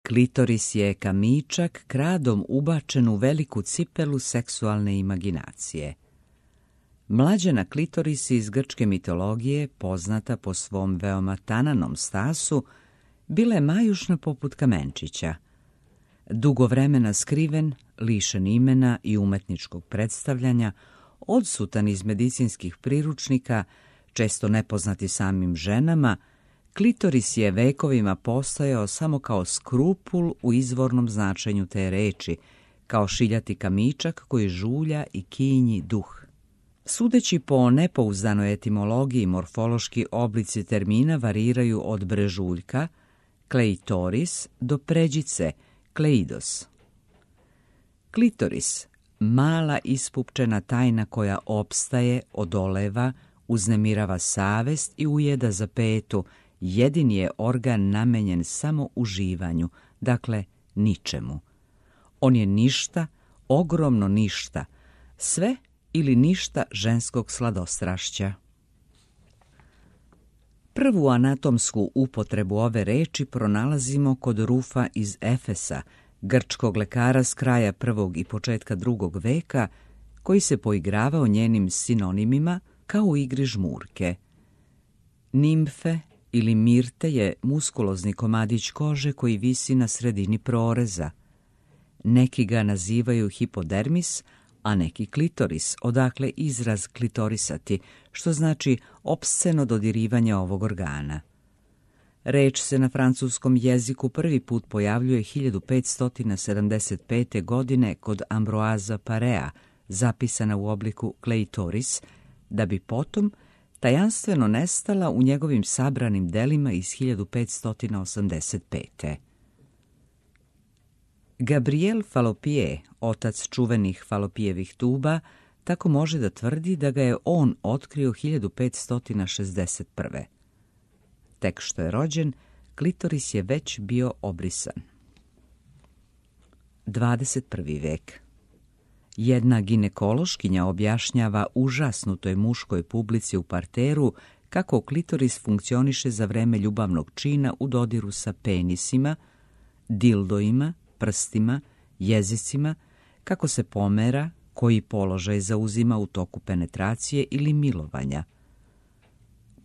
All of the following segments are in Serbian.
Klitoris je kamičak kradom ubačen u veliku cipelu seksualne imaginacije. Mlađena klitoris iz grčke mitologije, poznata po svom veoma tananom stasu, bila je majušna poput kamenčića. Dugo vremena skriven, lišen imena i umetničkog predstavljanja, odsutan iz medicinskih priručnika, često nepoznati samim ženama, klitoris je vekovima postojao samo kao skrupul u izvornom značenju te reči, kao šiljati kamičak koji žulja i kinji duh. Sudeći po nepouzdanoj etimologiji, morfološki oblici termina variraju od brežuljka, kleitoris, do pređice, kleidos. Klitoris, mala ispupčena tajna koja opstaje, odoleva, uznemirava savest i ujeda za petu, jedini je organ namenjen samo uživanju, dakle ničemu. On je ništa, ogromno ništa, sve ili ništa ženskog sladostrašća. Prvu anatomsku upotrebu ove reči pronalazimo kod Rufa iz Efesa, grčkog lekara s kraja 1. i početka 2. veka, koji se poigravao njenim sinonimima kao u igri žmurke. Nimfe ili mirte je muskulozni komadić kože koji visi na sredini proreza. Neki ga nazivaju hipodermis, a neki klitoris, odakle izraz klitorisati, što znači opsceno dodirivanje ovog organa. Reč se na francuskom jeziku prvi put pojavljuje 1575. godine kod Ambroisa Parea, zapisana u obliku kleitoris, da bi potom tajanstveno nestala u njegovim sabranim delima iz 1585. Gabriel Fallopier, otac čuvenih Fallopijevih tuba, tako može da tvrdi da ga je on otkrio 1561. Tek što je rođen, klitoris je već bio obrisan. 21. vek. Jedna ginekološkinja objašnjava užasnutoj muškoj publici u parteru kako klitoris funkcioniše za vreme ljubavnog čina u dodiru sa penisima, dildoima, prstima, jezicima, kako se pomera, koji položaj zauzima u toku penetracije ili milovanja.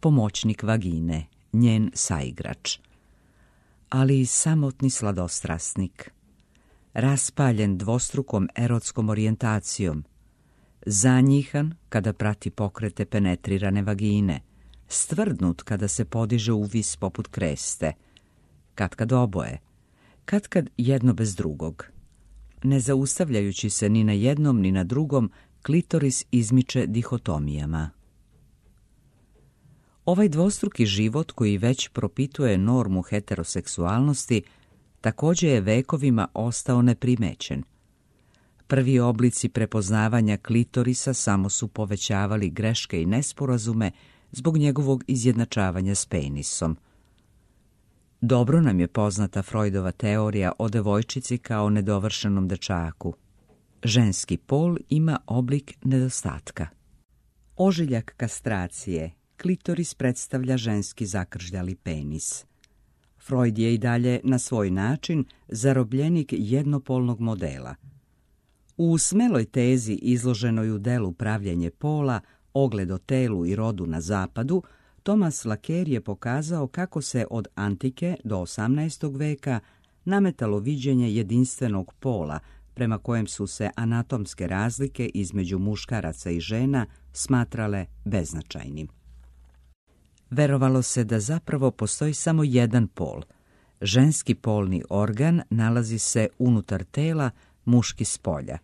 Pomoćnik vagine, njen saigrač, ali i samotni sladostrasnik, raspaljen dvostrukom erotskom orijentacijom, zanjihan kada prati pokrete penetrirane vagine, stvrdnut kada se podiže u vis poput kreste, katkad oboje, katkad jedno bez drugog. Ne zaustavljajući se ni na jednom ni na drugom, klitoris izmiče dihotomijama. Ovaj dvostruki život koji već propituje normu heteroseksualnosti također je vekovima ostao neprimećen. Prvi oblici prepoznavanja klitorisa samo su povećavali greške i nesporazume zbog njegovog izjednačavanja s penisom. Dobro nam je poznata Freudova teorija o devojčici kao nedovršenom dečaku. Ženski pol ima oblik nedostatka. Ožiljak kastracije, klitoris predstavlja ženski zakržljali penis. Freud je i dalje na svoj način zarobljenik jednopolnog modela. U smeloj tezi izloženoj u delu Pravljenje pola, ogled o telu i rodu na zapadu, Thomas Laqueur je pokazao kako se od antike do 18. veka nametalo viđenje jedinstvenog pola, prema kojem su se anatomske razlike između muškaraca i žena smatrale beznačajnim. Verovalo se da zapravo postoji samo jedan pol. Ženski polni organ nalazi se unutar tela, muški spolja.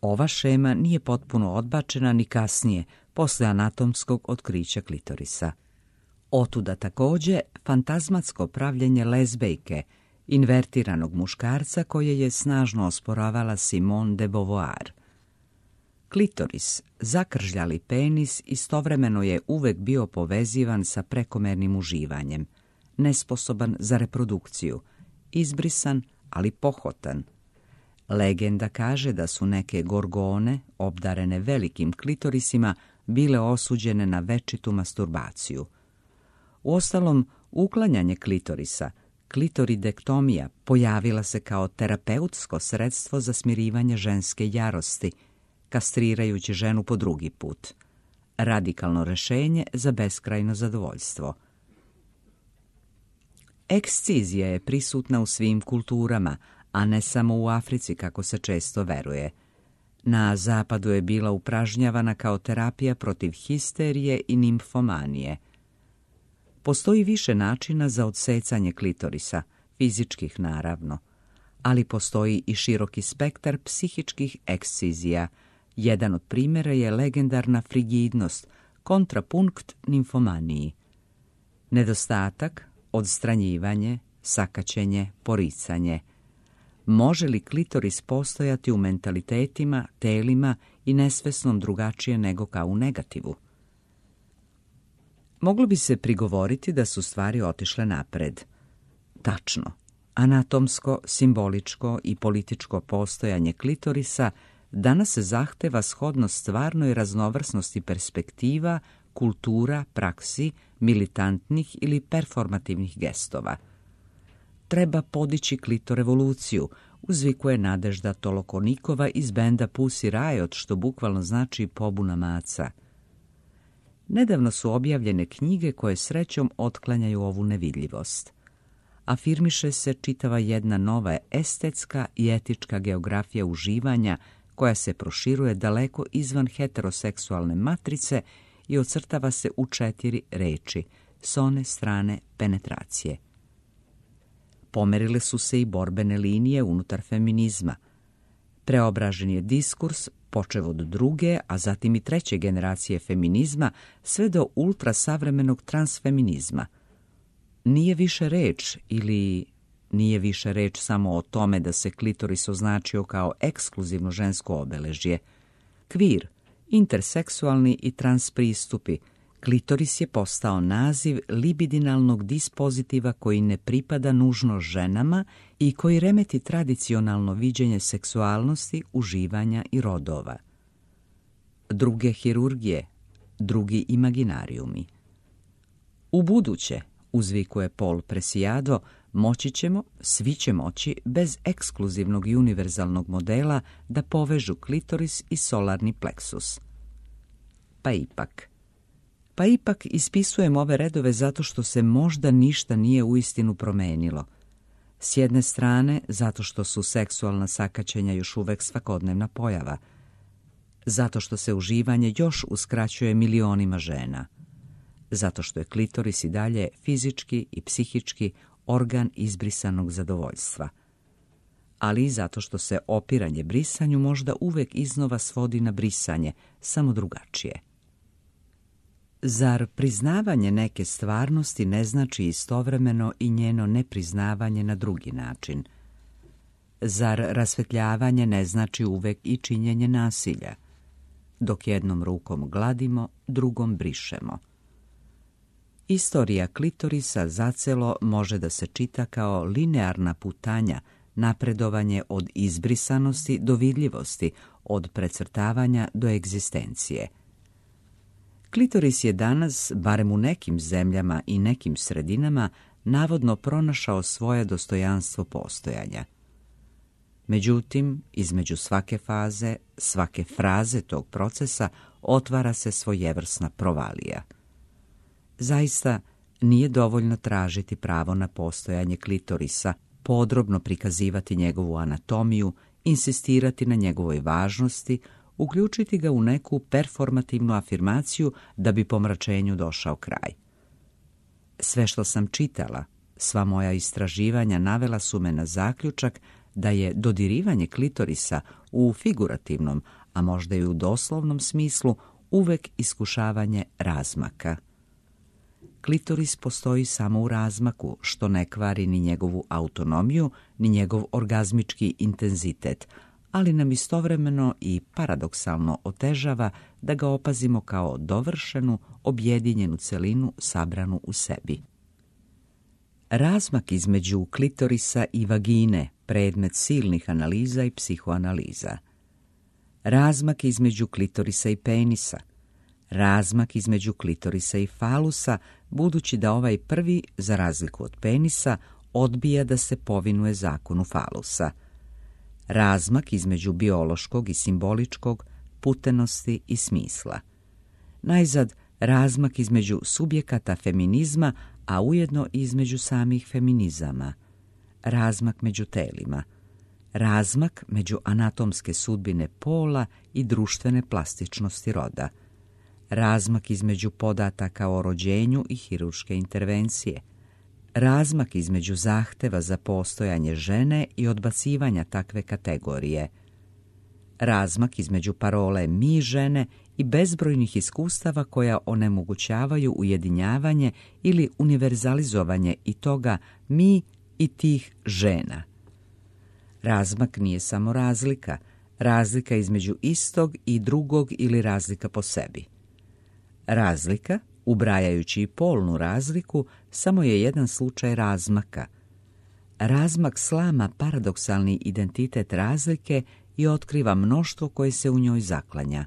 Ova šema nije potpuno odbačena ni kasnije, posle anatomskog otkrića klitorisa. Otuda također fantazmatsko pravljenje lezbejke, invertiranog muškarca koje je snažno osporavala Simone de Beauvoir. Klitoris, zakržljali penis, istovremeno je uvek bio povezivan sa prekomernim uživanjem, nesposoban za reprodukciju, izbrisan, ali pohotan. Legenda kaže da su neke gorgone, obdarene velikim klitorisima, bile osuđene na večitu masturbaciju. Uostalom, uklanjanje klitorisa, klitoridektomija pojavila se kao terapeutsko sredstvo za smirivanje ženske jarosti, kastrirajući ženu po drugi put. Radikalno rješenje za beskrajno zadovoljstvo. Ekscizija je prisutna u svim kulturama, a ne samo u Africi kako se često veruje. Na zapadu je bila upražnjavana kao terapija protiv histerije i nimfomanije. Postoji više načina za odsecanje klitorisa, fizičkih naravno, ali postoji i široki spektar psihičkih ekscizija. Jedan od primjera je legendarna frigidnost, kontrapunkt nimfomaniji. Nedostatak, odstranjivanje, sakaćenje, poricanje. Može li klitoris postojati u mentalitetima, telima i nesvesnom drugačije nego kao u negativu? Moglo bi se prigovoriti da su stvari otišle napred. Tačno, anatomsko, simboličko i političko postojanje klitorisa danas se zahteva shodno stvarnoj raznovrsnosti perspektiva, kultura, praksi, militantnih ili performativnih gestova. Treba podići klitorevoluciju, uzvikuje Nadežda Tolokonikova iz benda Pussy Riot, što bukvalno znači pobuna maca. Nedavno su objavljene knjige koje srećom otklanjaju ovu nevidljivost. Afirmiše se čitava jedna nova estetska i etička geografija uživanja koja se proširuje daleko izvan heteroseksualne matrice i ocrtava se u 4 reči, s one strane penetracije. Pomerile su se i borbene linije unutar feminizma. Preobražen je diskurs, počev od 2., a zatim i 3. generacije feminizma, sve do ultrasavremenog transfeminizma. Nije više reč ili nije više reč samo o tome da se klitoris označio kao ekskluzivno žensko obeležje. Kvir, interseksualni i trans pristupi, klitoris je postao naziv libidinalnog dispozitiva koji ne pripada nužno ženama i koji remeti tradicionalno viđenje seksualnosti, uživanja i rodova. Druge hirurgije, drugi imaginarijumi. U buduće, uzvikuje Paul Preciado, moći ćemo, svi će moći, bez ekskluzivnog i univerzalnog modela da povežu klitoris i solarni pleksus. Pa ipak ispisujem ove redove zato što se možda ništa nije uistinu promenilo. S jedne strane, zato što su seksualna sakaćenja još uvek svakodnevna pojava. Zato što se uživanje još uskraćuje milionima žena. Zato što je klitoris i dalje fizički i psihički organ izbrisanog zadovoljstva. Ali i zato što se opiranje brisanju možda uvek iznova svodi na brisanje, samo drugačije. Zar priznavanje neke stvarnosti ne znači istovremeno i njeno nepriznavanje na drugi način? Zar rasvetljavanje ne znači uvek i činjenje nasilja? Dok jednom rukom gladimo, drugom brišemo. Istorija klitorisa zacelo može da se čita kao linearna putanja, napredovanje od izbrisanosti do vidljivosti, od precrtavanja do egzistencije. Klitoris je danas, barem u nekim zemljama i nekim sredinama, navodno pronašao svoje dostojanstvo postojanja. Međutim, između svake faze, svake fraze tog procesa otvara se svojevrsna provalija. Zaista, nije dovoljno tražiti pravo na postojanje klitorisa, podrobno prikazivati njegovu anatomiju, insistirati na njegovoj važnosti, uključiti ga u neku performativnu afirmaciju da bi pomračenju došao kraj. Sve što sam čitala, sva moja istraživanja navela su me na zaključak da je dodirivanje klitorisa u figurativnom, a možda i u doslovnom smislu, uvek iskušavanje razmaka. Klitoris postoji samo u razmaku, što ne kvari ni njegovu autonomiju, ni njegov orgazmički intenzitet, ali nam istovremeno i paradoksalno otežava da ga opazimo kao dovršenu, objedinjenu celinu sabranu u sebi. Razmak između klitorisa i vagine, predmet silnih analiza i psihoanaliza. Razmak između klitorisa i penisa. Razmak između klitorisa i falusa, budući da ovaj prvi, za razliku od penisa, odbija da se povinuje zakonu falusa. Razmak između biološkog i simboličkog, putenosti i smisla. Najzad, razmak između subjekata feminizma, a ujedno i između samih feminizama. Razmak među telima. Razmak među anatomske sudbine pola i društvene plastičnosti roda. Razmak između podataka o rođenju i hirurške intervencije. Razmak između zahteva za postojanje žene i odbacivanja takve kategorije. Razmak između parole mi žene i bezbrojnih iskustava koja onemogućavaju ujedinjavanje ili univerzalizovanje i toga mi i tih žena. Razmak nije samo razlika, razlika između istog i drugog ili razlika po sebi. Razlika, ubrajajući i polnu razliku, samo je jedan slučaj razmaka. Razmak slama paradoksalni identitet razlike i otkriva mnoštvo koje se u njoj zaklanja.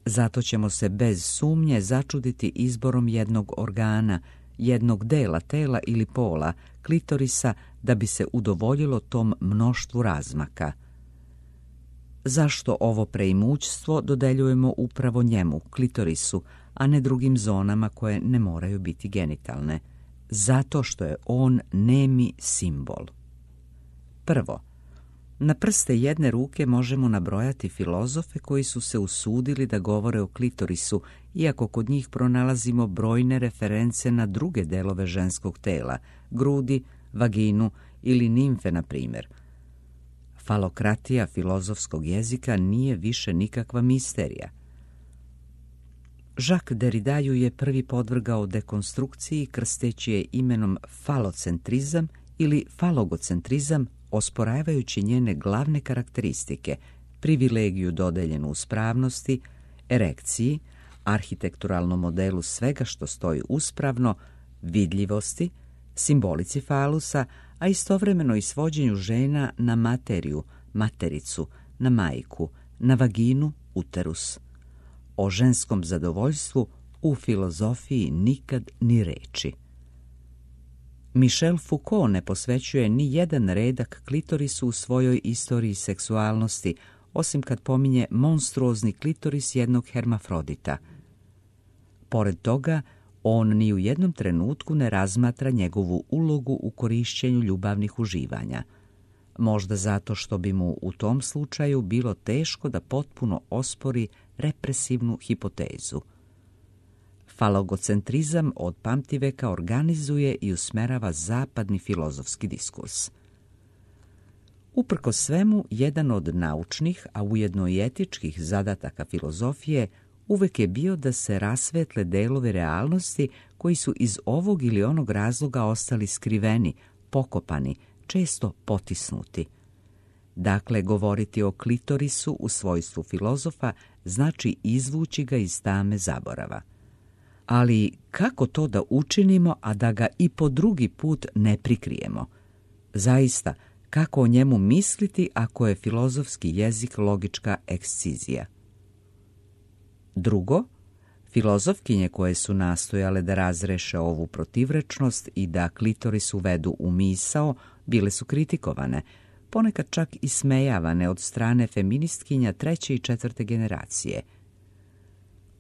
Zato ćemo se bez sumnje začuditi izborom jednog organa, jednog dela tela ili pola, klitorisa, da bi se udovoljilo tom mnoštvu razmaka. Zašto ovo preimućstvo dodeljujemo upravo njemu, klitorisu, a ne drugim zonama koje ne moraju biti genitalne? Zato što je on nemi simbol. Prvo, na prste jedne ruke možemo nabrojati filozofe koji su se usudili da govore o klitorisu, iako kod njih pronalazimo brojne reference na druge delove ženskog tela, grudi, vaginu ili nimfe, na primjer. Falokratija filozofskog jezika nije više nikakva misterija. Jacques Derrida ju je prvi podvrgao dekonstrukciji krsteći je imenom falocentrizam ili falogocentrizam, osporavajući njene glavne karakteristike, privilegiju dodeljenu uspravnosti, erekciji, arhitekturalnom modelu svega što stoji uspravno, vidljivosti, simbolici falusa, a istovremeno i svođenju žena na materiju, matericu, na majku, na vaginu, uterus. O ženskom zadovoljstvu u filozofiji nikad ni reči. Michel Foucault ne posvećuje ni jedan redak klitorisu u svojoj istoriji seksualnosti, osim kad pominje monstruozni klitoris jednog hermafrodita. Pored toga, on ni u jednom trenutku ne razmatra njegovu ulogu u korišćenju ljubavnih uživanja. Možda zato što bi mu u tom slučaju bilo teško da potpuno ospori represivnu hipotezu. Falogocentrizam od pamtiveka organizuje i usmerava zapadni filozofski diskurs. Uprkos svemu, jedan od naučnih, a ujedno i etičkih zadataka filozofije uvek je bio da se rasvetle delovi realnosti koji su iz ovog ili onog razloga ostali skriveni, pokopani, često potisnuti. Dakle, govoriti o klitorisu u svojstvu filozofa znači izvući ga iz tame zaborava. Ali kako to da učinimo, a da ga i po drugi put ne prikrijemo? Zaista, kako o njemu misliti ako je filozofski jezik logička ekscizija? Drugo, filozofkinje koje su nastojale da razreše ovu protivrečnost i da klitoris uvedu u misao, bile su kritikovane, ponekad čak i smejavane od strane feministkinja 3. i 4. generacije.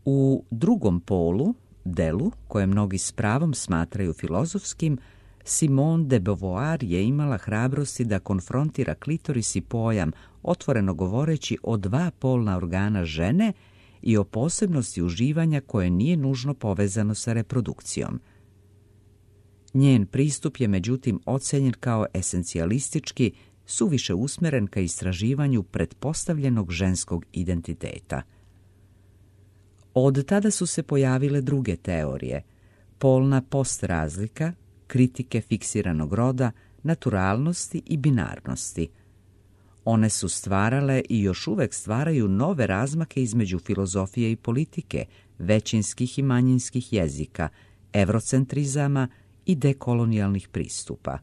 U drugom polu, delu, koje mnogi s pravom smatraju filozofskim, Simone de Beauvoir je imala hrabrosti da konfrontira klitoris i pojam, otvoreno govoreći o dva polna organa žene i o posebnosti uživanja koje nije nužno povezano sa reprodukcijom. Njen pristup je međutim ocenjen kao esencijalistički, suviše usmeren ka istraživanju pretpostavljenog ženskog identiteta. Od tada su se pojavile druge teorije, polna postrazlika, kritike fiksiranog roda, naturalnosti i binarnosti. One su stvarale i još uvek stvaraju nove razmake između filozofije i politike, većinskih i manjinskih jezika, evrocentrizama i dekolonijalnih pristupa.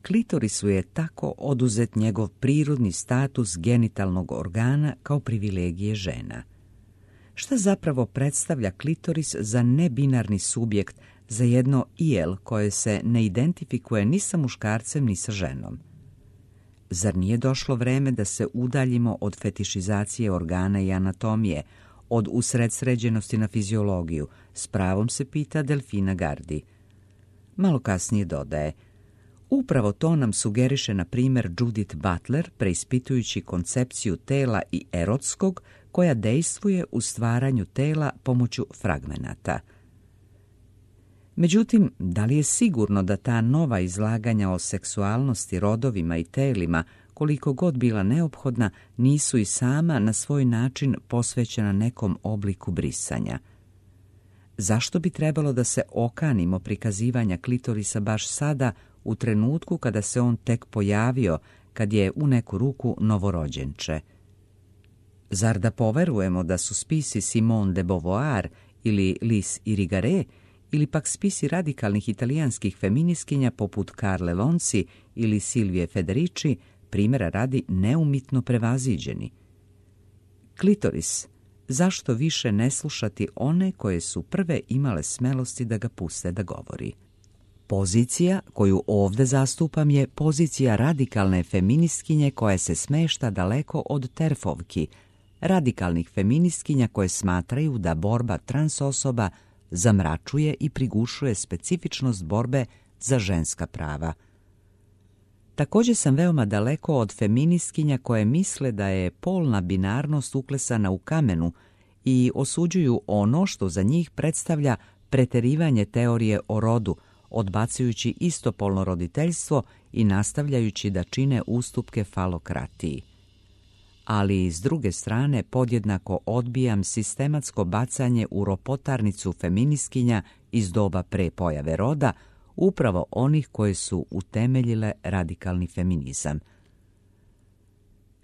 Klitorisu je tako oduzet njegov prirodni status genitalnog organa kao privilegije žena. Šta zapravo predstavlja klitoris za nebinarni subjekt za jedno iel koje se ne identifikuje ni sa muškarcem ni sa ženom. Zar nije došlo vreme da se udaljimo od fetišizacije organa i anatomije, od usredsređenosti na fiziologiju, s pravom se pita Delfina Gardi. Malo kasnije dodaje: upravo to nam sugeriše na primjer Judith Butler, preispitujući koncepciju tela i erotskog koja dejstvuje u stvaranju tela pomoću fragmenata. Međutim, da li je sigurno da ta nova izlaganja o seksualnosti, rodovima i telima, koliko god bila neophodna, nisu i sama na svoj način posvećena nekom obliku brisanja? Zašto bi trebalo da se okanimo prikazivanja klitorisa baš sada, u trenutku kada se on tek pojavio, kad je u neku ruku novorođenče? Zar da poverujemo da su spisi Simone de Beauvoir ili Lys Irigaray, ili pak spisi radikalnih italijanskih feminiskinja poput Carle Lonci ili Silvije Federici, primjera radi, neumitno prevaziđeni? Klitoris, zašto više ne slušati one koje su prve imale smelosti da ga puste da govori? Pozicija koju ovdje zastupam je pozicija radikalne feministkinje koja se smešta daleko od terfovki, radikalnih feministkinja koje smatraju da borba trans osoba zamračuje i prigušuje specifičnost borbe za ženska prava. Također sam veoma daleko od feministkinja koje misle da je polna binarnost uklesana u kamenu i osuđuju ono što za njih predstavlja preterivanje teorije o rodu, odbacujući istopolno roditeljstvo i nastavljajući da čine ustupke falokratiji. Ali s druge strane podjednako odbijam sistematsko bacanje u ropotarnicu feministkinja iz doba pre pojave roda, upravo onih koje su utemeljile radikalni feminizam.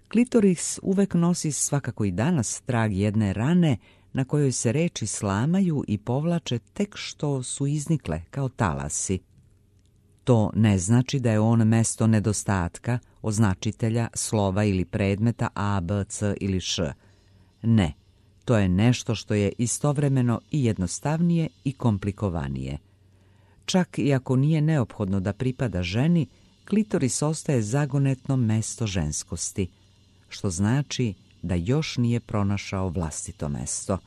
Klitoris uvek nosi, svakako i danas, trag jedne rane na kojoj se reči slamaju i povlače tek što su iznikle kao talasi. To ne znači da je on mesto nedostatka, označitelja, slova ili predmeta A, B, C ili Š. Ne, to je nešto što je istovremeno i jednostavnije i komplikovanije. Čak i ako nije neophodno da pripada ženi, klitoris ostaje zagonetno mesto ženskosti, što znači da još nije pronašao vlastito mesto.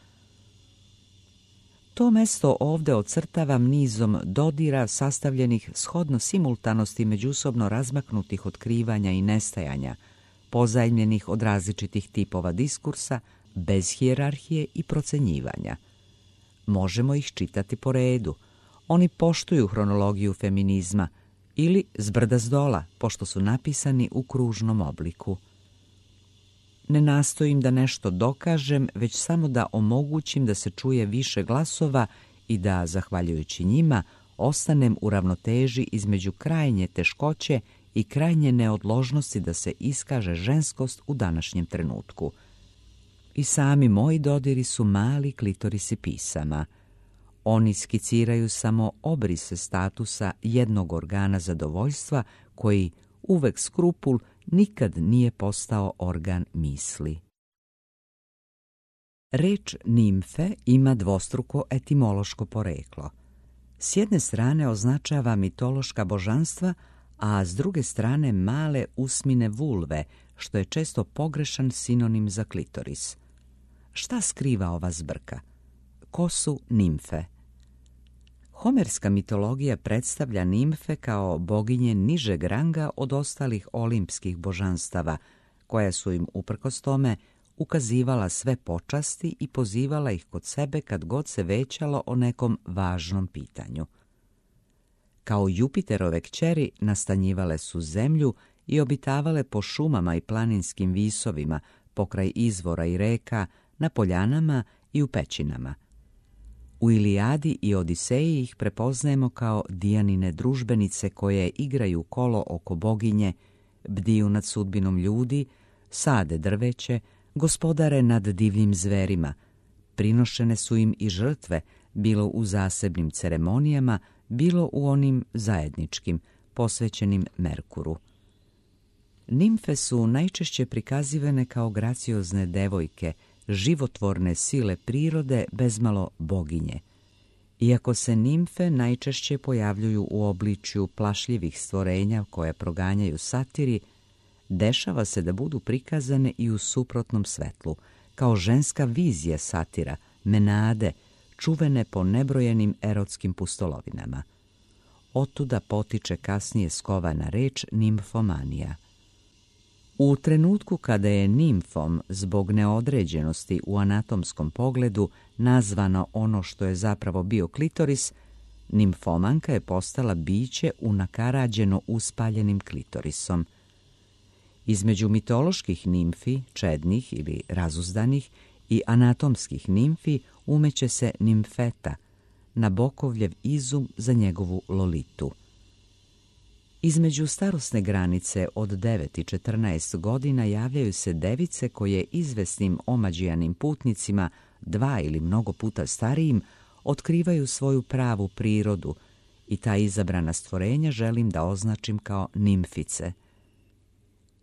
To mesto ovdje ocrtavam nizom dodira sastavljenih shodno simultanosti međusobno razmaknutih otkrivanja i nestajanja, pozajmljenih od različitih tipova diskursa, bez hijerarhije i procenjivanja. Možemo ih čitati po redu. Oni poštuju hronologiju feminizma ili zbrda zdola, pošto su napisani u kružnom obliku. Ne nastojim da nešto dokažem, već samo da omogućim da se čuje više glasova i da, zahvaljujući njima, ostanem u ravnoteži između krajnje teškoće i krajnje neodložnosti da se iskaže ženskost u današnjem trenutku. I sami moji dodiri su mali klitorisi pisama. Oni skiciraju samo obrise statusa jednog organa zadovoljstva koji, uvek skrupul, nikad nije postao organ misli. Reč nimfe ima dvostruko etimološko poreklo. S jedne strane označava mitološka božanstva, a s druge strane male usmine vulve, što je često pogrešan sinonim za klitoris. Šta skriva ova zbrka? Ko su nimfe? Homerska mitologija predstavlja nimfe kao boginje nižeg ranga od ostalih olimpskih božanstava, koja su im uprkos tome ukazivala sve počasti i pozivala ih kod sebe kad god se većalo o nekom važnom pitanju. Kao Jupiterove kćeri nastanjivale su zemlju i obitavale po šumama i planinskim visovima, pokraj izvora i reka, na poljanama i u pećinama. U Ilijadi i Odiseji ih prepoznajemo kao Dijanine družbenice koje igraju kolo oko boginje, bdiju nad sudbinom ljudi, sade drveće, gospodare nad divljim zverima. Prinošene su im i žrtve, bilo u zasebnim ceremonijama, bilo u onim zajedničkim, posvećenim Merkuru. Nimfe su najčešće prikazivane kao graciozne devojke, životvorne sile prirode, bezmalo boginje. Iako se nimfe najčešće pojavljuju u obličju plašljivih stvorenja koje proganjaju satiri, dešava se da budu prikazane i u suprotnom svetlu, kao ženska vizija satira, Menade, čuvene po nebrojenim erotskim pustolovinama. Otuda potiče kasnije skovana reč nimfomanija. U trenutku kada je nimfom zbog neodređenosti u anatomskom pogledu nazvano ono što je zapravo bio klitoris, nimfomanka je postala biće unakarađeno uspaljenim klitorisom. Između mitoloških nimfi, čednih ili razuzdanih, i anatomskih nimfi umeće se nimfeta, Nabokovljev izum za njegovu Lolitu. Između starosne granice od 9 i 14 godina javljaju se device koje izvesnim omađijanim putnicima, 2 ili mnogo puta starijim, otkrivaju svoju pravu prirodu i ta izabrana stvorenja želim da označim kao nimfice.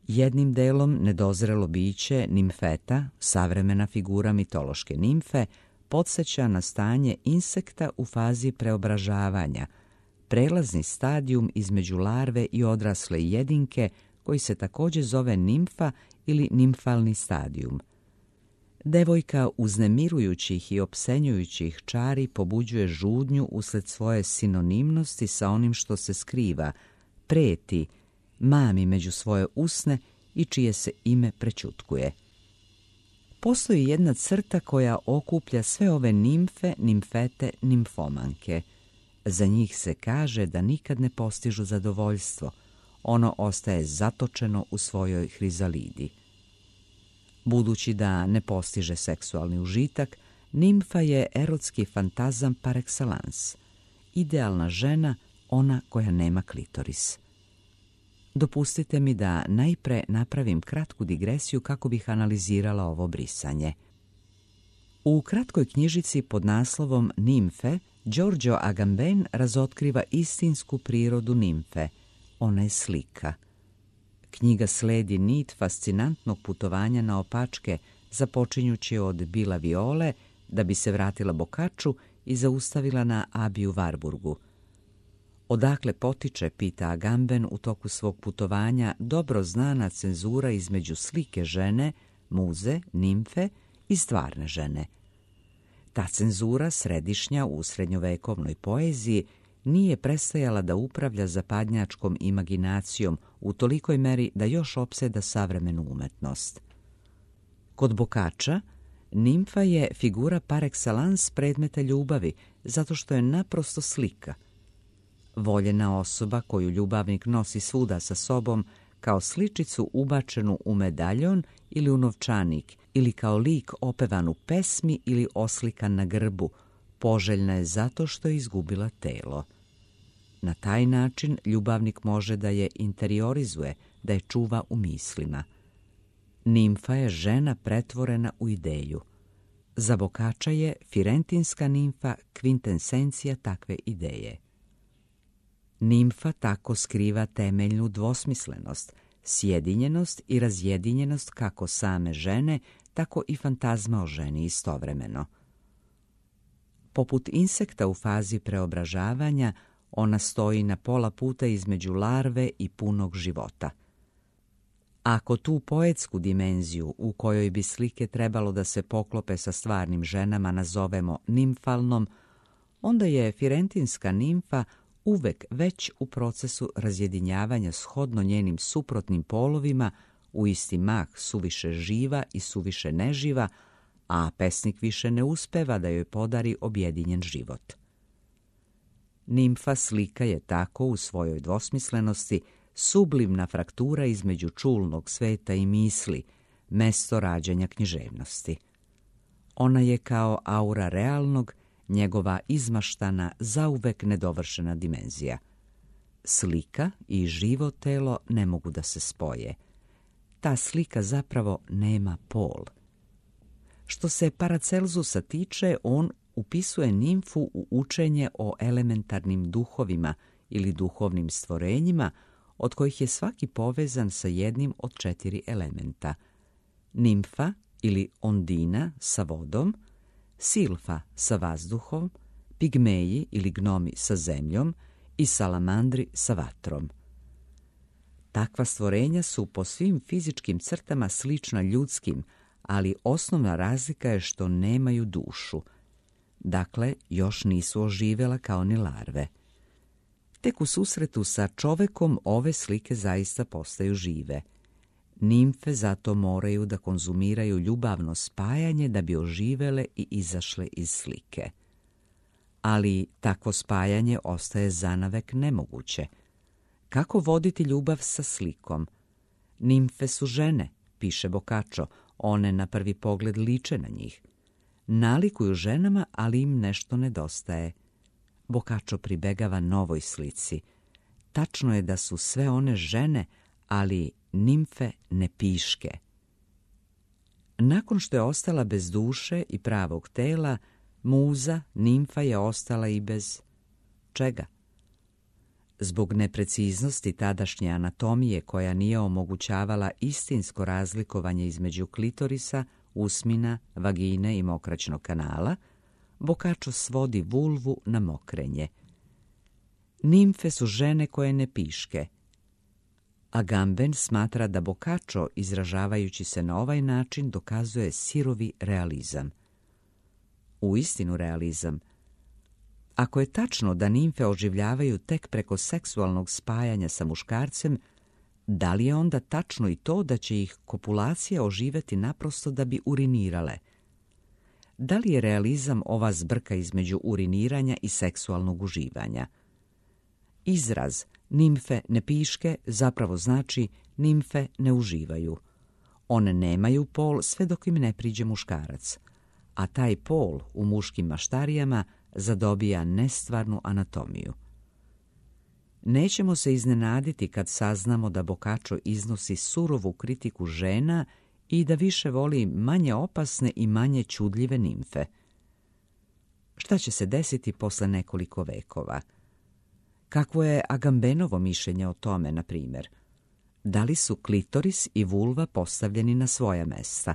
Jednim delom nedozrelo biće nimfeta, savremena figura mitološke nimfe, podsjeća na stanje insekta u fazi preobražavanja, prelazni stadijum između larve i odrasle jedinke koji se također zove nimfa ili nimfalni stadijum. Devojka uznemirujućih i opsenjujućih čari pobuđuje žudnju usled svoje sinonimnosti sa onim što se skriva, preti, mami među svoje usne i čije se ime prećutkuje. Postoji jedna crta koja okuplja sve ove nimfe, nimfete, nimfomanke. Za njih se kaže da nikad ne postižu zadovoljstvo. Ono ostaje zatočeno u svojoj hrizalidi. Budući da ne postiže seksualni užitak, nimfa je erotski fantazam par excellence. Idealna žena, ona koja nema klitoris. Dopustite mi da najpre napravim kratku digresiju kako bih analizirala ovo brisanje. U kratkoj knjižici pod naslovom Nimfe, Giorgio Agamben razotkriva istinsku prirodu nimfe. Ona je slika. Knjiga sledi nit fascinantnog putovanja na opačke, započinjući od Bila Viole, da bi se vratila Boccacciu i zaustavila na Abiju Warburgu. Odakle potiče, pita Agamben u toku svog putovanja, dobro znana cenzura između slike žene, muze, nimfe i stvarne žene. Ta cenzura, središnja u srednjovekovnoj poeziji, nije prestajala da upravlja zapadnjačkom imaginacijom u tolikoj meri da još opseda savremenu umetnost. Kod Boccaccea, nimfa je figura par excellence predmeta ljubavi, zato što je naprosto slika. Voljena osoba koju ljubavnik nosi svuda sa sobom kao sličicu ubačenu u medaljon ili u novčanik ili kao lik opevan u pesmi ili oslikan na grbu, poželjna je zato što je izgubila telo. Na taj način ljubavnik može da je interiorizuje, da je čuva u mislima. Nimfa je žena pretvorena u ideju. Za Boccaccia je firentinska nimfa kvintesencija takve ideje. Nimfa tako skriva temeljnu dvosmislenost, sjedinjenost i razjedinjenost kako same žene, tako i fantazma o ženi istovremeno. Poput insekta u fazi preobražavanja, ona stoji na pola puta između larve i punog života. Ako tu poetsku dimenziju u kojoj bi slike trebalo da se poklope sa stvarnim ženama nazovemo nimfalnom, onda je firentinska nimfa uvek već u procesu razjedinjavanja shodno njenim suprotnim polovima, u isti mah suviše živa i suviše neživa, a pesnik više ne uspeva da joj podari objedinjen život. Nimfa slika je tako u svojoj dvosmislenosti sublimna fraktura između čulnog sveta i misli, mesto rađanja književnosti. Ona je kao aura realnog, njegova izmaštana, zauvek nedovršena dimenzija. Slika i živo telo ne mogu da se spoje. Ta slika zapravo nema pol. Što se Paracelsusa tiče, on upisuje nimfu u učenje o elementarnim duhovima ili duhovnim stvorenjima, od kojih je svaki povezan sa jednim od 4 elementa. Nimfa ili ondina sa vodom, silfa sa vazduhom, pigmeji ili gnomi sa zemljom i salamandri sa vatrom. Takva stvorenja su po svim fizičkim crtama slična ljudskim, ali osnovna razlika je što nemaju dušu. Dakle, još nisu oživjela kao ni larve. Tek u susretu sa čovekom ove slike zaista postaju žive. Nimfe zato moraju da konzumiraju ljubavno spajanje da bi oživele i izašle iz slike. Ali takvo spajanje ostaje zanavek nemoguće. Kako voditi ljubav sa slikom? Nimfe su žene, piše Boccaccio, one na prvi pogled liče na njih. Nalikuju ženama, ali im nešto nedostaje. Boccaccio pribegava novoj slici. Tačno je da su sve one žene, ali nimfe ne piške. Nakon što je ostala bez duše i pravog tela, muza, nimfa je ostala i bez čega? Zbog nepreciznosti tadašnje anatomije koja nije omogućavala istinsko razlikovanje između klitorisa, usmina, vagine i mokraćnog kanala, Boccaccio svodi vulvu na mokrenje. Nimfe su žene koje ne piške. Agamben smatra da Boccaccio, izražavajući se na ovaj način, dokazuje sirovi realizam. Uistinu realizam. Ako je tačno da nimfe oživljavaju tek preko seksualnog spajanja sa muškarcem, da li je onda tačno i to da će ih kopulacija oživjeti naprosto da bi urinirale? Da li je realizam ova zbrka između uriniranja i seksualnog uživanja? Izraz nimfe ne piške zapravo znači nimfe ne uživaju. One nemaju pol sve dok im ne priđe muškarac, a taj pol u muškim maštarijama zadobija nestvarnu anatomiju. Nećemo se iznenaditi kad saznamo da Boccaccio iznosi surovu kritiku žena i da više voli manje opasne i manje čudljive nimfe. Šta će se desiti posle nekoliko vekova? Kakvo je Agambenovo mišljenje o tome, na primjer? Da li su klitoris i vulva postavljeni na svoja mesta?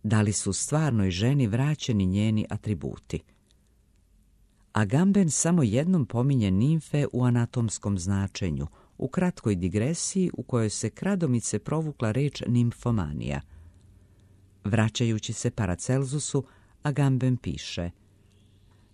Da li su stvarnoj ženi vraćeni njeni atributi? Agamben samo jednom pominje nimfe u anatomskom značenju, u kratkoj digresiji u kojoj se kradomice provukla reč nimfomanija. Vraćajući se Paracelsusu, Agamben piše: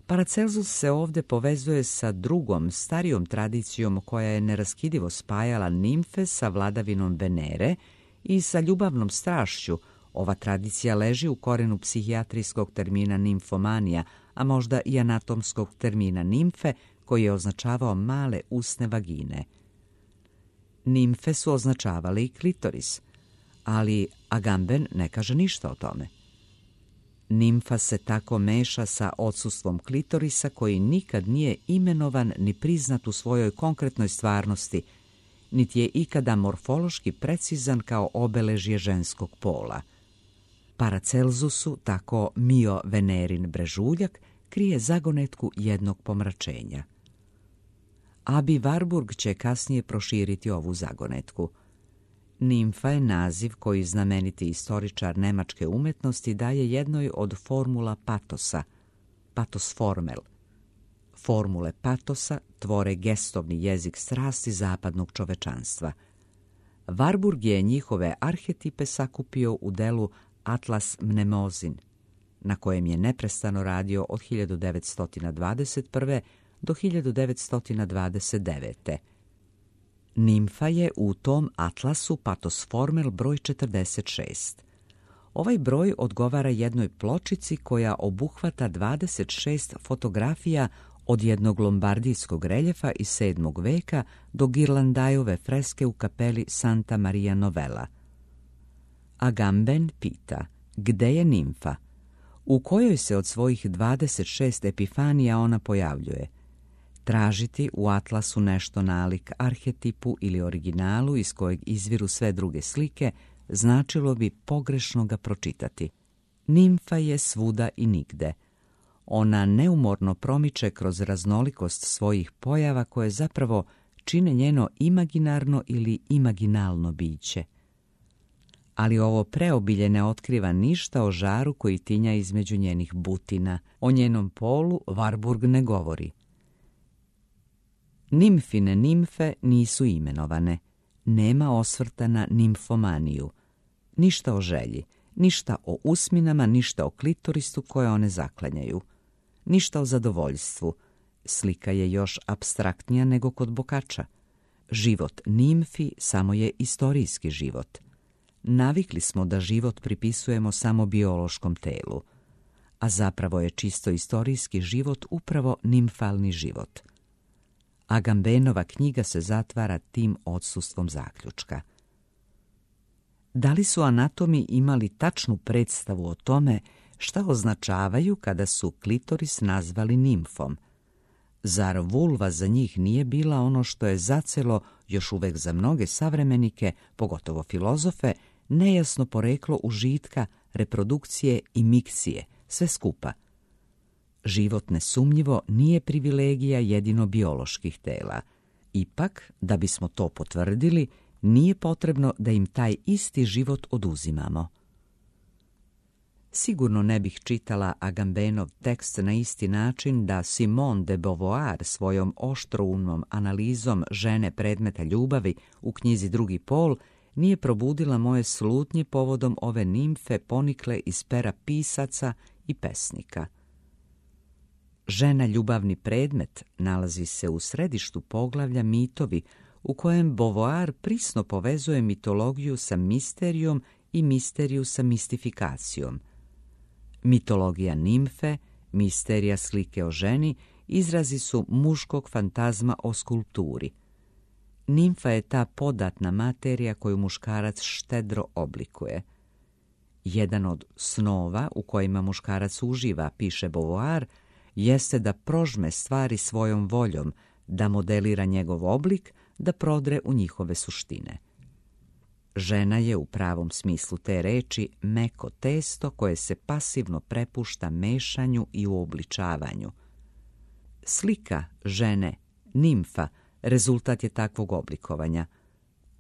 Paracelsus se ovdje povezuje sa drugom, starijom tradicijom koja je neraskidivo spajala nimfe sa vladavinom Venere i sa ljubavnom strašću. Ova tradicija leži u korenu psihijatrijskog termina nimfomanija, a možda i anatomskog termina nimfe, koji je označavao male usne vagine. Nimfe su označavale i klitoris, ali Agamben ne kaže ništa o tome. Nimfa se tako meša sa odsustvom klitorisa koji nikad nije imenovan ni priznat u svojoj konkretnoj stvarnosti, niti je ikada morfološki precizan kao obeležje ženskog pola. Paracelsusu tako Mio Venerin brežuljak krije zagonetku jednog pomračenja. Abi Warburg će kasnije proširiti ovu zagonetku. Nimfa je naziv koji znameniti istoričar nemačke umetnosti daje jednoj od formula patosa, patosformel. Formule patosa tvore gestovni jezik strasti zapadnog čovečanstva. Warburg je njihove arhetipe sakupio u delu Atlas Mnemozin, na kojem je neprestano radio od 1921. do 1929. Nimfa je u tom atlasu patosformel broj 46. Ovaj broj odgovara jednoj pločici koja obuhvata 26 fotografija od jednog lombardijskog reljefa iz 7. veka do Ghirlandajove freske u kapeli Santa Maria Novella. Agamben pita, gde je nimfa? U kojoj se od svojih 26 epifanija ona pojavljuje? Tražiti u atlasu nešto nalik arhetipu ili originalu iz kojeg izviru sve druge slike značilo bi pogrešno ga pročitati. Nimfa je svuda i nigde. Ona neumorno promiče kroz raznolikost svojih pojava koje zapravo čine njeno imaginarno ili imaginalno biće. ali ovo preobilje ne otkriva ništa o žaru koji tinja između njenih butina. O njenom polu Warburg ne govori. Nimfine nimfe nisu imenovane. Nema osvrta na nimfomaniju. Ništa o želji, ništa o usminama, ništa o klitoristu koje one zaklanjaju. Ništa o zadovoljstvu. Slika je još apstraktnija nego kod Boccaccea. Život nimfi samo je istorijski život. Navikli smo da život pripisujemo samo biološkom telu, a zapravo je čisto istorijski život upravo nimfalni život. Agambenova knjiga se zatvara tim odsustvom zaključka. Da li su anatomi imali tačnu predstavu o tome šta označavaju kada su klitoris nazvali nimfom? Zar vulva za njih nije bila ono što je zacelo još uvek za mnoge savremenike, pogotovo filozofe, nejasno poreklo užitka, reprodukcije i mikcije, sve skupa? Život nesumnjivo nije privilegija jedino bioloških tela. Ipak, da bismo to potvrdili, nije potrebno da im taj isti život oduzimamo. Sigurno ne bih čitala Agambenov tekst na isti način da Simone de Beauvoir svojom oštroumnom analizom žene predmeta ljubavi u knjizi Drugi pol nije probudila moje slutnje povodom ove nimfe ponikle iz pera pisaca i pesnika. Žena ljubavni predmet nalazi se u središtu poglavlja Mitovi, u kojem Beauvoir prisno povezuje mitologiju sa misterijom i misteriju sa mistifikacijom. Mitologija nimfe, misterija slike o ženi, izrazi su muškog fantazma o skulpturi. Nimfa je ta podatna materija koju muškarac štedro oblikuje. Jedan od snova u kojima muškarac uživa, piše Beauvoir, jeste da prožme stvari svojom voljom, da modelira njegov oblik, da prodre u njihove suštine. Žena je u pravom smislu te reči meko testo koje se pasivno prepušta mešanju i uobličavanju. Slika žene, nimfa, rezultat je takvog oblikovanja.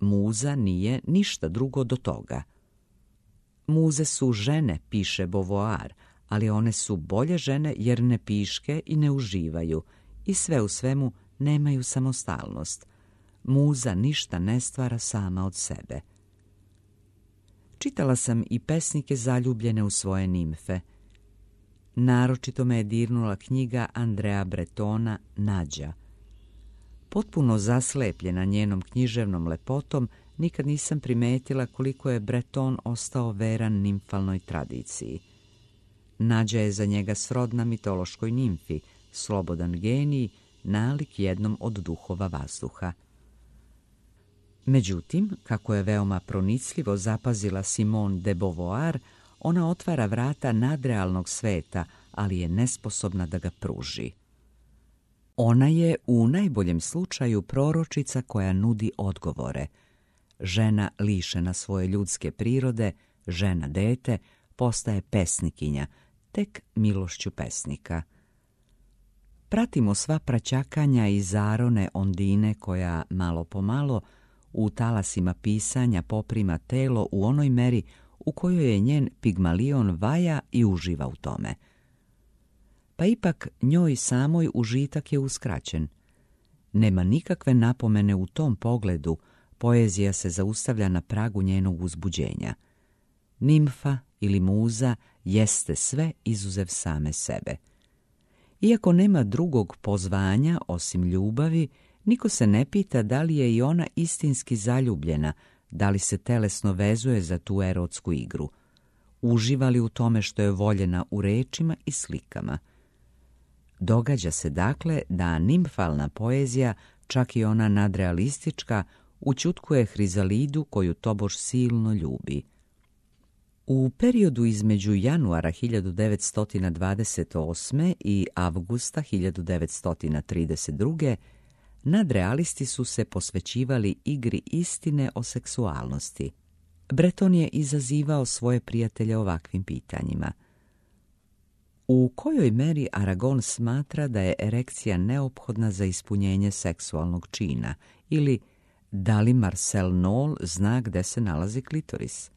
Muza nije ništa drugo do toga. Muze su žene, piše Beauvoir, ali one su bolje žene jer ne piške i ne uživaju i sve u svemu nemaju samostalnost. Muza ništa ne stvara sama od sebe. Čitala sam i pesnike zaljubljene u svoje nimfe. Naročito me je dirnula knjiga Andrea Bretona Nađa. Potpuno zaslepljena njenom književnom lepotom, nikad nisam primetila koliko je Breton ostao veran nimfalnoj tradiciji. Nađa je za njega srodna mitološkoj nimfi, slobodan genij, nalik jednom od duhova vazduha. Međutim, kako je veoma pronicljivo zapazila Simone de Beauvoir, ona otvara vrata nadrealnog sveta, ali je nesposobna da ga pruži. Ona je u najboljem slučaju proročica koja nudi odgovore. Žena lišena svoje ljudske prirode, žena dete, postaje pesnikinja, tek milošću pesnika. Pratimo sva praćakanja i zarone Ondine koja, malo po malo, u talasima pisanja poprima telo u onoj meri u kojoj je njen Pigmalion vaja i uživa u tome. Pa ipak njoj samoj užitak je uskraćen. Nema nikakve napomene u tom pogledu, poezija se zaustavlja na pragu njenog uzbuđenja. Nimfa ili muza jeste sve izuzev same sebe. Iako nema drugog pozvanja osim ljubavi, niko se ne pita da li je i ona istinski zaljubljena, da li se telesno vezuje za tu erotsku igru. Uživa li u tome što je voljena u rečima i slikama. Događa se dakle da nimfalna poezija, čak i ona nadrealistička, ućutkuje Hrizalidu koju tobož silno ljubi. U periodu između januara 1928. i avgusta 1932. nadrealisti su se posvećivali igri istine o seksualnosti. Breton je izazivao svoje prijatelje ovakvim pitanjima. U kojoj meri Aragon smatra da je erekcija neophodna za ispunjenje seksualnog čina ili da li Marcel Nol zna gde se nalazi klitoris?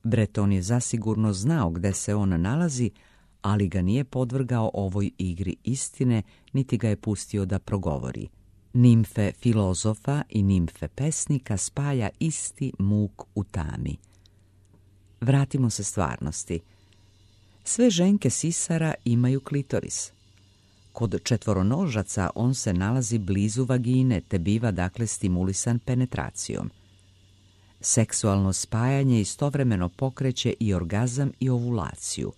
Breton je zasigurno znao gde se on nalazi, ali ga nije podvrgao ovoj igri istine, niti ga je pustio da progovori. Nimfe filozofa i nimfe pesnika spaja isti muk u tami. Vratimo se stvarnosti. Sve ženke sisara imaju klitoris. Kod četvoronožaca on se nalazi blizu vagine, te biva dakle stimulisan penetracijom. Seksualno spajanje istovremeno pokreće i orgazam i ovulaciju.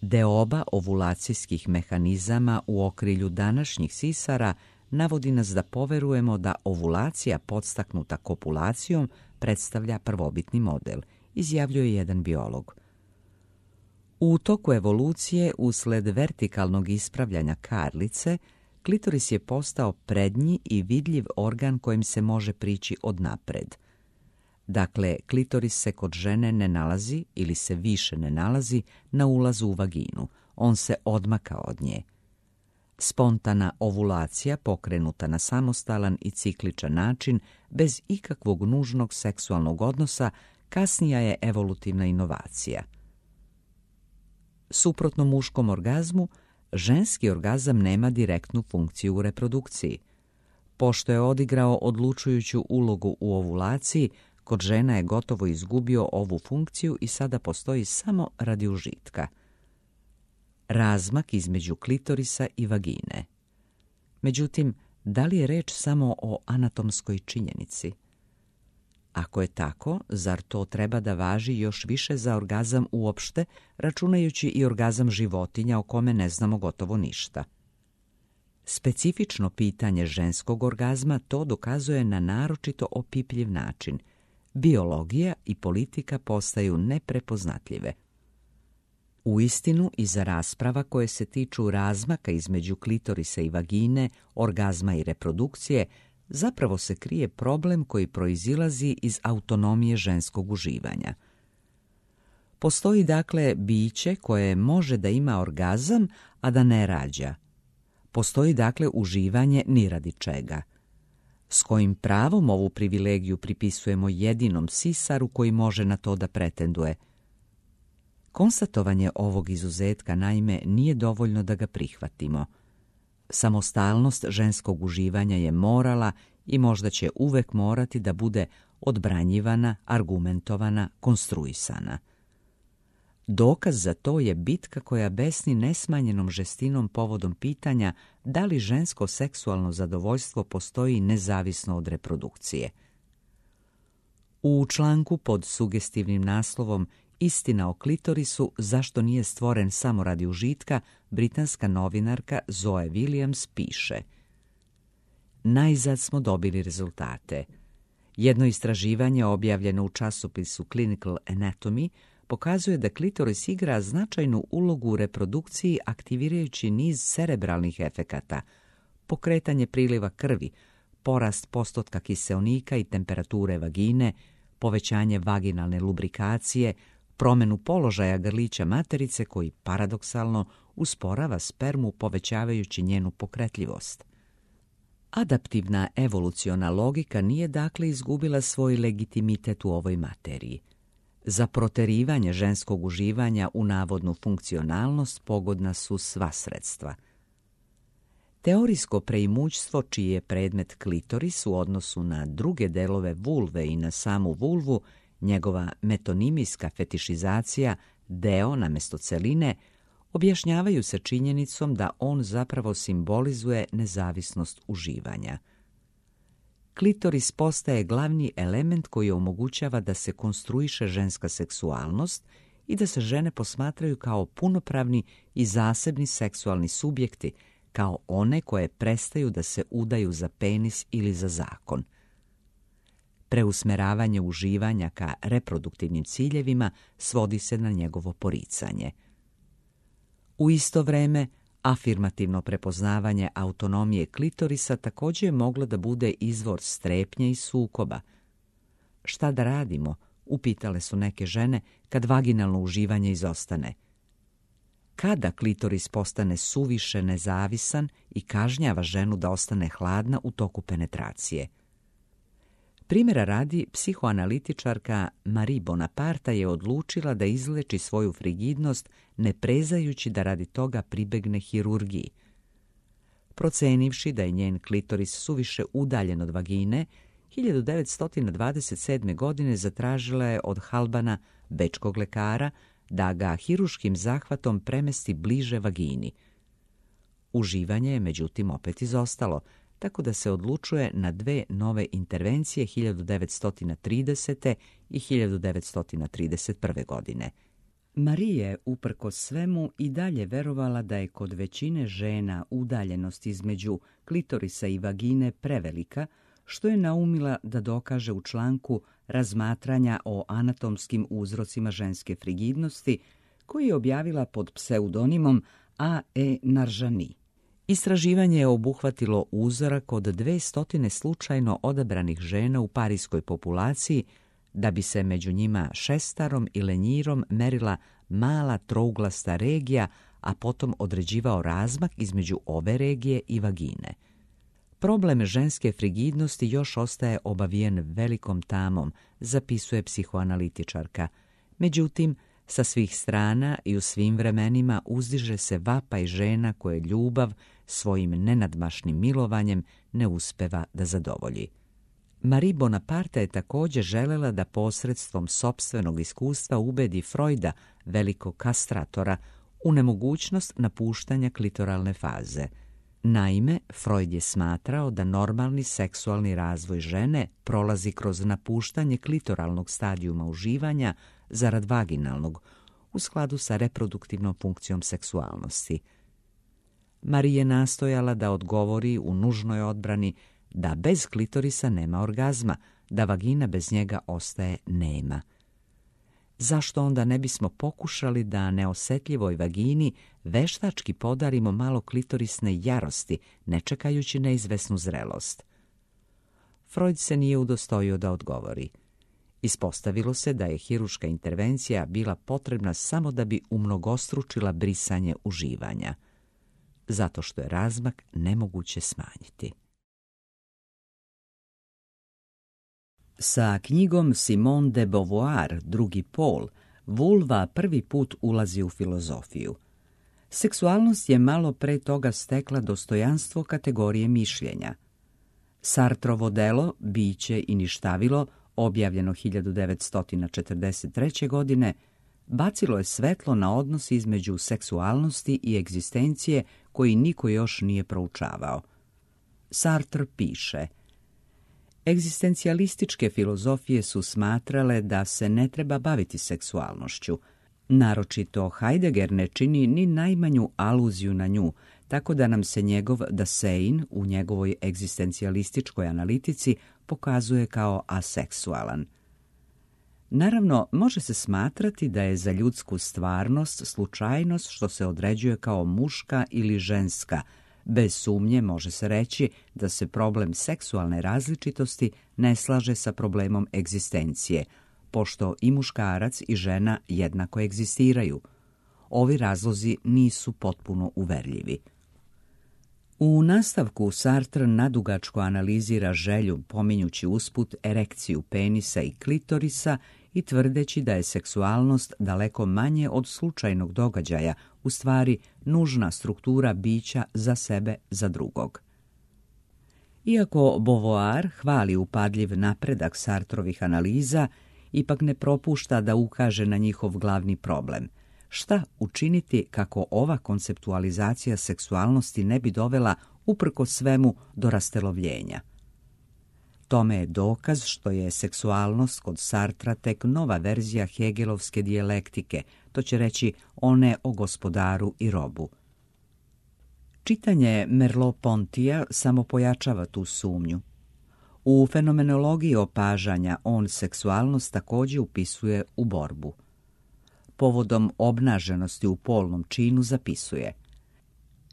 Deoba ovulacijskih mehanizama u okrilju današnjih sisara navodi nas da poverujemo da ovulacija podstaknuta kopulacijom predstavlja prvobitni model, izjavljuje jedan biolog. U toku evolucije, usled vertikalnog ispravljanja karlice, klitoris je postao prednji i vidljiv organ kojim se može prići odnapred. Dakle, klitoris se kod žene ne nalazi ili se više ne nalazi na ulazu u vaginu, on se odmaka od nje. Spontana ovulacija, pokrenuta na samostalan i cikličan način, bez ikakvog nužnog seksualnog odnosa, kasnija je evolutivna inovacija. Suprotno muškom orgazmu, ženski orgazam nema direktnu funkciju u reprodukciji. Pošto je odigrao odlučujuću ulogu u ovulaciji, kod žena je gotovo izgubio ovu funkciju i sada postoji samo radi užitka. Razmak između klitorisa i vagine. Međutim, da li je reč samo o anatomskoj činjenici? Ako je tako, zar to treba da važi još više za orgazam uopšte, računajući i orgazam životinja o kome ne znamo gotovo ništa? Specifično pitanje ženskog orgazma to dokazuje na naročito opipljiv način. Biologija i politika postaju neprepoznatljive. Uistinu, iza rasprava koje se tiču razmaka između klitorisa i vagine, orgazma i reprodukcije, zapravo se krije problem koji proizilazi iz autonomije ženskog uživanja. Postoji dakle biće koje može da ima orgazam, a da ne rađa. Postoji dakle uživanje ni radi čega. S kojim pravom ovu privilegiju pripisujemo jedinom sisaru koji može na to da pretenduje? Konstatovanje ovog izuzetka naime nije dovoljno da ga prihvatimo. Samostalnost ženskog uživanja je morala i možda će uvek morati da bude odbranjivana, argumentovana, konstruisana. Dokaz za to je bitka koja besni nesmanjenom žestinom povodom pitanja da li žensko seksualno zadovoljstvo postoji nezavisno od reprodukcije. U članku pod sugestivnim naslovom Istina o klitorisu, zašto nije stvoren samo radi užitka, britanska novinarka Zoe Williams piše: Najzad smo dobili rezultate. Jedno istraživanje objavljeno u časopisu Clinical Anatomy pokazuje da klitoris igra značajnu ulogu u reprodukciji aktivirajući niz cerebralnih efekata, pokretanje priliva krvi, porast postotka kiseonika i temperature vagine, povećanje vaginalne lubrikacije, promenu položaja grlića materice koji paradoksalno usporava spermu povećavajući njenu pokretljivost. Adaptivna evoluciona logika nije dakle izgubila svoj legitimitet u ovoj materiji. Za proterivanje ženskog uživanja u navodnu funkcionalnost pogodna su sva sredstva. Teorijsko preimućstvo čiji je predmet klitoris u odnosu na druge delove vulve i na samu vulvu, njegova metonimijska fetišizacija, deo namesto celine, objašnjavaju se činjenicom da on zapravo simbolizuje nezavisnost uživanja. Klitoris postaje glavni element koji omogućava da se konstruiše ženska seksualnost i da se žene posmatraju kao punopravni i zasebni seksualni subjekti, kao one koje prestaju da se udaju za penis ili za zakon. Preusmeravanje uživanja ka reproduktivnim ciljevima svodi se na njegovo poricanje. U isto vreme, afirmativno prepoznavanje autonomije klitorisa također je moglo da bude izvor strepnje i sukoba. Šta da radimo, upitale su neke žene, kad vaginalno uživanje izostane. Kada klitoris postane suviše nezavisan i kažnjava ženu da ostane hladna u toku penetracije? Primjera radi, psihoanalitičarka Marie Bonaparte je odlučila da izleči svoju frigidnost ne prezajući da radi toga pribegne hirurgiji. Procenivši da je njen klitoris suviše udaljen od vagine, 1927. godine zatražila je od Halbana, bečkog lekara, da ga hiruškim zahvatom premesti bliže vagini. Uživanje je međutim opet izostalo, tako da se odlučuje na dve nove intervencije 1930. i 1931. godine. Marie je, uprkos svemu, i dalje verovala da je kod većine žena udaljenost između klitorisa i vagine prevelika, što je naumila da dokaže u članku Razmatranja o anatomskim uzrocima ženske frigidnosti, koji je objavila pod pseudonimom A.E. Narjani. Istraživanje je obuhvatilo uzorak od 200 slučajno odabranih žena u parijskoj populaciji, da bi se među njima šestarom i lenjirom merila mala trouglasta regija, a potom određivao razmak između ove regije i vagine. Problem ženske frigidnosti još ostaje obavijen velikom tamom, zapisuje psihoanalitičarka. Međutim, sa svih strana i u svim vremenima uzdiže se vapaj žena koje ljubav svojim nenadmašnim milovanjem ne uspeva da zadovolji. Marie Bonaparte je također želela da posredstvom sopstvenog iskustva ubedi Freuda, velikog kastratora, u nemogućnost napuštanja klitoralne faze. Naime, Freud je smatrao da normalni seksualni razvoj žene prolazi kroz napuštanje klitoralnog stadijuma uživanja zarad vaginalnog, u skladu sa reproduktivnom funkcijom seksualnosti. Marie je nastojala da odgovori u nužnoj odbrani da bez klitorisa nema orgazma, da vagina bez njega ostaje nema. Zašto onda ne bismo pokušali da neosjetljivoj vagini veštački podarimo malo klitorisne jarosti, ne čekajući neizvesnu zrelost? Freud se nije udostojio da odgovori. Ispostavilo se da je hiruška intervencija bila potrebna samo da bi umnogostručila brisanje uživanja, zato što je razmak nemoguće smanjiti. Sa knjigom Simone de Beauvoir, Drugi pol, vulva prvi put ulazi u filozofiju. Seksualnost je malo pre toga stekla dostojanstvo kategorije mišljenja. Sartrovo delo Biće i ništavilo, objavljeno 1943. godine, bacilo je svetlo na odnos između seksualnosti i egzistencije koji niko još nije proučavao. Sartre piše: egzistencijalističke filozofije su smatrale da se ne treba baviti seksualnošću. Naročito Heidegger ne čini ni najmanju aluziju na nju, tako da nam se njegov Dasein u njegovoj egzistencijalističkoj analitici pokazuje kao aseksualan. Naravno, može se smatrati da je za ljudsku stvarnost slučajnost što se određuje kao muška ili ženska. Bez sumnje može se reći da se problem seksualne različitosti ne slaže sa problemom egzistencije, pošto i muškarac i žena jednako egzistiraju. Ovi razlozi nisu potpuno uverljivi. U nastavku Sartre nadugačko analizira želju, pominjući usput erekciju penisa i klitorisa i tvrdeći da je seksualnost daleko manje od slučajnog događaja, u stvari nužna struktura bića za sebe, za drugog. Iako Beauvoir hvali upadljiv napredak Sartrovih analiza, ipak ne propušta da ukaže na njihov glavni problem. Šta učiniti kako ova konceptualizacija seksualnosti ne bi dovela uprkos svemu do rastelovljenja? Tome je dokaz što je seksualnost kod Sartra tek nova verzija hegelovske dijalektike, to će reći one o gospodaru i robu. Čitanje Merleau-Pontyja samo pojačava tu sumnju. U fenomenologiji opažanja on seksualnost također upisuje u borbu. Povodom obnaženosti u polnom činu zapisuje: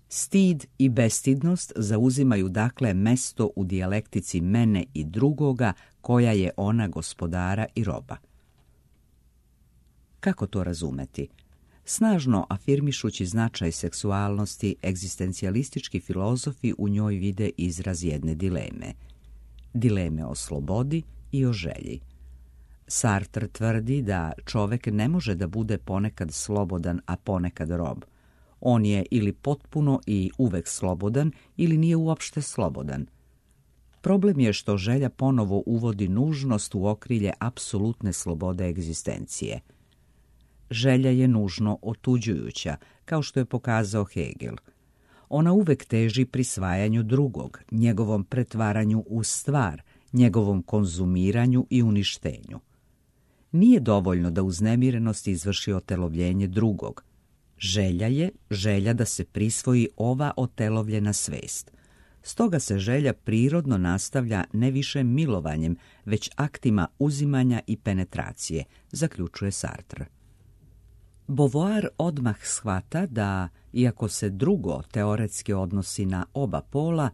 stid i bestidnost zauzimaju dakle mesto u dijalektici mene i drugoga, koja je ona gospodara i roba. Kako to razumeti? Snažno afirmišući značaj seksualnosti, egzistencijalistički filozofi u njoj vide izraz jedne dileme. Dileme o slobodi i o želji. Sartre tvrdi da čovjek ne može da bude ponekad slobodan, a ponekad rob. On je ili potpuno i uvek slobodan, ili nije uopšte slobodan. Problem je što želja ponovo uvodi nužnost u okrilje apsolutne slobode egzistencije. Želja je nužno otuđujuća, kao što je pokazao Hegel. Ona uvek teži prisvajanju drugog, njegovom pretvaranju u stvar, njegovom konzumiranju i uništenju. Nije dovoljno da uznemirenost izvrši otelovljenje drugog. Želja je želja da se prisvoji ova otelovljena svest. Stoga se želja prirodno nastavlja ne više milovanjem, već aktima uzimanja i penetracije, zaključuje Sartre. Beauvoir odmah shvata da, iako se drugo teoretski odnosi na oba pola,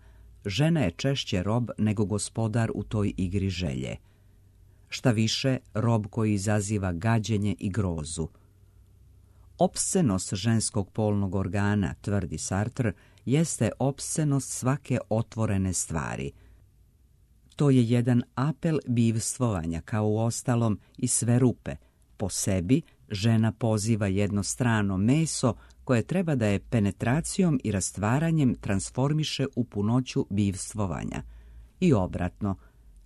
žena je češće rob nego gospodar u toj igri želje. Šta više, rob koji izaziva gađenje i grozu. Opscenost ženskog polnog organa, tvrdi Sartre, jeste opscenost svake otvorene stvari. To je jedan apel bivstvovanja, kao u ostalom i sve rupe. Po sebi, žena poziva jedno strano meso koje treba da je penetracijom i rastvaranjem transformiše u punoću bivstvovanja. I obratno,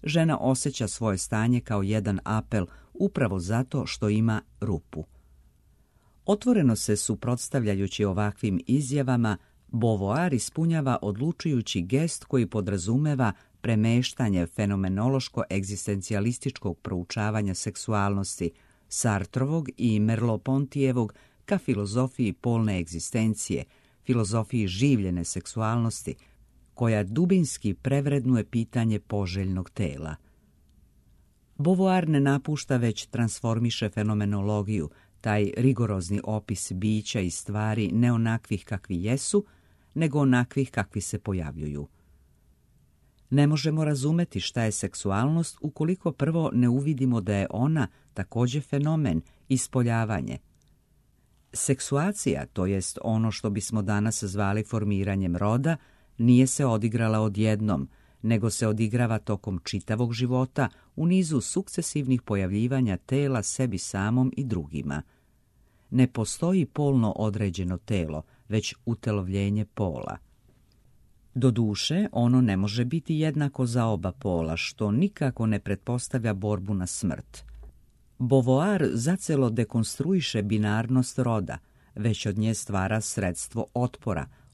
žena osjeća svoje stanje kao jedan apel upravo zato što ima rupu. Otvoreno se suprotstavljajući ovakvim izjavama, Beauvoir ispunjava odlučujući gest koji podrazumeva premeštanje fenomenološko-egzistencijalističkog proučavanja seksualnosti Sartrovog i Merleau-Pontyjevog ka filozofiji polne egzistencije, filozofiji življene seksualnosti, koja dubinski prevrednuje pitanje poželjnog tela. Beauvoir ne napušta, već transformiše fenomenologiju, taj rigorozni opis bića i stvari ne onakvih kakvi jesu, nego onakvih kakvi se pojavljuju. Ne možemo razumeti šta je seksualnost ukoliko prvo ne uvidimo da je ona također fenomen, ispoljavanje. Seksuacija, to jest ono što bismo danas zvali formiranjem roda, nije se odigrala odjednom, nego se odigrava tokom čitavog života u nizu sukcesivnih pojavljivanja tela sebi samom i drugima. Ne postoji polno određeno telo, već utelovljenje pola. Doduše, ono ne može biti jednako za oba pola, što nikako ne pretpostavlja borbu na smrt. Beauvoir zacelo dekonstruiše binarnost roda, već od nje stvara sredstvo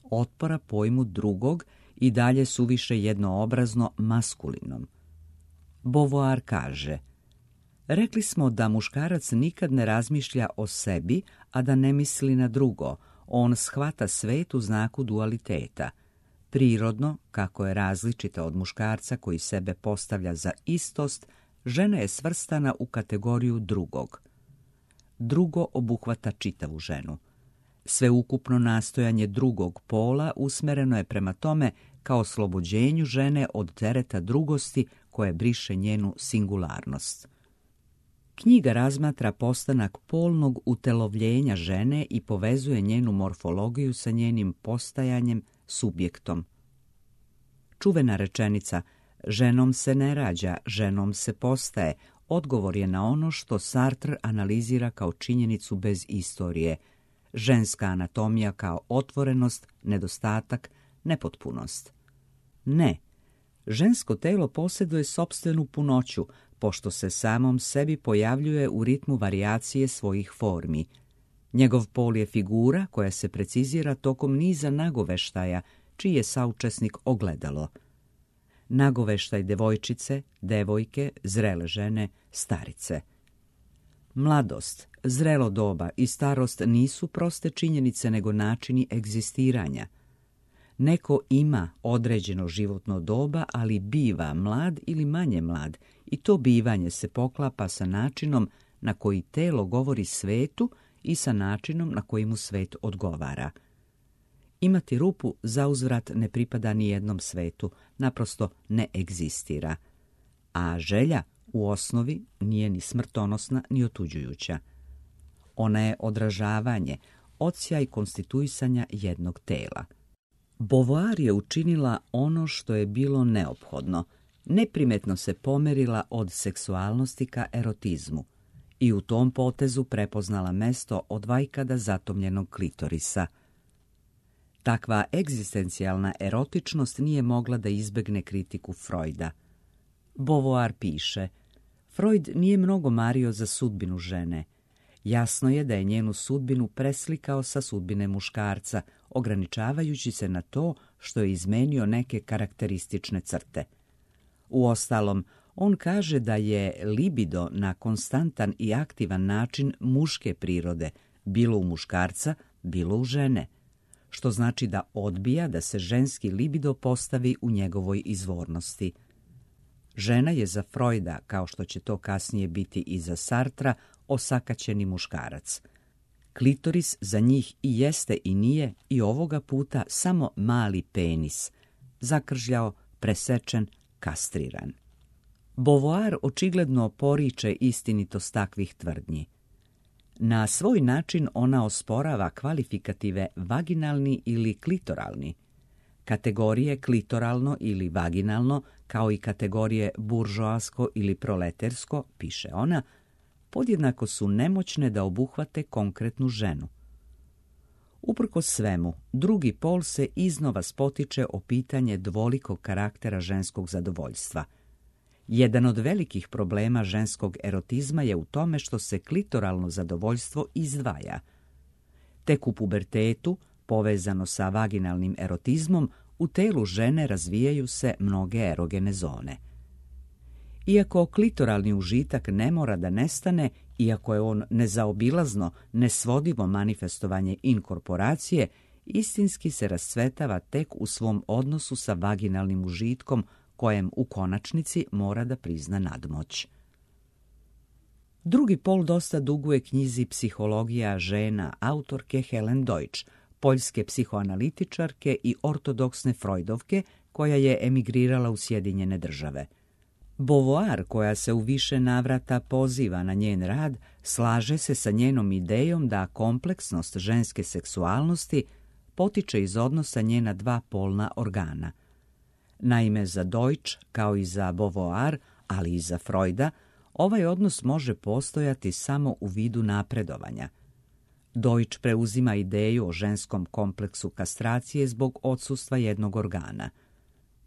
otpora pojmu drugog i dalje suviše jednoobrazno maskulinom. Beauvoir kaže: rekli smo da muškarac nikad ne razmišlja o sebi, a da ne misli na drugo. On shvata svet u znaku dualiteta. Prirodno, kako je različita od muškarca koji sebe postavlja za istost, žena je svrstana u kategoriju drugog. Drugo obuhvata čitavu ženu. Sveukupno nastojanje drugog pola usmereno je prema tome kao oslobođenju žene od tereta drugosti koje briše njenu singularnost. Knjiga razmatra postanak polnog utelovljenja žene i povezuje njenu morfologiju sa njenim postajanjem, subjektom. Čuvena rečenica "ženom se ne rađa, ženom se postaje" odgovor je na ono što Sartre analizira kao činjenicu bez istorije, ženska anatomija kao otvorenost, nedostatak, nepotpunost. Ne, žensko telo posjeduje sopstvenu punoću, pošto se samom sebi pojavljuje u ritmu varijacije svojih formi. Njegov pol je figura koja se precizira tokom niza nagoveštaja, čiji je saučesnik ogledalo. Nagoveštaj devojčice, devojke, zrele žene, starice. Mladost, zrelo doba i starost nisu proste činjenice nego načini egzistiranja. Neko ima određeno životno doba, ali biva mlad ili manje mlad i to bivanje se poklapa sa načinom na koji telo govori svetu i sa načinom na koji mu svet odgovara. Imati rupu zauzvrat ne pripada ni jednom svetu, naprosto ne egzistira. A želja u osnovi nije ni smrtonosna ni otuđujuća. Ona je odražavanje, odsjaj konstituisanja jednog tela. Beauvoir je učinila ono što je bilo neophodno, neprimetno se pomerila od seksualnosti ka erotizmu i u tom potezu prepoznala mesto od vajkada zatomljenog klitorisa. Takva egzistencijalna erotičnost nije mogla da izbegne kritiku Freuda. Beauvoir piše: Freud nije mnogo mario za sudbinu žene. Jasno je da je njenu sudbinu preslikao sa sudbine muškarca, ograničavajući se na to što je izmenio neke karakteristične crte. Uostalom, on kaže da je libido na konstantan i aktivan način muške prirode, bilo u muškarca, bilo u žene, što znači da odbija da se ženski libido postavi u njegovoj izvornosti. Žena je za Freuda, kao što će to kasnije biti i za Sartra, osakaćeni muškarac. Klitoris za njih i jeste i nije i ovoga puta samo mali penis, zakržljao, presečen, kastriran. Beauvoir očigledno poriče istinitost takvih tvrdnji. Na svoj način ona osporava kvalifikative vaginalni ili klitoralni. Kategorije klitoralno ili vaginalno, kao i kategorije buržoasko ili proletersko, piše ona, podjednako su nemoćne da obuhvate konkretnu ženu. Uprkos svemu, drugi pol se iznova spotiče o pitanje dvolikog karaktera ženskog zadovoljstva. Jedan od velikih problema ženskog erotizma je u tome što se klitoralno zadovoljstvo izdvaja. Tek u pubertetu, povezano sa vaginalnim erotizmom, u telu žene razvijaju se mnoge erogene zone. Iako klitoralni užitak ne mora da nestane, iako je on nezaobilazno, nesvodivo manifestovanje inkorporacije, istinski se rascvetava tek u svom odnosu sa vaginalnim užitkom, kojem u konačnici mora da prizna nadmoć. Drugi pol dosta duguje knjizi Psihologija žena autorke Helen Deutsch, poljske psihoanalitičarke i ortodoksne Freudovke, koja je emigrirala u Sjedinjene Države. Beauvoir, koja se u više navrata poziva na njen rad, slaže se sa njenom idejom da kompleksnost ženske seksualnosti potiče iz odnosa njena dva polna organa. Naime, za Deutsch, kao i za Beauvoir, ali i za Freuda, ovaj odnos može postojati samo u vidu napredovanja. Deutsch preuzima ideju o ženskom kompleksu kastracije zbog odsustva jednog organa.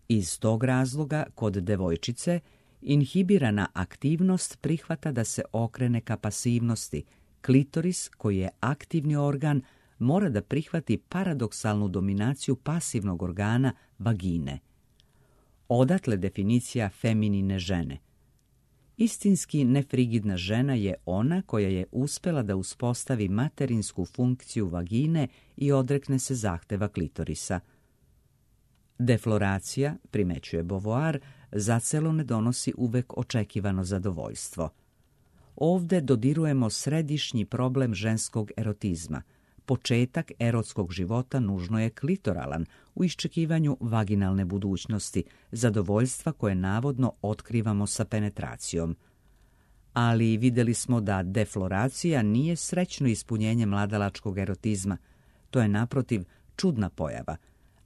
Iz tog razloga, kod devojčice, inhibirana aktivnost prihvata da se okrene ka pasivnosti. Klitoris, koji je aktivni organ, mora da prihvati paradoksalnu dominaciju pasivnog organa vagine. Odatle definicija feminine žene. Istinski nefrigidna žena je ona koja je uspela da uspostavi materinsku funkciju vagine i odrekne se zahteva klitorisa. Defloracija, primećuje Beauvoir, zacelo ne donosi uvek očekivano zadovoljstvo. Ovde dodirujemo središnji problem ženskog erotizma. Početak erotskog života nužno je klitoralan u iščekivanju vaginalne budućnosti, zadovoljstva koje navodno otkrivamo sa penetracijom. Ali vidjeli smo da defloracija nije srećno ispunjenje mladalačkog erotizma. To je naprotiv čudna pojava.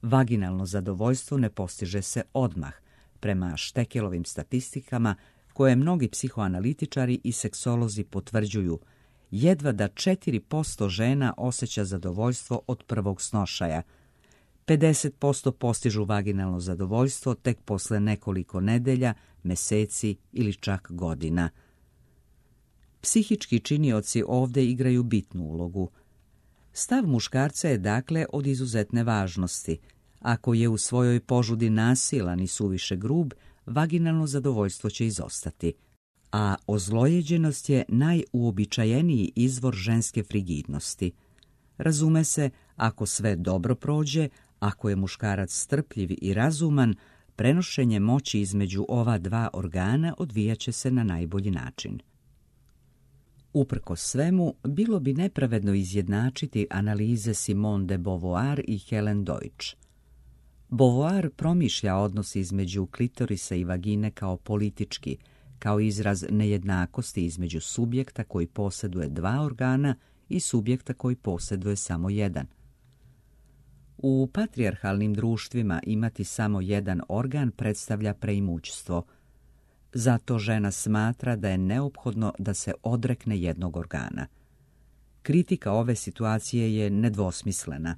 Vaginalno zadovoljstvo ne postiže se odmah, prema Štekelovim statistikama koje mnogi psihoanalitičari i seksolozi potvrđuju. Jedva da 4% žena osjeća zadovoljstvo od prvog snošaja. 50% postižu vaginalno zadovoljstvo tek posle nekoliko nedelja, meseci ili čak godina. Psihički činioci ovdje igraju bitnu ulogu. Stav muškarca je dakle od izuzetne važnosti. Ako je u svojoj požudi nasilan i suviše grub, vaginalno zadovoljstvo će izostati. A ozlojeđenost je najuobičajeniji izvor ženske frigidnosti. Razume se, ako sve dobro prođe, ako je muškarac strpljiv i razuman, prenošenje moći između ova dva organa odvijaće se na najbolji način. Uprkos svemu, bilo bi nepravedno izjednačiti analize Simone de Beauvoir i Helen Deutsch. Beauvoir promišlja odnos između klitorisa i vagine kao politički, kao izraz nejednakosti između subjekta koji posjeduje dva organa i subjekta koji posjeduje samo jedan. U patrijarhalnim društvima imati samo jedan organ predstavlja preimućstvo. Zato žena smatra da je neophodno da se odrekne jednog organa. Kritika ove situacije je nedvosmislena,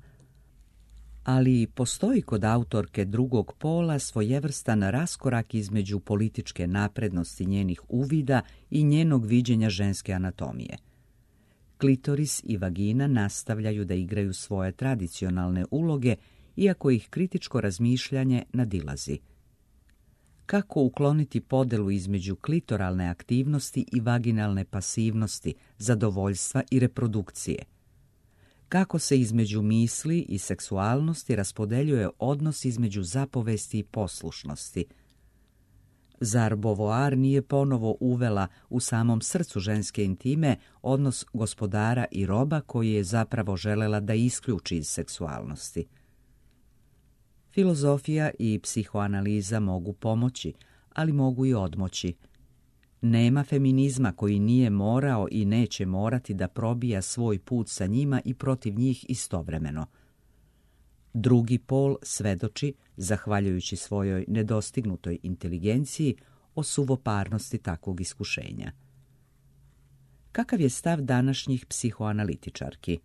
ali postoji kod autorke drugog pola svojevrstan raskorak između političke naprednosti njenih uvida i njenog viđenja ženske anatomije. Klitoris i vagina nastavljaju da igraju svoje tradicionalne uloge, iako ih kritičko razmišljanje nadilazi. Kako ukloniti podelu između klitoralne aktivnosti i vaginalne pasivnosti, zadovoljstva i reprodukcije? Kako se između misli i seksualnosti raspodeljuje odnos između zapovesti i poslušnosti? Zar Beauvoir nije ponovo uvela u samom srcu ženske intime odnos gospodara i roba koji je zapravo želela da isključi iz seksualnosti? Filozofija i psihoanaliza mogu pomoći, ali mogu i odmoći. Nema feminizma koji nije morao i neće morati da probija svoj put sa njima i protiv njih istovremeno. Drugi pol svedoči, zahvaljujući svojoj nedostignutoj inteligenciji, o suvoparnosti takvog iskušenja. Kakav je stav današnjih psihoanalitičarki?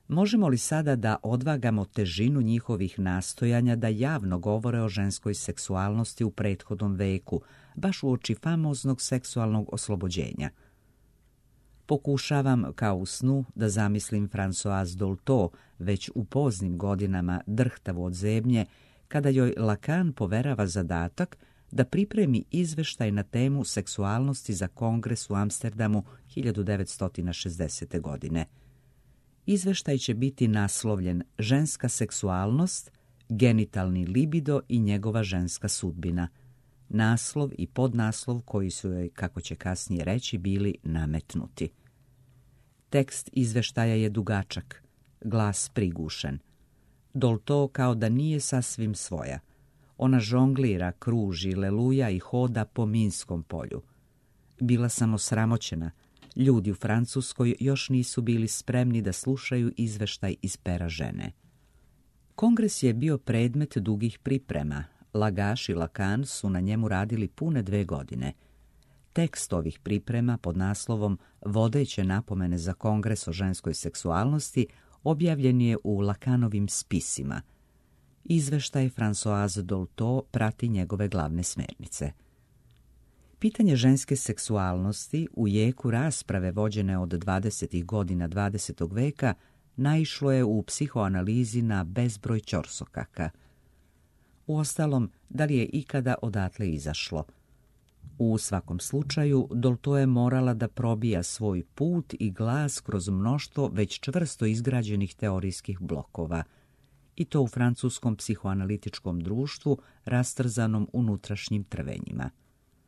Možemo li sada da odvagamo težinu njihovih nastojanja da javno govore o ženskoj seksualnosti u prethodnom veku, baš uoči famoznog seksualnog oslobođenja? Pokušavam, kao u snu, da zamislim Françoise Dolto već u poznim godinama drhtavu od zebnje, kada joj Lacan poverava zadatak da pripremi izveštaj na temu seksualnosti za kongres u Amsterdamu 1960. godine. Izveštaj će biti naslovljen Ženska seksualnost, genitalni libido i njegova ženska sudbina. Naslov i podnaslov koji su joj, kako će kasnije reći, bili nametnuti. Tekst izveštaja je dugačak, glas prigušen. Dolto kao da nije sasvim svoja. Ona žonglira, kruži, leluja i hoda po minskom polju. Bila sam osramoćena. Ljudi u Francuskoj još nisu bili spremni da slušaju izveštaj iz pera žene. Kongres je bio predmet dugih priprema. Lagaš i Lacan su na njemu radili pune 2 godine. Tekst ovih priprema pod naslovom Vodeće napomene za kongres o ženskoj seksualnosti objavljen je u Lacanovim spisima. Izveštaj Françoise Dolto prati njegove glavne smernice. Pitanje ženske seksualnosti u jeku rasprave vođene od 20. godina 20. veka naišlo je u psihoanalizi na bezbroj ćorsokaka. Uostalom, da li je ikada odatle izašlo? U svakom slučaju, Dolto je morala da probija svoj put i glas kroz mnoštvo već čvrsto izgrađenih teorijskih blokova, i to u francuskom psihoanalitičkom društvu rastrzanom unutrašnjim trvenjima.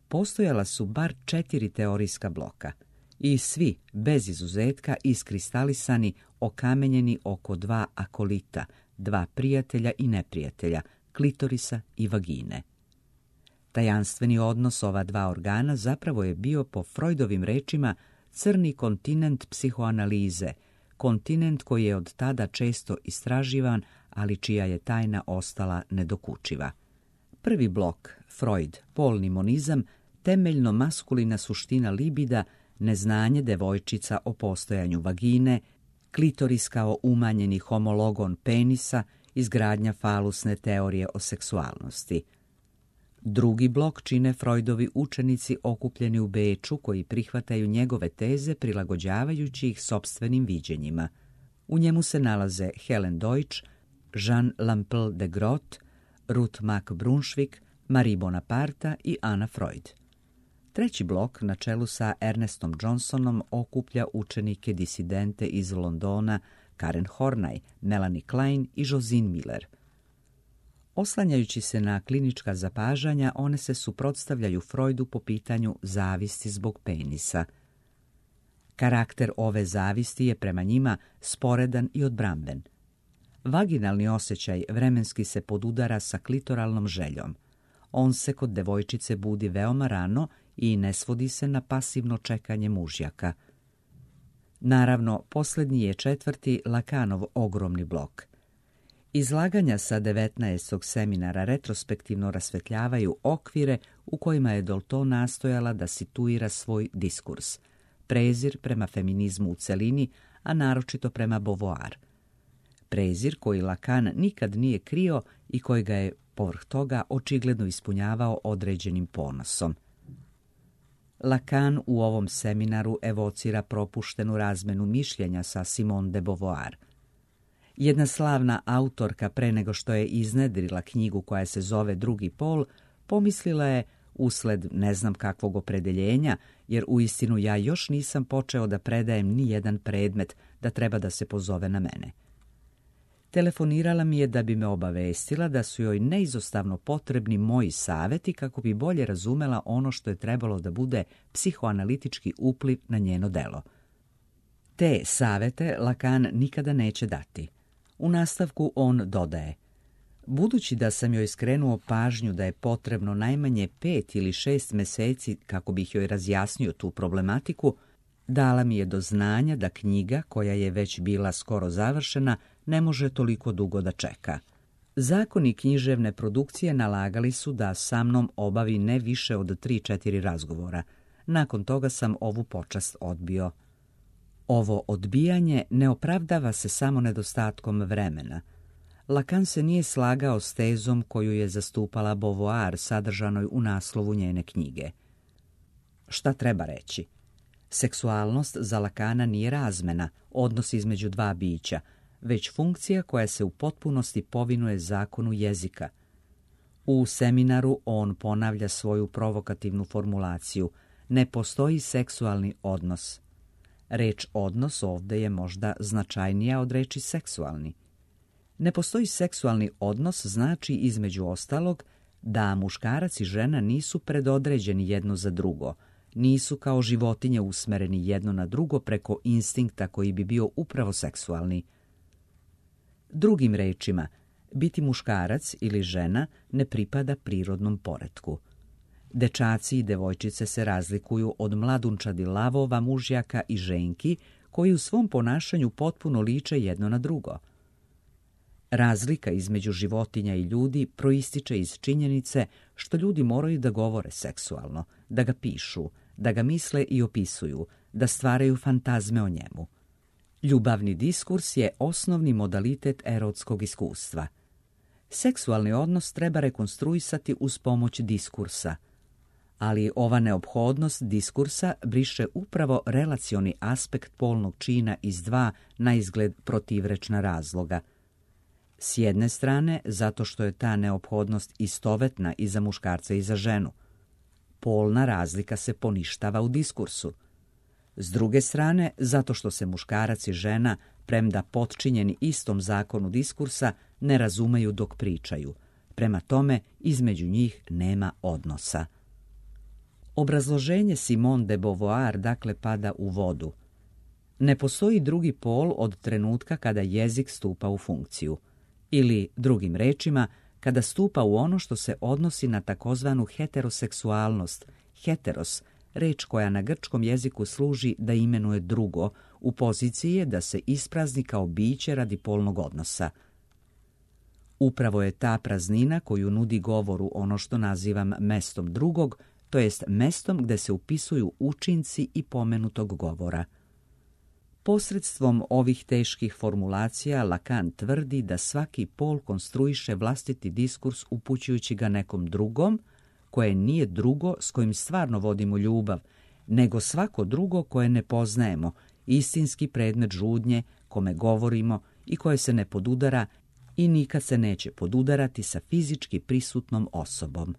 Postojala su bar 4 teorijska bloka i svi, bez izuzetka, iskristalisani, okamenjeni oko 2 akolita, 2 prijatelja i neprijatelja, klitorisa i vagine. Tajanstveni odnos ova 2 organa zapravo je bio, po Freudovim rečima, crni kontinent psihoanalize, kontinent koji je od tada često istraživan, ali čija je tajna ostala nedokučiva. Prvi blok, Freud, polni monizam, temeljno maskulina suština libida, neznanje devojčica o postojanju vagine, klitoris kao umanjeni homologon penisa, izgradnja falusne teorije o seksualnosti. Drugi blok čine Freudovi učenici okupljeni u Beču koji prihvataju njegove teze prilagođavajući ih sopstvenim viđenjima. U njemu se nalaze Helen Deutsch, Jean Lample de Groot, Ruth Mack Brunswick, Marie Bonaparte i Anna Freud. Treći blok, na čelu sa Ernestom Johnsonom, okuplja učenike disidente iz Londona Karen Horney, Melanie Klein i Josine Miller. Oslanjajući se na klinička zapažanja, one se suprotstavljaju Freudu po pitanju zavisti zbog penisa. Karakter ove zavisti je prema njima sporedan i odbramben. Vaginalni osjećaj vremenski se podudara sa klitoralnom željom. On se kod devojčice budi veoma rano i ne svodi se na pasivno čekanje mužjaka. Naravno, posljednji je 4. Lacanov ogromni blok. Izlaganja sa 19. seminara retrospektivno rasvetljavaju okvire u kojima je Dolto nastojala da situira svoj diskurs, prezir prema feminizmu u celini, a naročito prema Beauvoir. Prezir koji Lacan nikad nije krio i koji ga je povrh toga očigledno ispunjavao određenim ponosom. Lacan u ovom seminaru evocira propuštenu razmenu mišljenja sa Simone de Beauvoir. Jedna slavna autorka pre nego što je iznedrila knjigu koja se zove Drugi pol, pomislila je, usled ne znam kakvog opredeljenja, jer uistinu ja još nisam počeo da predajem ni jedan predmet da treba da se pozove na mene. Telefonirala mi je da bi me obavestila da su joj neizostavno potrebni moji savjeti kako bi bolje razumela ono što je trebalo da bude psihoanalitički upliv na njeno delo. Te savjete Lacan nikada neće dati. U nastavku on dodaje: budući da sam joj skrenuo pažnju da je potrebno najmanje 5 ili 6 meseci kako bih joj razjasnio tu problematiku, dala mi je do znanja da knjiga, koja je već bila skoro završena, ne može toliko dugo da čeka. Zakoni književne produkcije nalagali su da sa mnom obavi ne više od 3-4 razgovora. Nakon toga sam ovu počast odbio. Ovo odbijanje ne opravdava se samo nedostatkom vremena. Lacan se nije slagao s tezom koju je zastupala Beauvoir sadržanoj u naslovu njene knjige. Šta treba reći? Seksualnost za Lacana nije razmena, odnos između dva bića, već funkcija koja se u potpunosti povinuje zakonu jezika. U seminaru on ponavlja svoju provokativnu formulaciju: ne postoji seksualni odnos. Reč odnos ovdje je možda značajnija od reči seksualni. Ne postoji seksualni odnos znači između ostalog da muškarac i žena nisu predodređeni jedno za drugo, nisu kao životinje usmereni jedno na drugo preko instinkta koji bi bio upravo seksualni. Drugim rečima, biti muškarac ili žena ne pripada prirodnom poretku. Dečaci i devojčice se razlikuju od mladunčadi lavova, mužjaka i ženki koji u svom ponašanju potpuno liče jedno na drugo. Razlika između životinja i ljudi proističe iz činjenice što ljudi moraju da govore seksualno, da ga pišu, da ga misle i opisuju, da stvaraju fantazme o njemu. Ljubavni diskurs je osnovni modalitet erotskog iskustva. Seksualni odnos treba rekonstruisati uz pomoć diskursa, ali ova neophodnost diskursa briše upravo relacioni aspekt polnog čina iz dva naizgled protivrečna razloga. S jedne strane, zato što je ta neophodnost istovetna i za muškarca i za ženu. Polna razlika se poništava u diskursu. S druge strane, zato što se muškarac i žena, premda potčinjeni istom zakonu diskursa, ne razumeju dok pričaju. Prema tome, između njih nema odnosa. Obrazloženje Simone de Beauvoir dakle pada u vodu. Ne postoji drugi pol od trenutka kada jezik stupa u funkciju. Ili, drugim rečima, kada stupa u ono što se odnosi na takozvanu heteroseksualnost, heteros, reč koja na grčkom jeziku služi da imenuje drugo, u poziciji je da se isprazni kao biće radi polnog odnosa. Upravo je ta praznina koju nudi govoru ono što nazivam mestom drugog, to jest mestom gde se upisuju učinci i pomenutog govora. Posredstvom ovih teških formulacija Lacan tvrdi da svaki pol konstruiše vlastiti diskurs upućujući ga nekom drugom, koje nije drugo s kojim stvarno vodimo ljubav, nego svako drugo koje ne poznajemo, istinski predmet žudnje, kome govorimo i koje se ne podudara i nikad se neće podudarati sa fizički prisutnom osobom.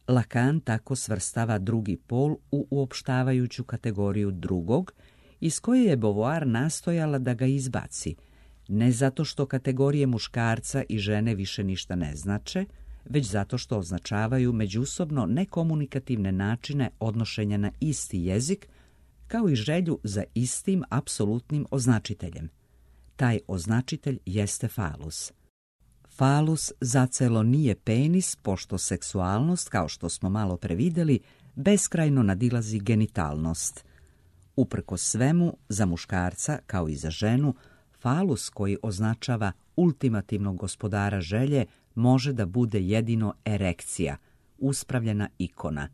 Lacan tako svrstava drugi pol u uopštavajuću kategoriju drugog, iz koje je Beauvoir nastojala da ga izbaci, ne zato što kategorije muškarca i žene više ništa ne znače, već zato što označavaju međusobno nekomunikativne načine odnošenja na isti jezik, kao i želju za istim apsolutnim označiteljem. Taj označitelj jeste falus. Falus zacelo nije penis, pošto seksualnost, kao što smo malo prevideli, beskrajno nadilazi genitalnost. Uprkos svemu, za muškarca, kao i za ženu, falus koji označava ultimativnog gospodara želje može da bude jedino erekcija, uspravljena ikona.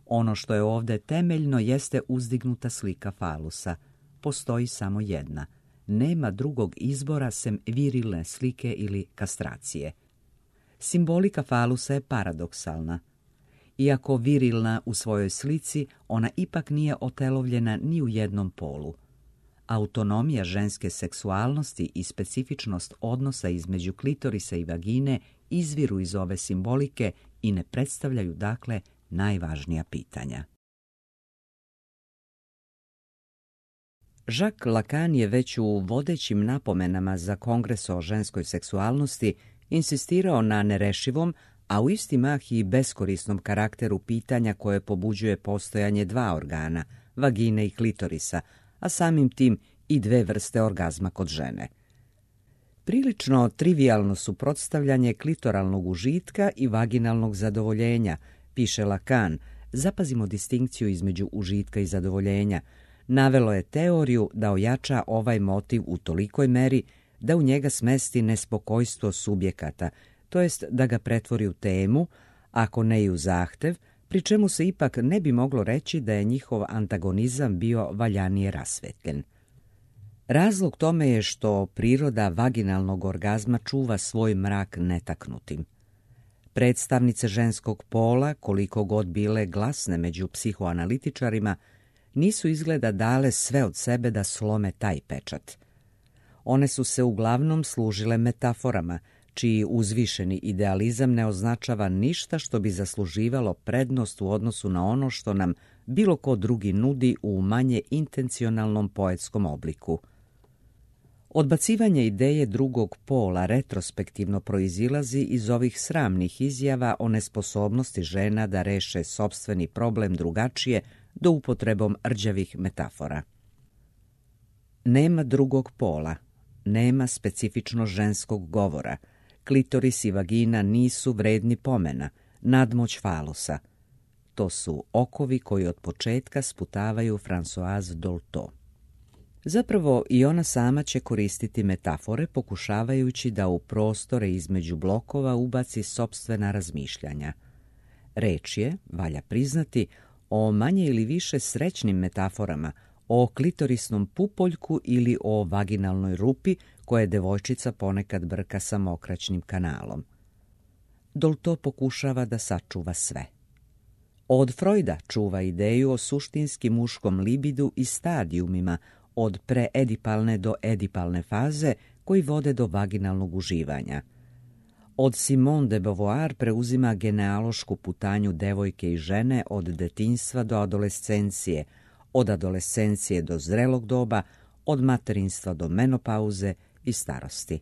Ono što je ovdje temeljno jeste uzdignuta slika falusa. Postoji samo jedna. Nema drugog izbora sem virilne slike ili kastracije. Simbolika falusa je paradoksalna. Iako virilna u svojoj slici, ona ipak nije otelovljena ni u jednom polu. Autonomija ženske seksualnosti i specifičnost odnosa između klitorisa i vagine izviru iz ove simbolike i ne predstavljaju, dakle, najvažnija pitanja. Jacques Lacan je već u vodećim napomenama za Kongres o ženskoj seksualnosti insistirao na nerešivom, a u isti mah i beskorisnom karakteru pitanja koje pobuđuje postojanje dva organa, vagine i klitorisa, a samim tim i dve vrste orgazma kod žene. Prilično trivijalno suprotstavljanje klitoralnog užitka i vaginalnog zadovoljenja, piše Lacan, zapazimo distinkciju između užitka i zadovoljenja, navelo je teoriju da ojača ovaj motiv u tolikoj meri da u njega smesti nespokojstvo subjekata, to jest da ga pretvori u temu, ako ne i u zahtev, pri čemu se ipak ne bi moglo reći da je njihov antagonizam bio valjanije rasvetljen. Razlog tome je što priroda vaginalnog orgazma čuva svoj mrak netaknutim. Predstavnice ženskog pola, koliko god bile glasne među psihoanalitičarima, nisu izgleda dale sve od sebe da slome taj pečat. One su se uglavnom služile metaforama, čiji uzvišeni idealizam ne označava ništa što bi zasluživalo prednost u odnosu na ono što nam bilo ko drugi nudi u manje intencionalnom poetskom obliku. Odbacivanje ideje drugog pola retrospektivno proizilazi iz ovih sramnih izjava o nesposobnosti žena da reše sopstveni problem drugačije do upotrebom rđavih metafora. Nema drugog pola, nema specifično ženskog govora, klitoris i vagina nisu vredni pomena, nadmoć falusa. To su okovi koji od početka sputavaju Françoise Dolto. Zapravo i ona sama će koristiti metafore pokušavajući da u prostore između blokova ubaci sopstvena razmišljanja. Reč je, valja priznati, o manje ili više srećnim metaforama, o klitorisnom pupoljku ili o vaginalnoj rupi koje devojčica ponekad brka sa mokraćnim kanalom. Dolto pokušava da sačuva sve. Od Freuda čuva ideju o suštinski muškom libidu i stadijumima od preedipalne do edipalne faze koji vode do vaginalnog uživanja. Od Simone de Beauvoir preuzima genealošku putanju devojke i žene od detinjstva do adolescencije, od adolescencije do zrelog doba, od materinstva do menopauze i starosti.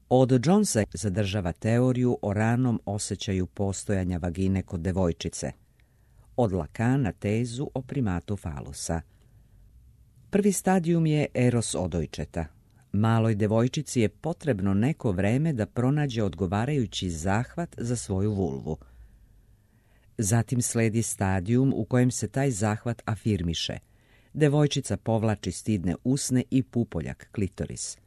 Od Jonesa zadržava teoriju o ranom osjećaju postojanja vagine kod devojčice. Od Lacana tezu o primatu falusa. Prvi stadijum je eros odojčeta. Maloj devojčici je potrebno neko vreme da pronađe odgovarajući zahvat za svoju vulvu. Zatim sledi stadijum u kojem se taj zahvat afirmiše. Devojčica povlači stidne usne i pupoljak, klitoris.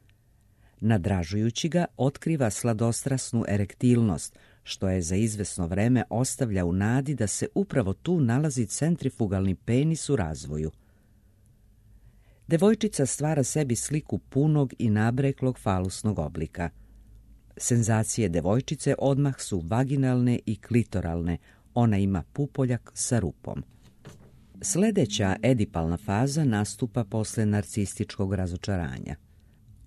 Nadražujući ga, otkriva sladostrasnu erektilnost, što je za izvesno vreme ostavlja u nadi da se upravo tu nalazi centrifugalni penis u razvoju. Devojčica stvara sebi sliku punog i nabreklog falusnog oblika. Senzacije devojčice odmah su vaginalne i klitoralne, ona ima pupoljak sa rupom. Sljedeća edipalna faza nastupa posle narcističkog razočaranja.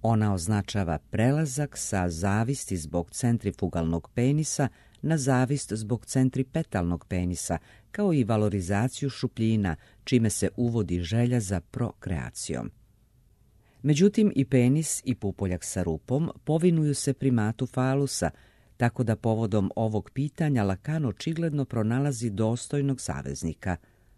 Ona označava prelazak sa zavisti zbog centrifugalnog penisa na zavist zbog centripetalnog penisa, kao i valorizaciju šupljina, čime se uvodi želja za prokreacijom. Međutim, i penis i pupoljak sa rupom povinuju se primatu falusa, tako da povodom ovog pitanja Lacan očigledno pronalazi dostojnog saveznika.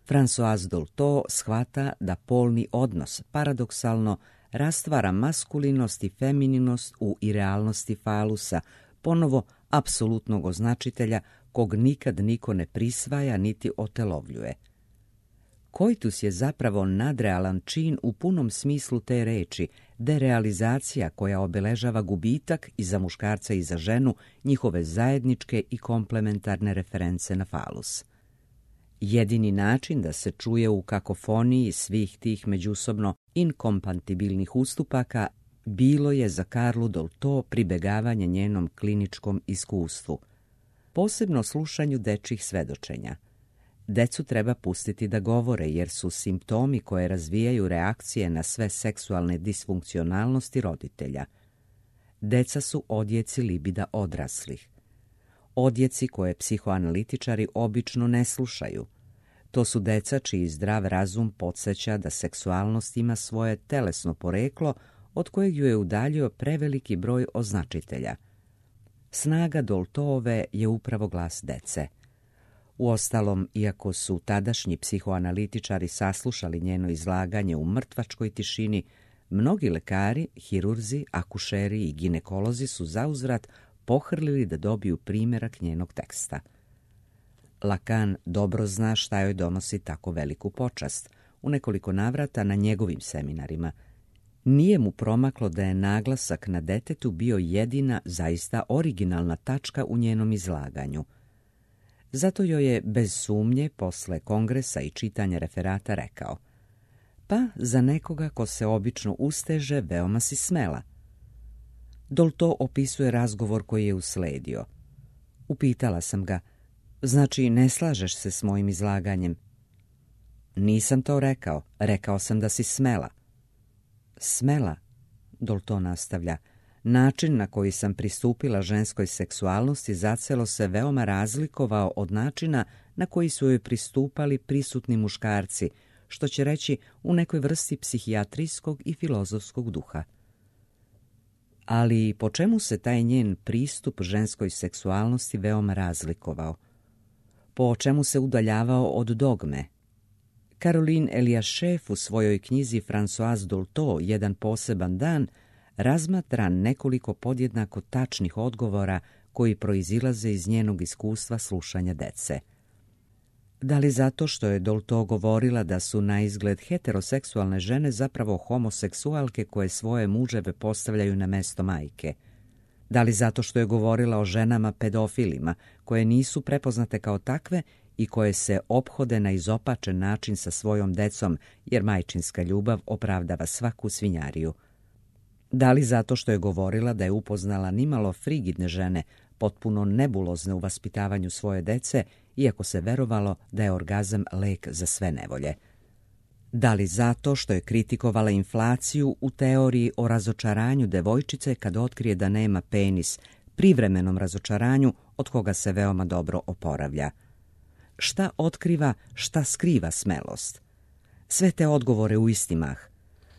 Françoise Dolto shvata da polni odnos, paradoksalno, rastvara maskulinost i femininost u irealnosti falusa, ponovo apsolutnog označitelja kog nikad niko ne prisvaja niti otelovljuje. Koitus je zapravo nadrealan čin u punom smislu te reči, derealizacija koja obeležava gubitak i za muškarca i za ženu njihove zajedničke i komplementarne reference na falus. Jedini način da se čuje u kakofoniji svih tih međusobno inkompatibilnih ustupaka bilo je za Karlu Dolto pribegavanje njenom kliničkom iskustvu, posebno slušanju dečjih svedočenja. Decu treba pustiti da govore jer su simptomi koje razvijaju reakcije na sve seksualne disfunkcionalnosti roditelja. Deca su odjeci libida odraslih. Odjeci koje psihoanalitičari obično ne slušaju. To su deca čiji zdrav razum podsjeća da seksualnost ima svoje telesno poreklo od kojeg ju je udaljio preveliki broj označitelja. Snaga Doltoove je upravo glas dece. Uostalom, iako su tadašnji psihoanalitičari saslušali njeno izlaganje u mrtvačkoj tišini, mnogi lekari, hirurzi, akušeri i ginekolozi su zauzvrat pohrlili da dobiju primjerak njenog teksta. Lacan dobro zna šta joj donosi tako veliku počast, u nekoliko navrata na njegovim seminarima. Nije mu promaklo da je naglasak na detetu bio jedina, zaista originalna tačka u njenom izlaganju. Zato joj je, bez sumnje, posle kongresa i čitanja referata rekao: pa za nekoga ko se obično usteže, veoma si smela. Dolto opisuje razgovor koji je usledio. Upitala sam ga: znači, ne slažeš se s mojim izlaganjem? Nisam to rekao, rekao sam da si smela. Smela, Dolto nastavlja, način na koji sam pristupila ženskoj seksualnosti zacelo se veoma razlikovao od načina na koji su joj pristupali prisutni muškarci, što će reći u nekoj vrsti psihijatrijskog i filozofskog duha. Ali po čemu se taj njen pristup ženskoj seksualnosti veoma razlikovao? Po čemu se udaljavao od dogme? Caroline Eliashef u svojoj knjizi Françoise Dolto, Jedan poseban dan, razmatra nekoliko podjednako tačnih odgovora koji proizilaze iz njenog iskustva slušanja dece. Da li zato što je Dolto govorila da su na izgled heteroseksualne žene zapravo homoseksualke koje svoje muževe postavljaju na mesto majke? Da li zato što je govorila o ženama pedofilima koje nisu prepoznate kao takve i koje se ophode na izopačen način sa svojom decom jer majčinska ljubav opravdava svaku svinjariju? Da li zato što je govorila da je upoznala nimalo frigidne žene, potpuno nebulozne u vaspitavanju svoje dece, iako se verovalo da je orgazam lek za sve nevolje? Da li zato što je kritikovala inflaciju u teoriji o razočaranju devojčice kad otkrije da nema penis, privremenom razočaranju od koga se veoma dobro oporavlja? Šta otkriva, šta skriva smelost? Sve te odgovore u isti mah.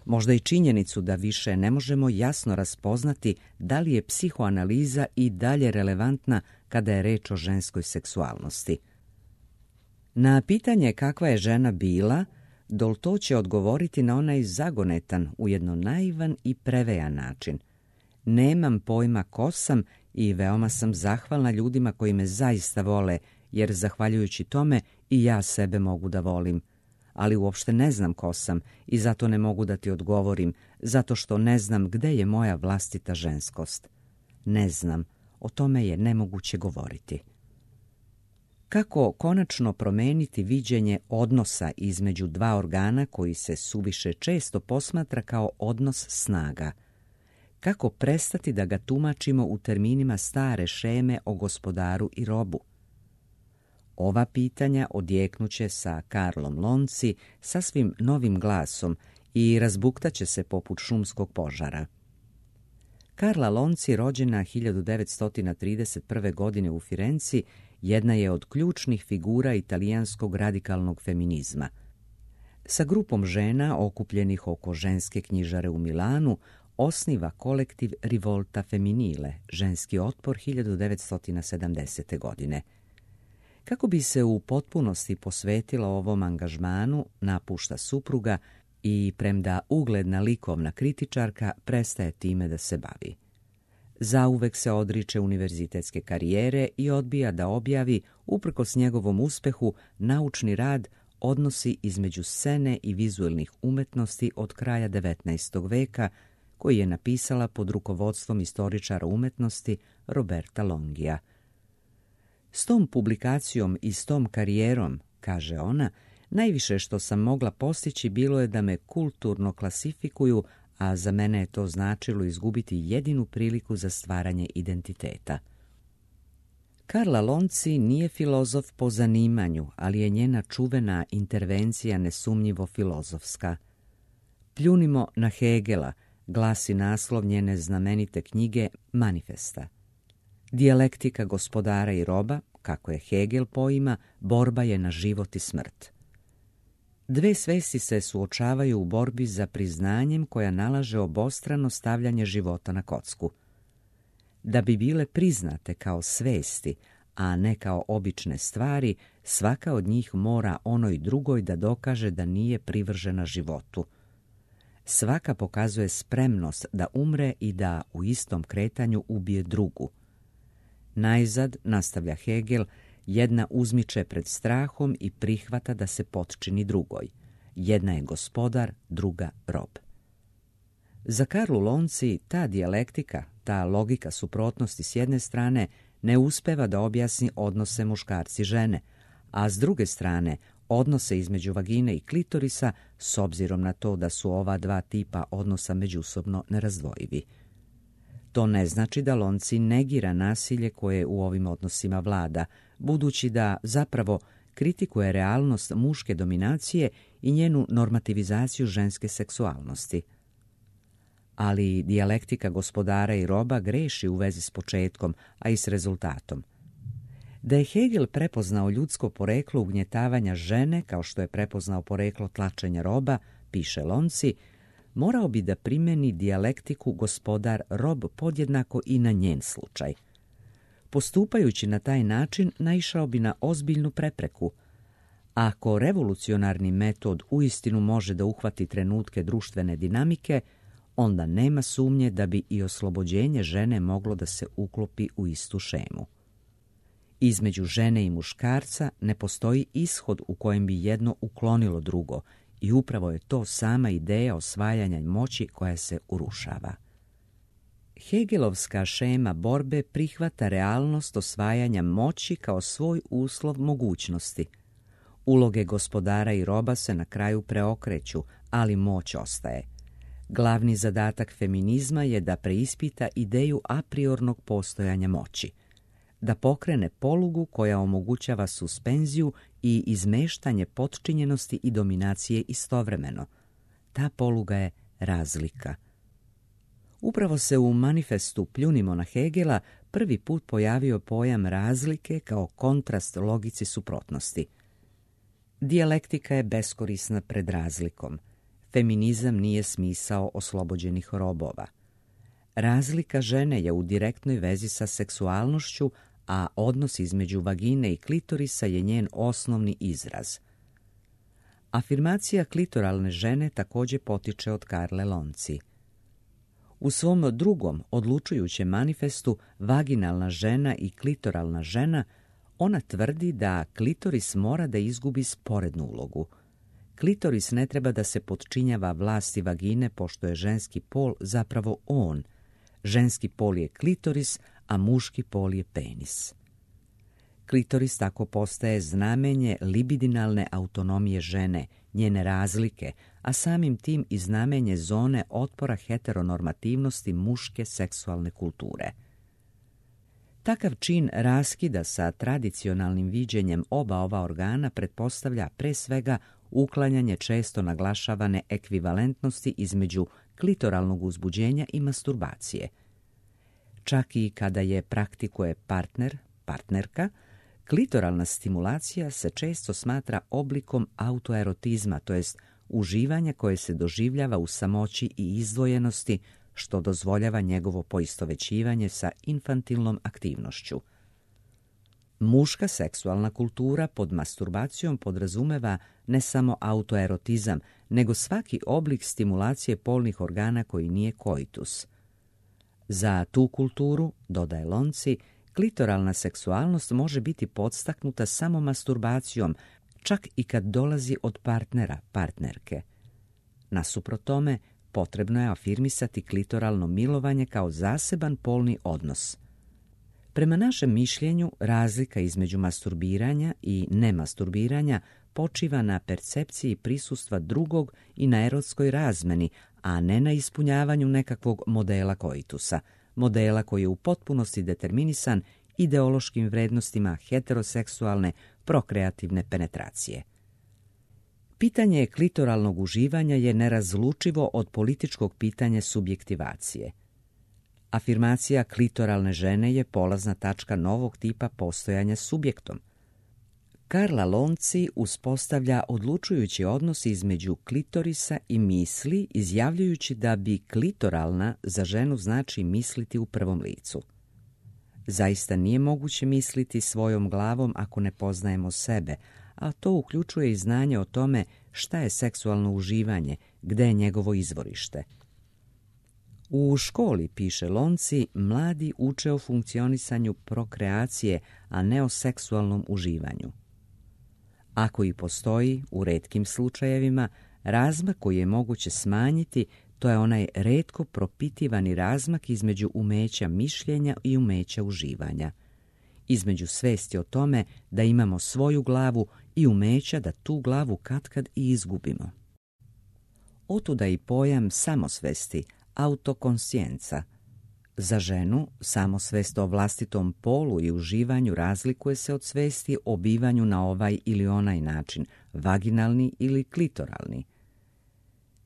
Možda i činjenicu da više ne možemo jasno raspoznati da li je psihoanaliza i dalje relevantna kada je reč o ženskoj seksualnosti. Na pitanje kakva je žena bila, Dolto će odgovoriti na onaj zagonetan, ujedno naivan i prevejan način. Nemam pojma ko sam i veoma sam zahvalna ljudima koji me zaista vole, jer zahvaljujući tome i ja sebe mogu da volim. Ali uopšte ne znam ko sam i zato ne mogu da ti odgovorim, zato što ne znam gde je moja vlastita ženskost. Ne znam, o tome je nemoguće govoriti. Kako konačno promeniti viđenje odnosa između dva organa koji se suviše često posmatra kao odnos snaga? Kako prestati da ga tumačimo u terminima stare šeme o gospodaru i robu? Ova pitanja odjeknuće sa Karlom Lonci sasvim novim glasom i razbuktaće se poput šumskog požara. Karla Lonci, rođena 1931. godine u Firenci, jedna je od ključnih figura italijanskog radikalnog feminizma. Sa grupom žena okupljenih oko ženske knjižare u Milanu osniva kolektiv Rivolta Femminile, ženski otpor 1970. godine. Kako bi se u potpunosti posvetila ovom angažmanu, napušta supruga i, premda ugledna likovna kritičarka, prestaje time da se bavi. Zauvek se odriče univerzitetske karijere i odbija da objavi, uprkos njegovom uspehu, naučni rad odnosi između scene i vizualnih umjetnosti od kraja 19. veka, koji je napisala pod rukovodstvom istoričara umjetnosti Roberta Longija. S tom publikacijom i s tom karijerom, kaže ona, najviše što sam mogla postići bilo je da me kulturno klasifikuju, a za mene je to značilo izgubiti jedinu priliku za stvaranje identiteta. Karla Lonci nije filozof po zanimanju, ali je njena čuvena intervencija nesumnjivo filozofska. Pljunimo na Hegela, glasi naslov njene znamenite knjige Manifesta. Dijalektika gospodara i roba, kako je Hegel poima, borba je na život i smrt. Dve svesti se suočavaju u borbi za priznanjem koja nalaže obostrano stavljanje života na kocku. Da bi bile priznate kao svesti, a ne kao obične stvari, svaka od njih mora onoj drugoj da dokaže da nije privržena životu. Svaka pokazuje spremnost da umre i da u istom kretanju ubije drugu. Najzad, nastavlja Hegel, jedna uzmiče pred strahom i prihvata da se potčini drugoj. Jedna je gospodar, druga rob. Za Karlu Lonci ta dijalektika, ta logika suprotnosti s jedne strane ne uspeva da objasni odnose muškarci-žene, a s druge strane odnose između vagine i klitorisa s obzirom na to da su ova dva tipa odnosa međusobno nerazdvojivi. To ne znači da Lonci negira nasilje koje u ovim odnosima vlada, budući da zapravo kritikuje realnost muške dominacije i njenu normativizaciju ženske seksualnosti. Ali dijalektika gospodara i roba greši u vezi s početkom, a i s rezultatom. Da je Hegel prepoznao ljudsko poreklo ugnjetavanja žene, kao što je prepoznao poreklo tlačenja roba, piše Lonci, morao bi da primeni dijalektiku gospodar-rob podjednako i na njen slučaj. Postupajući na taj način, naišao bi na ozbiljnu prepreku. Ako revolucionarni metod uistinu može da uhvati trenutke društvene dinamike, onda nema sumnje da bi i oslobođenje žene moglo da se uklopi u istu šemu. Između žene i muškarca ne postoji ishod u kojem bi jedno uklonilo drugo, i upravo je to sama ideja osvajanja moći koja se urušava. Hegelovska šema borbe prihvata realnost osvajanja moći kao svoj uslov mogućnosti. Uloge gospodara i roba se na kraju preokreću, ali moć ostaje. Glavni zadatak feminizma je da preispita ideju apriornog postojanja moći, da pokrene polugu koja omogućava suspenziju i izmeštanje potčinjenosti i dominacije istovremeno. Ta poluga je razlika. Upravo se u manifestu Pljunimo na Hegela prvi put pojavio pojam razlike kao kontrast logici suprotnosti. Dijalektika je beskorisna pred razlikom. Feminizam nije smisao oslobođenih robova. Razlika žene je u direktnoj vezi sa seksualnošću, a odnos između vagine i klitorisa je njen osnovni izraz. Afirmacija klitoralne žene također potiče od Karle Lonci. U svom drugom, odlučujućem manifestu Vaginalna žena i klitoralna žena, ona tvrdi da klitoris mora da izgubi sporednu ulogu. Klitoris ne treba da se potčinjava vlasti vagine, pošto je ženski pol zapravo on. Ženski pol je klitoris, a muški pol je penis. Klitoris tako postaje znamenje libidinalne autonomije žene, njene razlike, a samim tim i znamenje zone otpora heteronormativnosti muške seksualne kulture. Takav čin raskida sa tradicionalnim viđenjem oba ova organa pretpostavlja pre svega uklanjanje često naglašavane ekvivalentnosti između klitoralnog uzbuđenja i masturbacije. Čak i kada je praktikuje partnerka, klitoralna stimulacija se često smatra oblikom autoerotizma, to jest uživanja koje se doživljava u samoći i izdvojenosti, što dozvoljava njegovo poistovećivanje sa infantilnom aktivnošću. Muška seksualna kultura pod masturbacijom podrazumeva ne samo autoerotizam, nego svaki oblik stimulacije polnih organa koji nije koitus. Za tu kulturu, dodaje Lonci, klitoralna seksualnost može biti podstaknuta samo masturbacijom, čak i kad dolazi od partnera, partnerke. Nasuprot tome, potrebno je afirmisati klitoralno milovanje kao zaseban polni odnos. Prema našem mišljenju, razlika između masturbiranja i nemasturbiranja počiva na percepciji prisustva drugog i na erotskoj razmeni, a ne na ispunjavanju nekakvog modela koitusa, modela koji je u potpunosti determinisan ideološkim vrednostima heteroseksualne prokreativne penetracije. Pitanje klitoralnog uživanja je nerazlučivo od političkog pitanja subjektivacije. Afirmacija klitoralne žene je polazna tačka novog tipa postojanja subjektom. Karla Lonci uspostavlja odlučujući odnos između klitorisa i misli, izjavljujući da bi klitoralna za ženu znači misliti u prvom licu. Zaista nije moguće misliti svojom glavom ako ne poznajemo sebe, a to uključuje i znanje o tome šta je seksualno uživanje, gde je njegovo izvorište. U školi, piše Lonci, mladi uče o funkcionisanju prokreacije, a ne o seksualnom uživanju. Ako i postoji, u retkim slučajevima, razmak koji je moguće smanjiti, to je onaj retko propitivani razmak između umeća mišljenja i umeća uživanja. Između svesti o tome da imamo svoju glavu i umeća da tu glavu katkad i izgubimo. Otuda i pojam samosvesti, autokonscijenca. Za ženu, samosvest o vlastitom polu i uživanju razlikuje se od svesti o bivanju na ovaj ili onaj način, vaginalni ili klitoralni.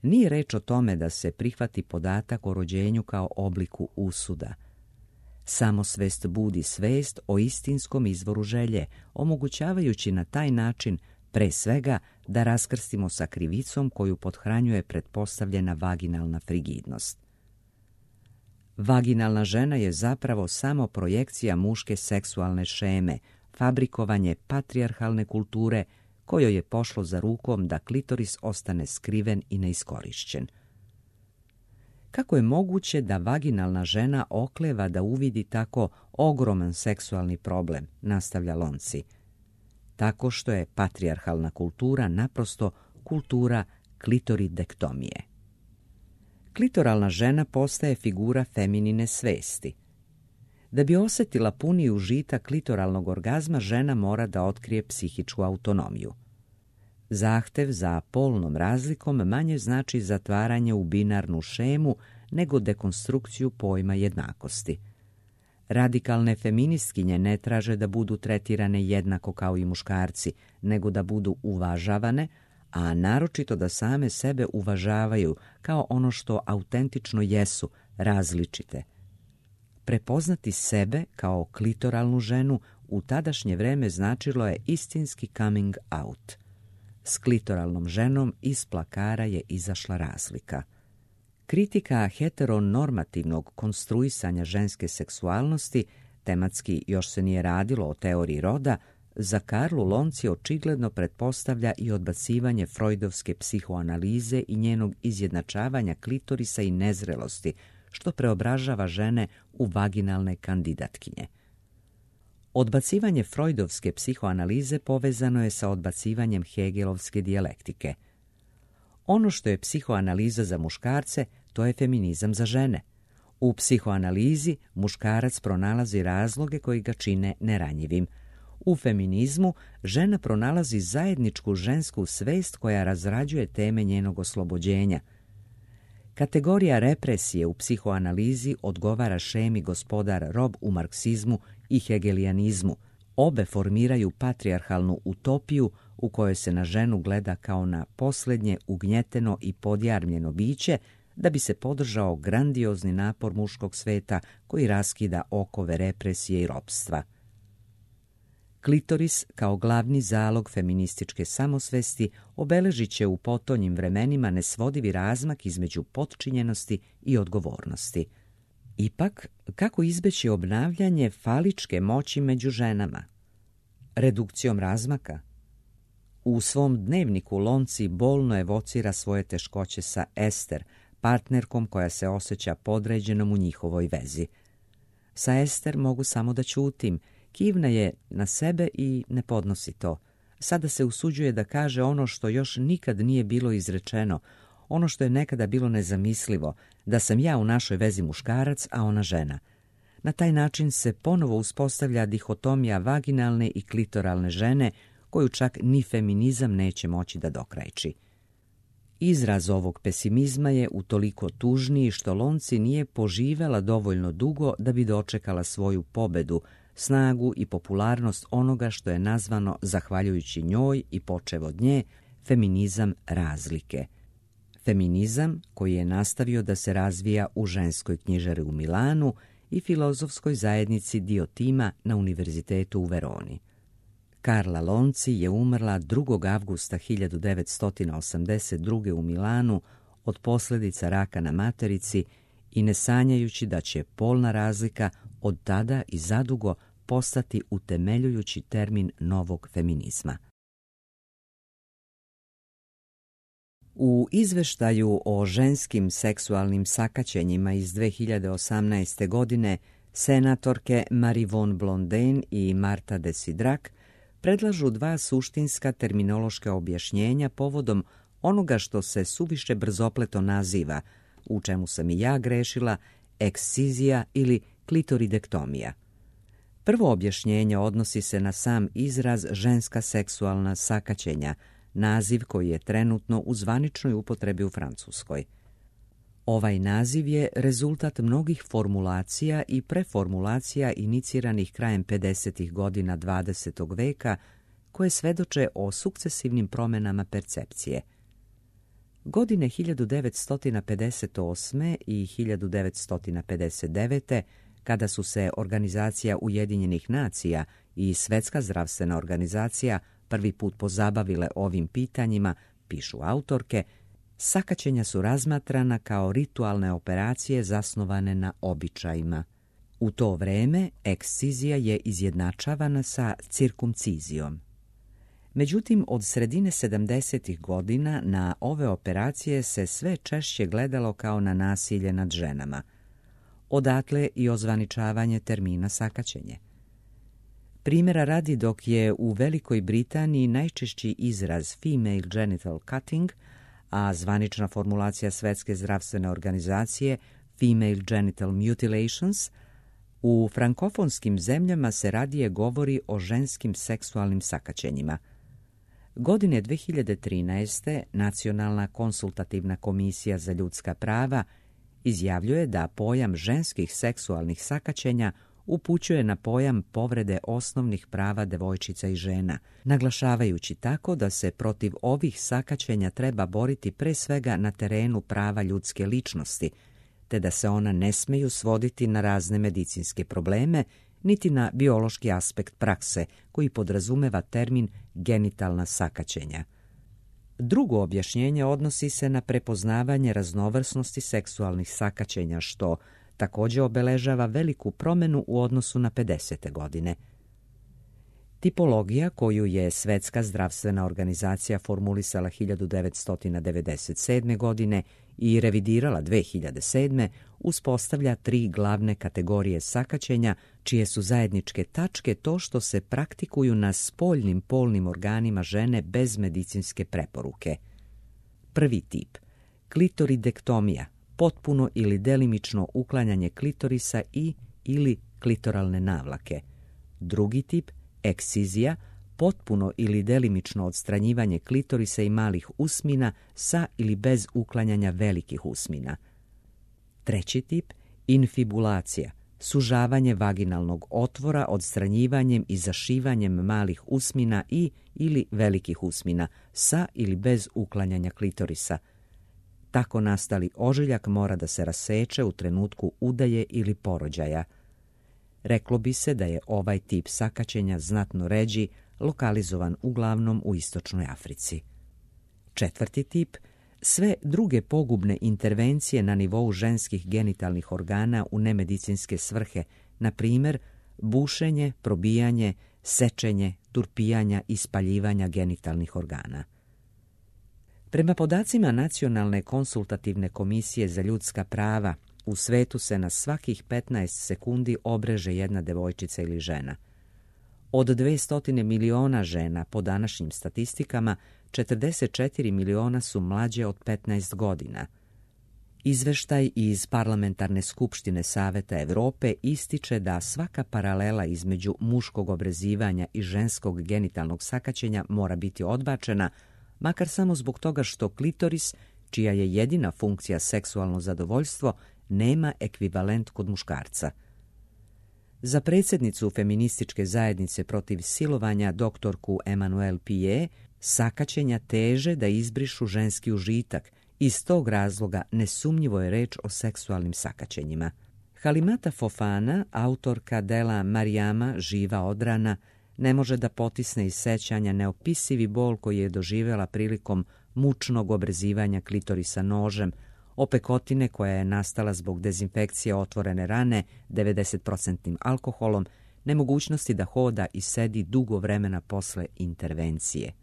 Nije reč o tome da se prihvati podatak o rođenju kao obliku usuda. Samosvest budi svest o istinskom izvoru želje, omogućavajući na taj način pre svega da raskrstimo sa krivicom koju pothranjuje pretpostavljena vaginalna frigidnost. Vaginalna žena je zapravo samo projekcija muške seksualne šeme, fabrikovanje patrijarhalne kulture kojoj je pošlo za rukom da klitoris ostane skriven i neiskorišćen. Kako je moguće da vaginalna žena okleva da uvidi tako ogroman seksualni problem, nastavlja Lonci? Tako što je patrijarhalna kultura naprosto kultura klitoridektomije. Klitoralna žena postaje figura feminine svesti. Da bi osjetila puni užitak klitoralnog orgazma, žena mora da otkrije psihičku autonomiju. Zahtev za polnom razlikom manje znači zatvaranje u binarnu šemu nego dekonstrukciju pojma jednakosti. Radikalne feministkinje ne traže da budu tretirane jednako kao i muškarci, nego da budu uvažavane, a naročito da same sebe uvažavaju kao ono što autentično jesu, različite. Prepoznati sebe kao klitoralnu ženu u tadašnje vreme značilo je istinski coming out. S klitoralnom ženom iz plakara je izašla razlika. Kritika heteronormativnog konstruisanja ženske seksualnosti, tematski još se nije radilo o teoriji roda, za Karlu Lonci očigledno pretpostavlja i odbacivanje freudovske psihoanalize i njenog izjednačavanja klitorisa i nezrelosti, što preobražava žene u vaginalne kandidatkinje. Odbacivanje freudovske psihoanalize povezano je sa odbacivanjem hegelovske dijalektike. Ono što je psihoanaliza za muškarce, to je feminizam za žene. U psihoanalizi muškarac pronalazi razloge koji ga čine neranjivim. U feminizmu žena pronalazi zajedničku žensku svest koja razrađuje teme njenog oslobođenja. Kategorija represije u psihoanalizi odgovara šemi gospodar rob u marksizmu i hegelijanizmu. Obe formiraju patrijarhalnu utopiju u kojoj se na ženu gleda kao na posljednje ugnjeteno i podjarmljeno biće da bi se podržao grandiozni napor muškog sveta koji raskida okove represije i ropstva. Klitoris kao glavni zalog feminističke samosvesti obeležit će u potonjim vremenima nesvodivi razmak između potčinjenosti i odgovornosti. Ipak, kako izbeći obnavljanje faličke moći među ženama? Redukcijom razmaka? U svom dnevniku Lonci bolno evocira svoje teškoće sa Ester, partnerkom koja se osjeća podređenom u njihovoj vezi. Sa Ester mogu samo da ćutim, kivna je na sebe i ne podnosi to. sada se usuđuje da kaže ono što još nikad nije bilo izrečeno, ono što je nekada bilo nezamislivo, da sam ja u našoj vezi muškarac, a ona žena. Na taj način se ponovo uspostavlja dihotomija vaginalne i klitoralne žene, koju čak ni feminizam neće moći da dokrajči. Izraz ovog pesimizma je utoliko tužniji što Lonci nije poživela dovoljno dugo da bi dočekala svoju pobedu, snagu i popularnost onoga što je nazvano, zahvaljujući njoj i počev od nje, feminizam razlike. Feminizam koji je nastavio da se razvija u ženskoj knjižari u Milanu i filozofskoj zajednici Diotima na Univerzitetu u Veroni. Carla Lonci je umrla 2. avgusta 1982. u Milanu od posljedica raka na materici i ne sanjajući da će polna razlika od tada i zadugo postati utemeljujući termin novog feminizma. U izveštaju o ženskim seksualnim sakaćenjima iz 2018. godine senatorke Marie von Blondin i Marta Desiderac predlažu 2 suštinska terminološka objašnjenja povodom onoga što se suviše brzopleto naziva, u čemu sam i ja grešila, ekscizija ili klitoridektomija. Prvo objašnjenje odnosi se na sam izraz ženska seksualna sakaćenja, naziv koji je trenutno u zvaničnoj upotrebi u Francuskoj. Ovaj naziv je rezultat mnogih formulacija i preformulacija iniciranih krajem 50. godina 20. veka koje svedoče o sukcesivnim promjenama percepcije. Godine 1958. i 1959. kada su se Organizacija Ujedinjenih nacija i Svjetska zdravstvena organizacija prvi put pozabavile ovim pitanjima, pišu autorke, sakaćenja su razmatrana kao ritualne operacije zasnovane na običajima. U to vreme ekscizija je izjednačavana sa cirkumcizijom. Međutim, od sredine 70. godina na ove operacije se sve češće gledalo kao na nasilje nad ženama. Odatle i ozvaničavanje termina sakaćenje. Primjera radi, dok je u Velikoj Britaniji najčešći izraz female genital cutting, a zvanična formulacija Svjetske zdravstvene organizacije female genital mutilations, u frankofonskim zemljama se radije govori o ženskim seksualnim sakaćenjima. Godine 2013. Nacionalna konsultativna komisija za ljudska prava izjavljuje da pojam ženskih seksualnih sakaćenja upućuje na pojam povrede osnovnih prava devojčica i žena, naglašavajući tako da se protiv ovih sakaćenja treba boriti pre svega na terenu prava ljudske ličnosti, te da se ona ne smeju svoditi na razne medicinske probleme, niti na biološki aspekt prakse, koji podrazumeva termin genitalna sakaćenja. Drugo objašnjenje odnosi se na prepoznavanje raznovrsnosti seksualnih sakaćenja, što također obeležava veliku promjenu u odnosu na 50. godine. Tipologija koju je Svjetska zdravstvena organizacija formulisala 1997. godine i revidirala 2007. uspostavlja 3 glavne kategorije sakaćenja, čije su zajedničke tačke to što se praktikuju na spoljnim polnim organima žene bez medicinske preporuke. Prvi tip – klitoridektomija, potpuno ili delimično uklanjanje klitorisa ili klitoralne navlake. Drugi tip – ekscizija, potpuno ili delimično odstranjivanje klitorisa i malih usmina sa ili bez uklanjanja velikih usmina. Treći tip – infibulacija, sužavanje vaginalnog otvora odstranjivanjem i zašivanjem malih usmina ili velikih usmina sa ili bez uklanjanja klitorisa. Tako nastali ožiljak mora da se raseče u trenutku udaje ili porođaja. Reklo bi se da je ovaj tip sakaćenja znatno ređi, lokalizovan uglavnom u istočnoj Africi. Četvrti tip – sve druge pogubne intervencije na nivou ženskih genitalnih organa u nemedicinske svrhe, na primjer bušenje, probijanje, sečenje, turpijanja i spaljivanja genitalnih organa. Prema podacima Nacionalne konsultativne komisije za ljudska prava, u svetu se na svakih 15 sekundi obreže jedna devojčica ili žena. Od 200 miliona žena po današnjim statistikama, 44 miliona su mlađe od 15 godina. Izveštaj iz Parlamentarne skupštine Saveta Europe ističe da svaka paralela između muškog obrezivanja i ženskog genitalnog sakaćenja mora biti odbačena, makar samo zbog toga što klitoris, čija je jedina funkcija seksualno zadovoljstvo, nema ekvivalent kod muškarca. Za predsjednicu feminističke zajednice protiv silovanja doktorku Emmanuelle Piet, sakaćenja teže da izbrišu ženski užitak. Iz tog razloga nesumnjivo je reč o seksualnim sakaćenjima. Halimata Fofana, autorka dela Marijama, živa odrana, ne može da potisne iz sećanja neopisivi bol koji je doživjela prilikom mučnog obrezivanja klitorisa nožem, opekotine koja je nastala zbog dezinfekcije otvorene rane 90% alkoholom, nemogućnosti da hoda i sedi dugo vremena posle intervencije.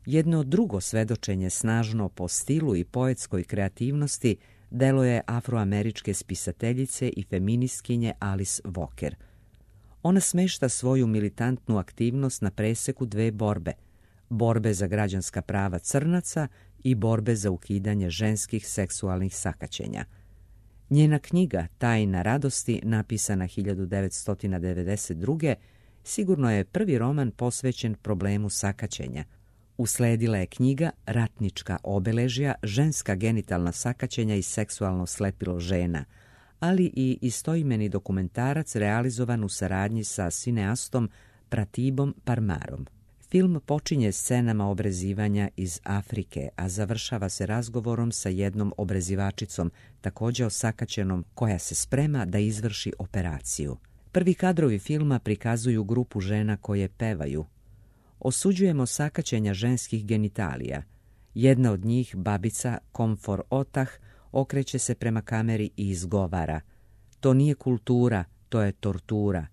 Jedno drugo svedočenje snažno po stilu i poetskoj kreativnosti delo je afroameričke spisateljice i feministkinje Alice Walker. Ona smešta svoju militantnu aktivnost na preseku dve borbe za građanska prava crnaca i borbe za ukidanje ženskih seksualnih sakaćenja. Njena knjiga Tajna radosti, napisana 1992. sigurno je prvi roman posvećen problemu sakaćenja. Usledila je knjiga Ratnička obeležja, ženska genitalna sakaćenja i seksualno slepilo žena, ali i istoimeni dokumentarac realizovan u saradnji sa sineastom Pratibom Parmarom. Film počinje scenama obrezivanja iz Afrike, a završava se razgovorom sa jednom obrezivačicom, također osakaćenom, koja se sprema da izvrši operaciju. Prvi kadrovi filma prikazuju grupu žena koje pevaju. Osuđujemo sakaćenja ženskih genitalija. Jedna od njih, babica Komfor Otah, okreće se prema kameri i izgovara: to nije kultura, to je tortura.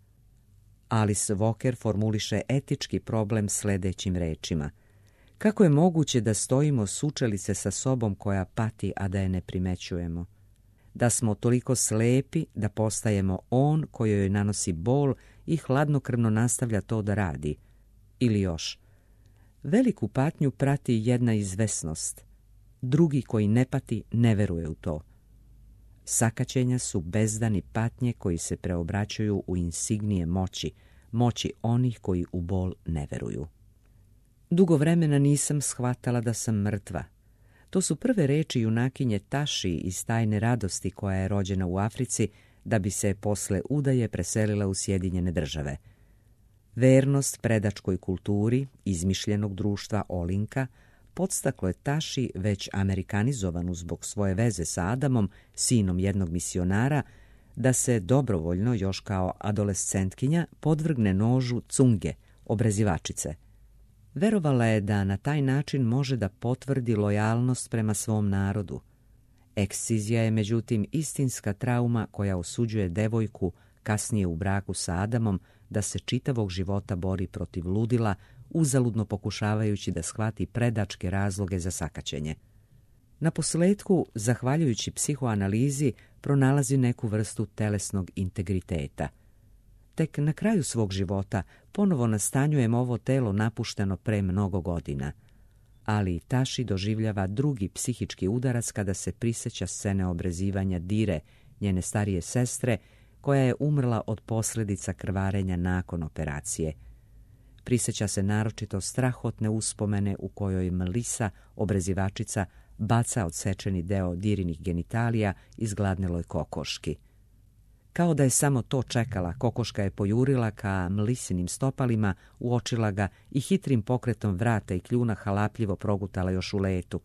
Alice Walker formuliše etički problem sledećim rečima: kako je moguće da stojimo sučelice sa sobom koja pati, a da je ne primećujemo? Da smo toliko slepi da postajemo on koji joj nanosi bol i hladnokrvno nastavlja to da radi. Ili još: veliku patnju prati jedna izvesnost. Drugi koji ne pati ne veruje u to. Sakaćenja su bezdani patnje koji se preobraćaju u insignije moći onih koji u bol ne veruju. Dugo vremena nisam shvatala da sam mrtva. To su prve reči junakinje Taši iz Tajne radosti, koja je rođena u Africi da bi se posle udaje preselila u Sjedinjene Države. Vernost predačkoj kulturi izmišljenog društva Olinka podstaklo je Taši, već amerikanizovanu zbog svoje veze sa Adamom, sinom jednog misionara, da se dobrovoljno, još kao adolescentkinja, podvrgne nožu cunge, obrezivačice. Verovala je da na taj način može da potvrdi lojalnost prema svom narodu. Ekscizija je međutim istinska trauma koja osuđuje devojku, kasnije u braku sa Adamom, da se čitavog života bori protiv ludila, uzaludno pokušavajući da shvati predačke razloge za sakaćenje. Naposletku, zahvaljujući psihoanalizi, pronalazi neku vrstu telesnog integriteta. Tek na kraju svog života ponovo nastanjujem ovo telo napušteno pre mnogo godina. Ali Taši doživljava drugi psihički udarac kada se prisjeća scene obrezivanja Dire, njene starije sestre, koja je umrla od posljedica krvarenja nakon operacije. Prisjeća se naročito strahotne uspomene u kojoj Melissa, obrezivačica, baca odsečeni deo Dirinih genitalija izgladneloj kokoški. Kao da je samo to čekala, kokoška je pojurila ka Melisinim stopalima, uočila ga i hitrim pokretom vrata i kljuna halapljivo progutala još u letu.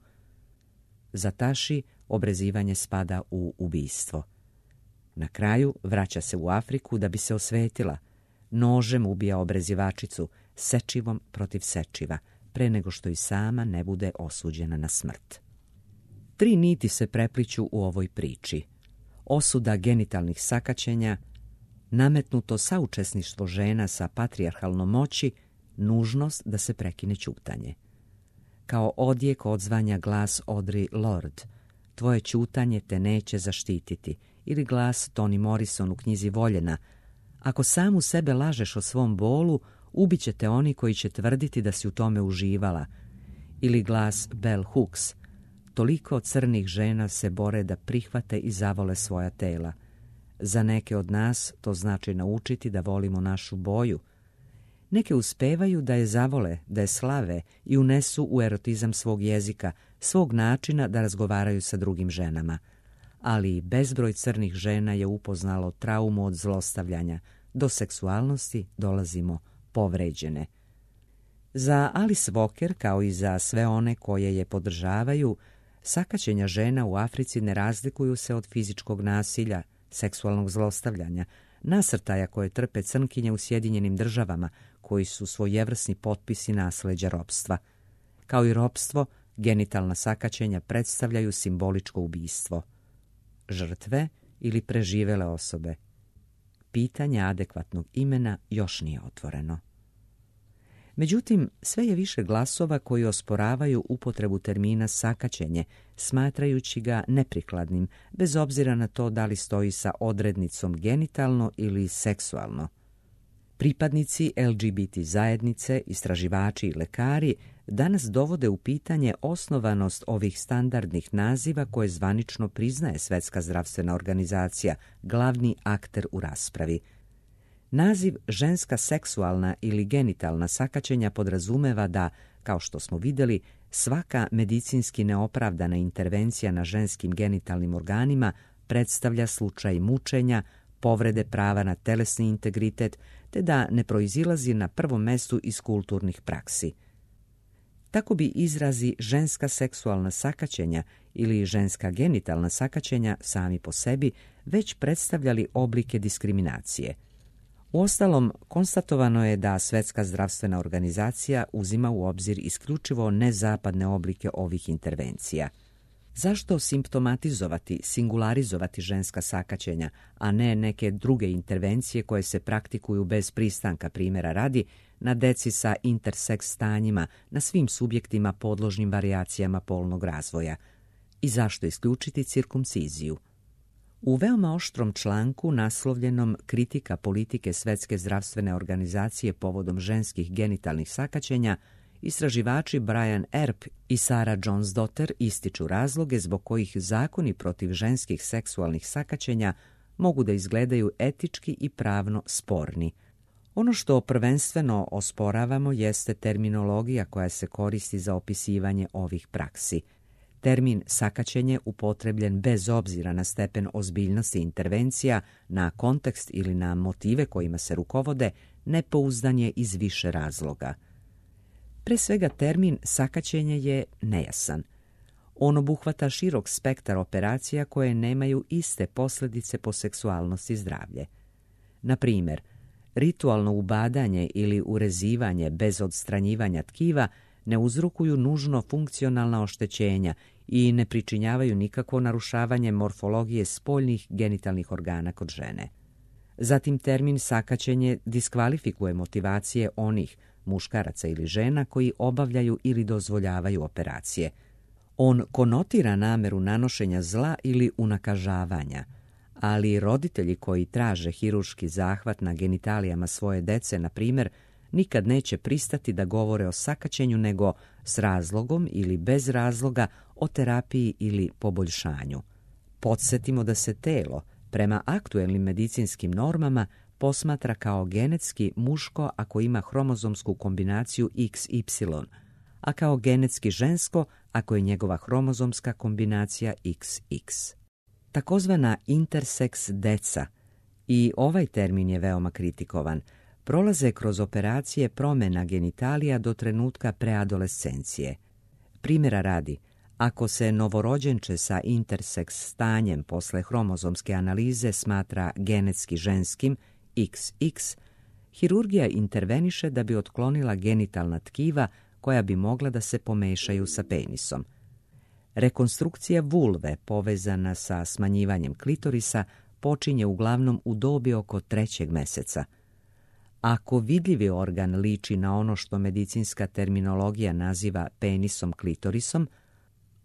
Za Taši obrezivanje spada u ubistvo. Na kraju vraća se u Afriku da bi se osvetila. Nožem ubija obrezivačicu, sečivom protiv sečiva, pre nego što i sama ne bude osuđena na smrt. 3 niti se prepliću u ovoj priči. Osuda genitalnih sakaćenja, nametnuto saučesništvo žena sa patrijarhalnom moći, nužnost da se prekine ćutanje. Kao odjek odzvanja glas Audre Lorde: tvoje ćutanje te neće zaštititi, ili glas Toni Morrison u knjizi Voljena: Ako sam u sebe lažeš o svom bolu, ubiće te oni koji će tvrditi da si u tome uživala. Ili glas Bell Hooks: toliko crnih žena se bore da prihvate i zavole svoja tela. Za neke od nas to znači naučiti da volimo našu boju. Neke uspevaju da je zavole, da je slave i unesu u erotizam svog jezika, svog načina da razgovaraju sa drugim ženama. Ali bezbroj crnih žena je upoznalo traumu od zlostavljanja. Do seksualnosti dolazimo povređene. Za Alice Walker, kao i za sve one koje je podržavaju, sakaćenja žena u Africi ne razlikuju se od fizičkog nasilja, seksualnog zlostavljanja, nasrtaja koje trpe crnkinje u Sjedinjenim Državama, koji su svojevrsni potpisi nasleđa ropstva. Kao i ropstvo, genitalna sakaćenja predstavljaju simboličko ubistvo. Žrtve ili preživele osobe? Pitanje adekvatnog imena još nije otvoreno. Međutim, sve je više glasova koji osporavaju upotrebu termina sakaćenje, smatrajući ga neprikladnim, bez obzira na to da li stoji sa odrednicom genitalno ili seksualno. Pripadnici LGBT zajednice, istraživači i lekari danas dovode u pitanje osnovanost ovih standardnih naziva koje zvanično priznaje Svjetska zdravstvena organizacija, glavni akter u raspravi. Naziv ženska seksualna ili genitalna sakaćenja podrazumeva da, kao što smo vidjeli, svaka medicinski neopravdana intervencija na ženskim genitalnim organima predstavlja slučaj mučenja, povrede prava na telesni integritet, te da ne proizilazi na prvom mestu iz kulturnih praksi. Tako bi izrazi ženska seksualna sakaćenja ili ženska genitalna sakaćenja sami po sebi već predstavljali oblike diskriminacije. Uostalom, konstatovano je da Svjetska zdravstvena organizacija uzima u obzir isključivo nezapadne oblike ovih intervencija. Zašto simptomatizovati, singularizovati ženska sakaćenja, a ne neke druge intervencije koje se praktikuju bez pristanka, primjera radi, na deci sa interseks stanjima, na svim subjektima podložnim varijacijama polnog razvoja? I zašto isključiti cirkumciziju? U veoma oštrom članku naslovljenom Kritika politike Svjetske zdravstvene organizacije povodom ženskih genitalnih sakaćenja, istraživači Brian Earp i Sarah Jones-Dotter ističu razloge zbog kojih zakoni protiv ženskih seksualnih sakaćenja mogu da izgledaju etički i pravno sporni. Ono što prvenstveno osporavamo jeste terminologija koja se koristi za opisivanje ovih praksi. Termin sakaćenje upotrebljen bez obzira na stepen ozbiljnosti intervencija, na kontekst ili na motive kojima se rukovode, nepouzdan je iz više razloga. Pre svega, termin sakaćenje je nejasan. On obuhvata širok spektar operacija koje nemaju iste posljedice po seksualnost i zdravlje. Na primjer, ritualno ubadanje ili urezivanje bez odstranjivanja tkiva ne uzrokuju nužno funkcionalna oštećenja i ne pričinjavaju nikakvo narušavanje morfologije spoljnih genitalnih organa kod žene. Zatim, termin sakaćenje diskvalifikuje motivacije onih muškaraca ili žena koji obavljaju ili dozvoljavaju operacije. On konotira nameru nanošenja zla ili unakažavanja, ali roditelji koji traže hirurški zahvat na genitalijama svoje dece, na primjer, nikad neće pristati da govore o sakaćenju, nego s razlogom ili bez razloga o terapiji ili poboljšanju. Podsjetimo da se telo, prema aktuelnim medicinskim normama, posmatra kao genetski muško ako ima hromozomsku kombinaciju XY, a kao genetski žensko ako je njegova hromozomska kombinacija XX. Takozvana interseks deca, i ovaj termin je veoma kritikovan, prolaze kroz operacije promjena genitalija do trenutka preadolescencije. Primjera radi, ako se novorođenče sa interseks stanjem posle hromozomske analize smatra genetski ženskim, XX, hirurgija interveniše da bi otklonila genitalna tkiva koja bi mogla da se pomešaju sa penisom. Rekonstrukcija vulve povezana sa smanjivanjem klitorisa počinje uglavnom u dobi oko 3. mjeseca. Ako vidljivi organ liči na ono što medicinska terminologija naziva penisom klitorisom,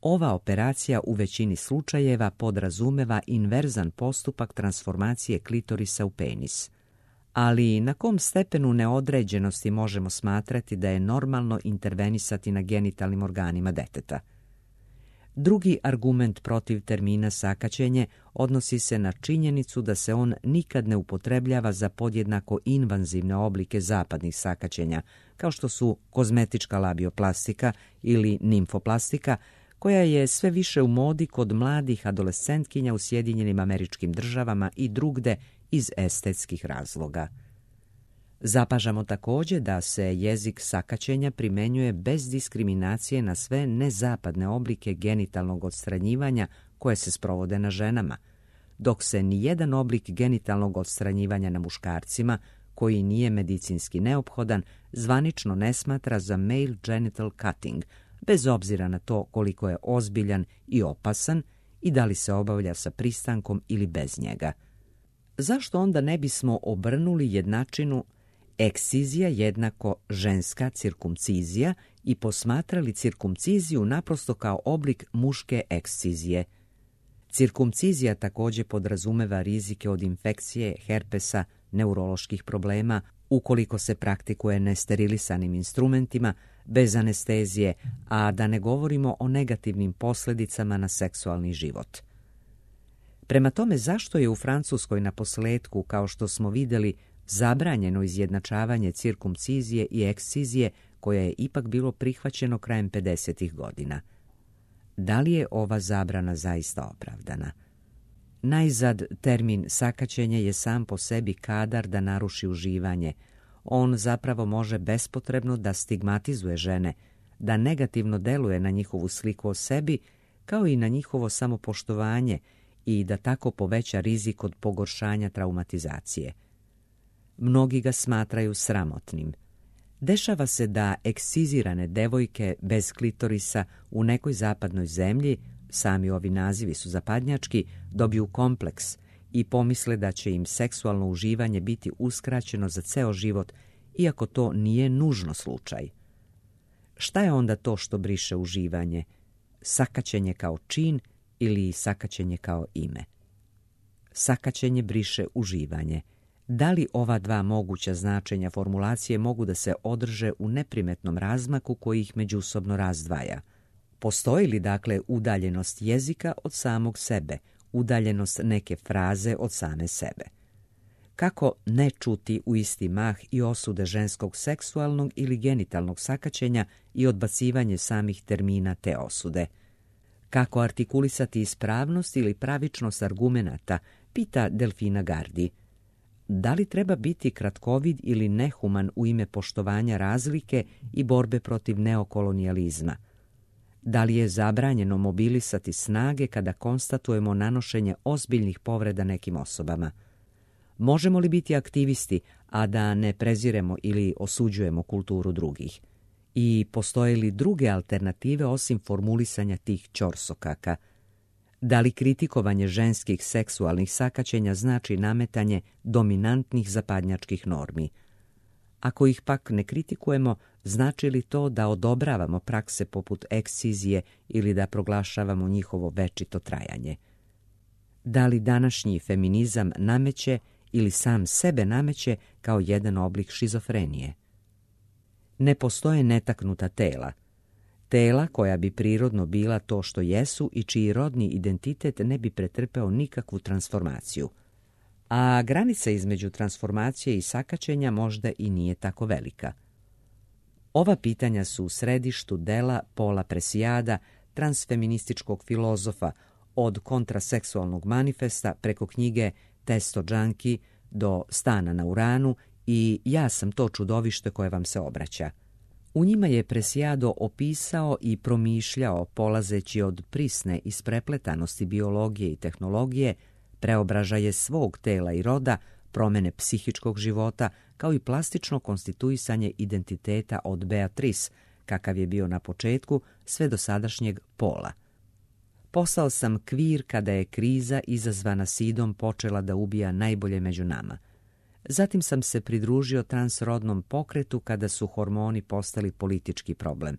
ova operacija u većini slučajeva podrazumeva inverzan postupak transformacije klitorisa u penis. Ali na kom stepenu neodređenosti možemo smatrati da je normalno intervenisati na genitalnim organima deteta? Drugi argument protiv termina sakaćenje odnosi se na činjenicu da se on nikad ne upotrebljava za podjednako invanzivne oblike zapadnih sakaćenja, kao što su kozmetička labioplastika ili nimfoplastika, koja je sve više u modi kod mladih adolescentkinja u Sjedinjenim Američkim Državama i drugde iz estetskih razloga. Zapažamo također da se jezik sakaćenja primenjuje bez diskriminacije na sve nezapadne oblike genitalnog odstranjivanja koje se sprovode na ženama, dok se nijedan oblik genitalnog odstranjivanja na muškarcima, koji nije medicinski neophodan, zvanično ne smatra za male genital cutting, bez obzira na to koliko je ozbiljan i opasan i da li se obavlja sa pristankom ili bez njega. Zašto onda ne bismo obrnuli jednačinu ekscizija jednako ženska cirkumcizija i posmatrali cirkumciziju naprosto kao oblik muške ekscizije? Cirkumcizija također podrazumeva rizike od infekcije, herpesa, neuroloških problema, ukoliko se praktikuje nesterilisanim instrumentima, bez anestezije, a da ne govorimo o negativnim posljedicama na seksualni život. Prema tome, zašto je u Francuskoj na posljetku, kao što smo vidjeli, zabranjeno izjednačavanje cirkumcizije i ekscizije, koje je ipak bilo prihvaćeno krajem 50. godina? Da li je ova zabrana zaista opravdana? Najzad, termin sakaćenje je sam po sebi kadar da naruši uživanje. On zapravo može bespotrebno da stigmatizuje žene, da negativno deluje na njihovu sliku o sebi, kao i na njihovo samopoštovanje i da tako poveća rizik od pogoršanja traumatizacije. Mnogi ga smatraju sramotnim. Dešava se da ekscizirane devojke bez klitorisa u nekoj zapadnoj zemlji, sami ovi nazivi su zapadnjački, dobiju kompleks i pomisle da će im seksualno uživanje biti uskraćeno za ceo život, iako to nije nužno slučaj. Šta je onda to što briše uživanje? Sakaćenje kao čin ili sakaćenje kao ime? Sakaćenje briše uživanje. Da li ova dva moguća značenja formulacije mogu da se održe u neprimetnom razmaku koji ih međusobno razdvaja? Postoji li dakle udaljenost jezika od samog sebe, udaljenost neke fraze od same sebe? Kako ne čuti u isti mah i osude ženskog seksualnog ili genitalnog sakaćenja i odbacivanje samih termina te osude? Kako artikulisati ispravnost ili pravičnost argumenata, pita Delfina Gardi. Da li treba biti kratkovid ili nehuman u ime poštovanja razlike i borbe protiv neokolonijalizma? Da li je zabranjeno mobilisati snage kada konstatujemo nanošenje ozbiljnih povreda nekim osobama? Možemo li biti aktivisti, a da ne preziremo ili osuđujemo kulturu drugih? I postoje li druge alternative osim formulisanja tih ćorsokaka? Da li kritikovanje ženskih seksualnih sakaćenja znači nametanje dominantnih zapadnjačkih normi? Ako ih pak ne kritikujemo, znači li to da odobravamo prakse poput ekscizije ili da proglašavamo njihovo večito trajanje? Da li današnji feminizam nameće ili sam sebe nameće kao jedan oblik šizofrenije? Ne postoje netaknuta tela. Tela koja bi prirodno bila to što jesu i čiji rodni identitet ne bi pretrpeo nikakvu transformaciju. A granica između transformacije i sakaćenja možda i nije tako velika. Ova pitanja su u središtu dela Paula Preciada, transfeminističkog filozofa, od kontraseksualnog manifesta preko knjige Testo Junkie do Stana na Uranu i Ja sam to čudovište koje vam se obraća. U njima je Preciado opisao i promišljao, polazeći od prisne isprepletanosti biologije i tehnologije, preobražaje svog tela i roda, promene psihičkog života, kao i plastično konstituisanje identiteta od Beatrice, kakav je bio na početku, sve do sadašnjeg Pola. Postao sam kvir kada je kriza izazvana sidom počela da ubija najbolje među nama. Zatim sam se pridružio transrodnom pokretu kada su hormoni postali politički problem.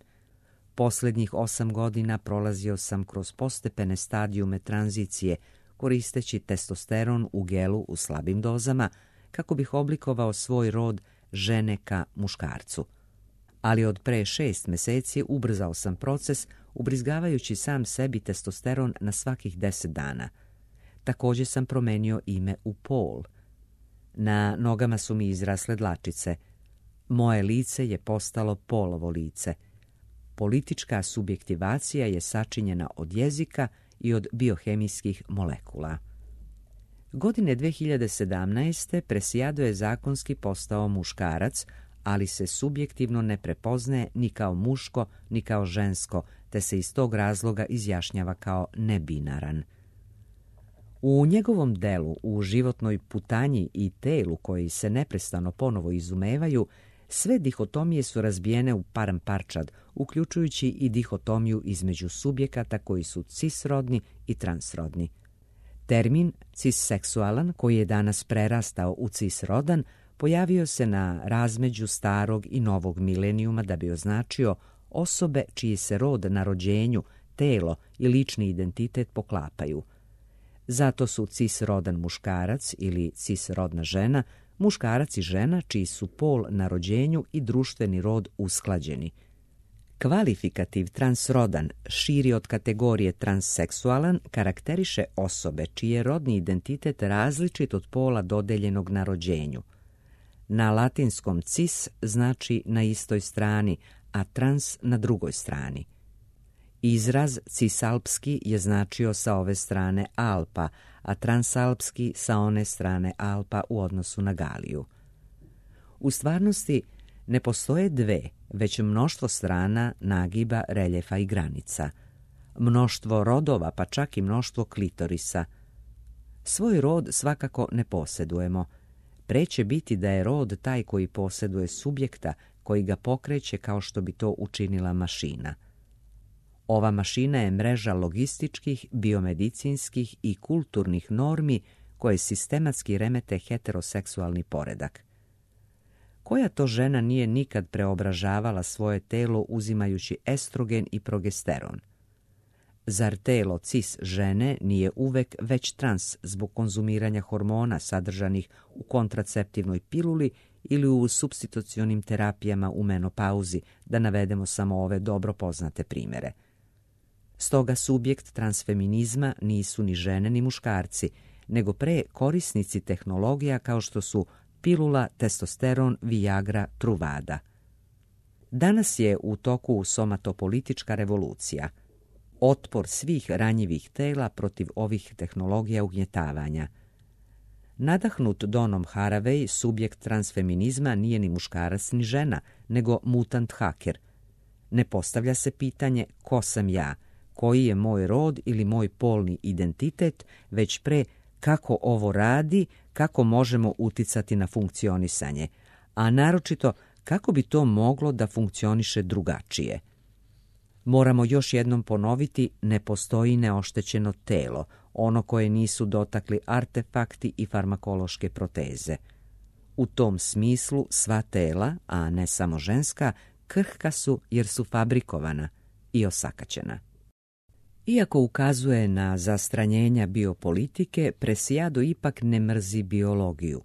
Posljednjih 8 godina prolazio sam kroz postepene stadijume tranzicije, koristeći testosteron u gelu u slabim dozama, kako bih oblikovao svoj rod žene ka muškarcu. Ali od pre 6 meseci ubrzao sam proces ubrizgavajući sam sebi testosteron na svakih 10 dana. Također sam promenio ime u Paul. Na nogama su mi izrasle dlačice. Moje lice je postalo Paulovo lice. Politička subjektivacija je sačinjena od jezika i od biohemijskih molekula. Godine 2017. Preciado je zakonski postao muškarac, ali se subjektivno ne prepoznaje ni kao muško, ni kao žensko, te se iz tog razloga izjašnjava kao nebinaran. U njegovom delu, u životnoj putanji i telu koji se neprestano ponovo izumevaju, sve dihotomije su razbijene u param parčad, uključujući i dihotomiju između subjekata koji su cisrodni i transrodni. Termin cisseksualan, koji je danas prerastao u cisrodan, pojavio se na razmeđu starog i novog milenijuma da bi označio osobe čiji se rod na rođenju, telo i lični identitet poklapaju. Zato su cisrodan muškarac ili cisrodna žena muškarac i žena čiji su pol na rođenju i društveni rod usklađeni. Kvalifikativ transrodan, širi od kategorije transseksualan, karakteriše osobe čiji je rodni identitet različit od pola dodeljenog na rođenju. Na latinskom cis znači na istoj strani, a trans na drugoj strani. Izraz cisalpski je značio sa ove strane Alpa, a transalpski sa one strane Alpa u odnosu na Galiju. U stvarnosti ne postoje dve, već mnoštvo strana nagiba, reljefa i granica. Mnoštvo rodova, pa čak i mnoštvo klitorisa. Svoj rod svakako ne posjedujemo. Preće biti da je rod taj koji posjeduje subjekta, koji ga pokreće kao što bi to učinila mašina. Ova mašina je mreža logističkih, biomedicinskih i kulturnih normi koje sistematski remete heteroseksualni poredak. Koja to žena nije nikad preobražavala svoje telo uzimajući estrogen i progesteron? Zar telo cis žene nije uvek već trans zbog konzumiranja hormona sadržanih u kontraceptivnoj piluli ili u supstitucionim terapijama u menopauzi, da navedemo samo ove dobro poznate primere? Stoga subjekt transfeminizma nisu ni žene ni muškarci, nego pre korisnici tehnologija kao što su pilula, testosteron, viagra, truvada. Danas je u toku somatopolitička revolucija. Otpor svih ranjivih tela protiv ovih tehnologija ugnjetavanja. Nadahnut Donom Haraway, subjekt transfeminizma nije ni muškarac ni žena, nego mutant haker. Ne postavlja se pitanje ko sam ja, koji je moj rod ili moj polni identitet, već pre kako ovo radi, kako možemo uticati na funkcionisanje, a naročito kako bi to moglo da funkcioniše drugačije. Moramo još jednom ponoviti, ne postoji neoštećeno telo, ono koje nisu dotakli artefakti i farmakološke proteze. U tom smislu sva tela, a ne samo ženska, krhka su jer su fabrikovana i osakaćena. Iako ukazuje na zastranjenja biopolitike, Preciado ipak ne mrzi biologiju.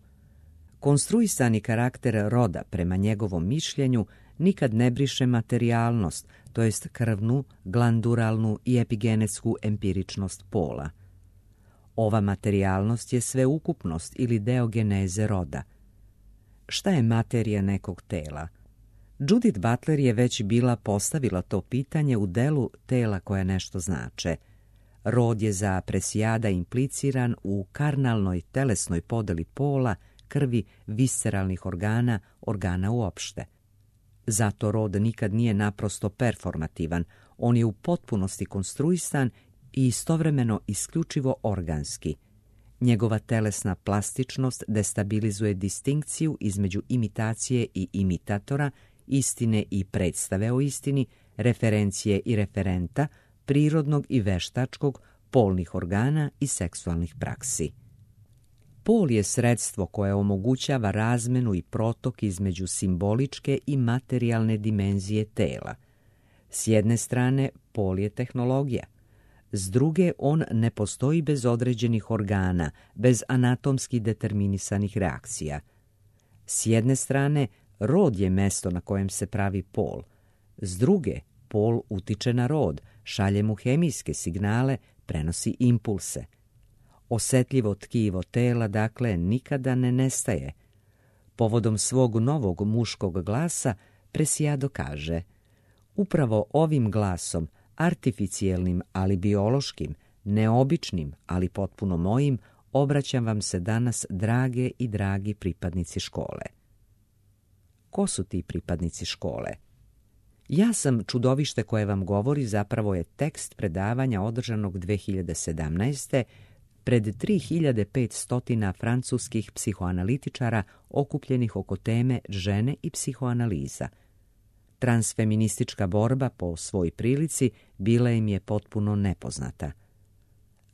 Konstruisani karakter roda, prema njegovom mišljenju, nikad ne briše materijalnost, to jest krvnu, glanduralnu i epigenetsku empiričnost pola. Ova materijalnost je sveukupnost ili deo geneze roda. Šta je materija nekog tela? Judith Butler je već bila postavila to pitanje u delu Tela koja nešto znače. Rod je za Preciada impliciran u karnalnoj telesnoj podeli pola, krvi, visceralnih organa, organa uopšte. Zato rod nikad nije naprosto performativan, on je u potpunosti konstruisan i istovremeno isključivo organski. Njegova telesna plastičnost destabilizuje distinkciju između imitacije i imitatora, istine i predstave o istini, referencije i referenta, prirodnog i veštačkog, polnih organa i seksualnih praksi. Pol je sredstvo koje omogućava razmenu i protok između simboličke i materijalne dimenzije tela. S jedne strane, pol je tehnologija. S druge, on ne postoji bez određenih organa, bez anatomski determinisanih reakcija. S jedne strane, rod je mesto na kojem se pravi pol. S druge, pol utiče na rod, šalje mu hemijske signale, prenosi impulse. Osetljivo tkivo tela, dakle, nikada ne nestaje. Povodom svog novog muškog glasa, Preciado kaže: upravo ovim glasom, artificijelnim, ali biološkim, neobičnim, ali potpuno mojim, obraćam vam se danas, drage i dragi pripadnici škole. Ko su ti pripadnici škole? Ja sam čudovište koje vam govori zapravo je tekst predavanja održanog 2017. pred 3500 francuskih psihoanalitičara okupljenih oko teme žene i psihoanaliza. Transfeministička borba po svoj prilici bila im je potpuno nepoznata.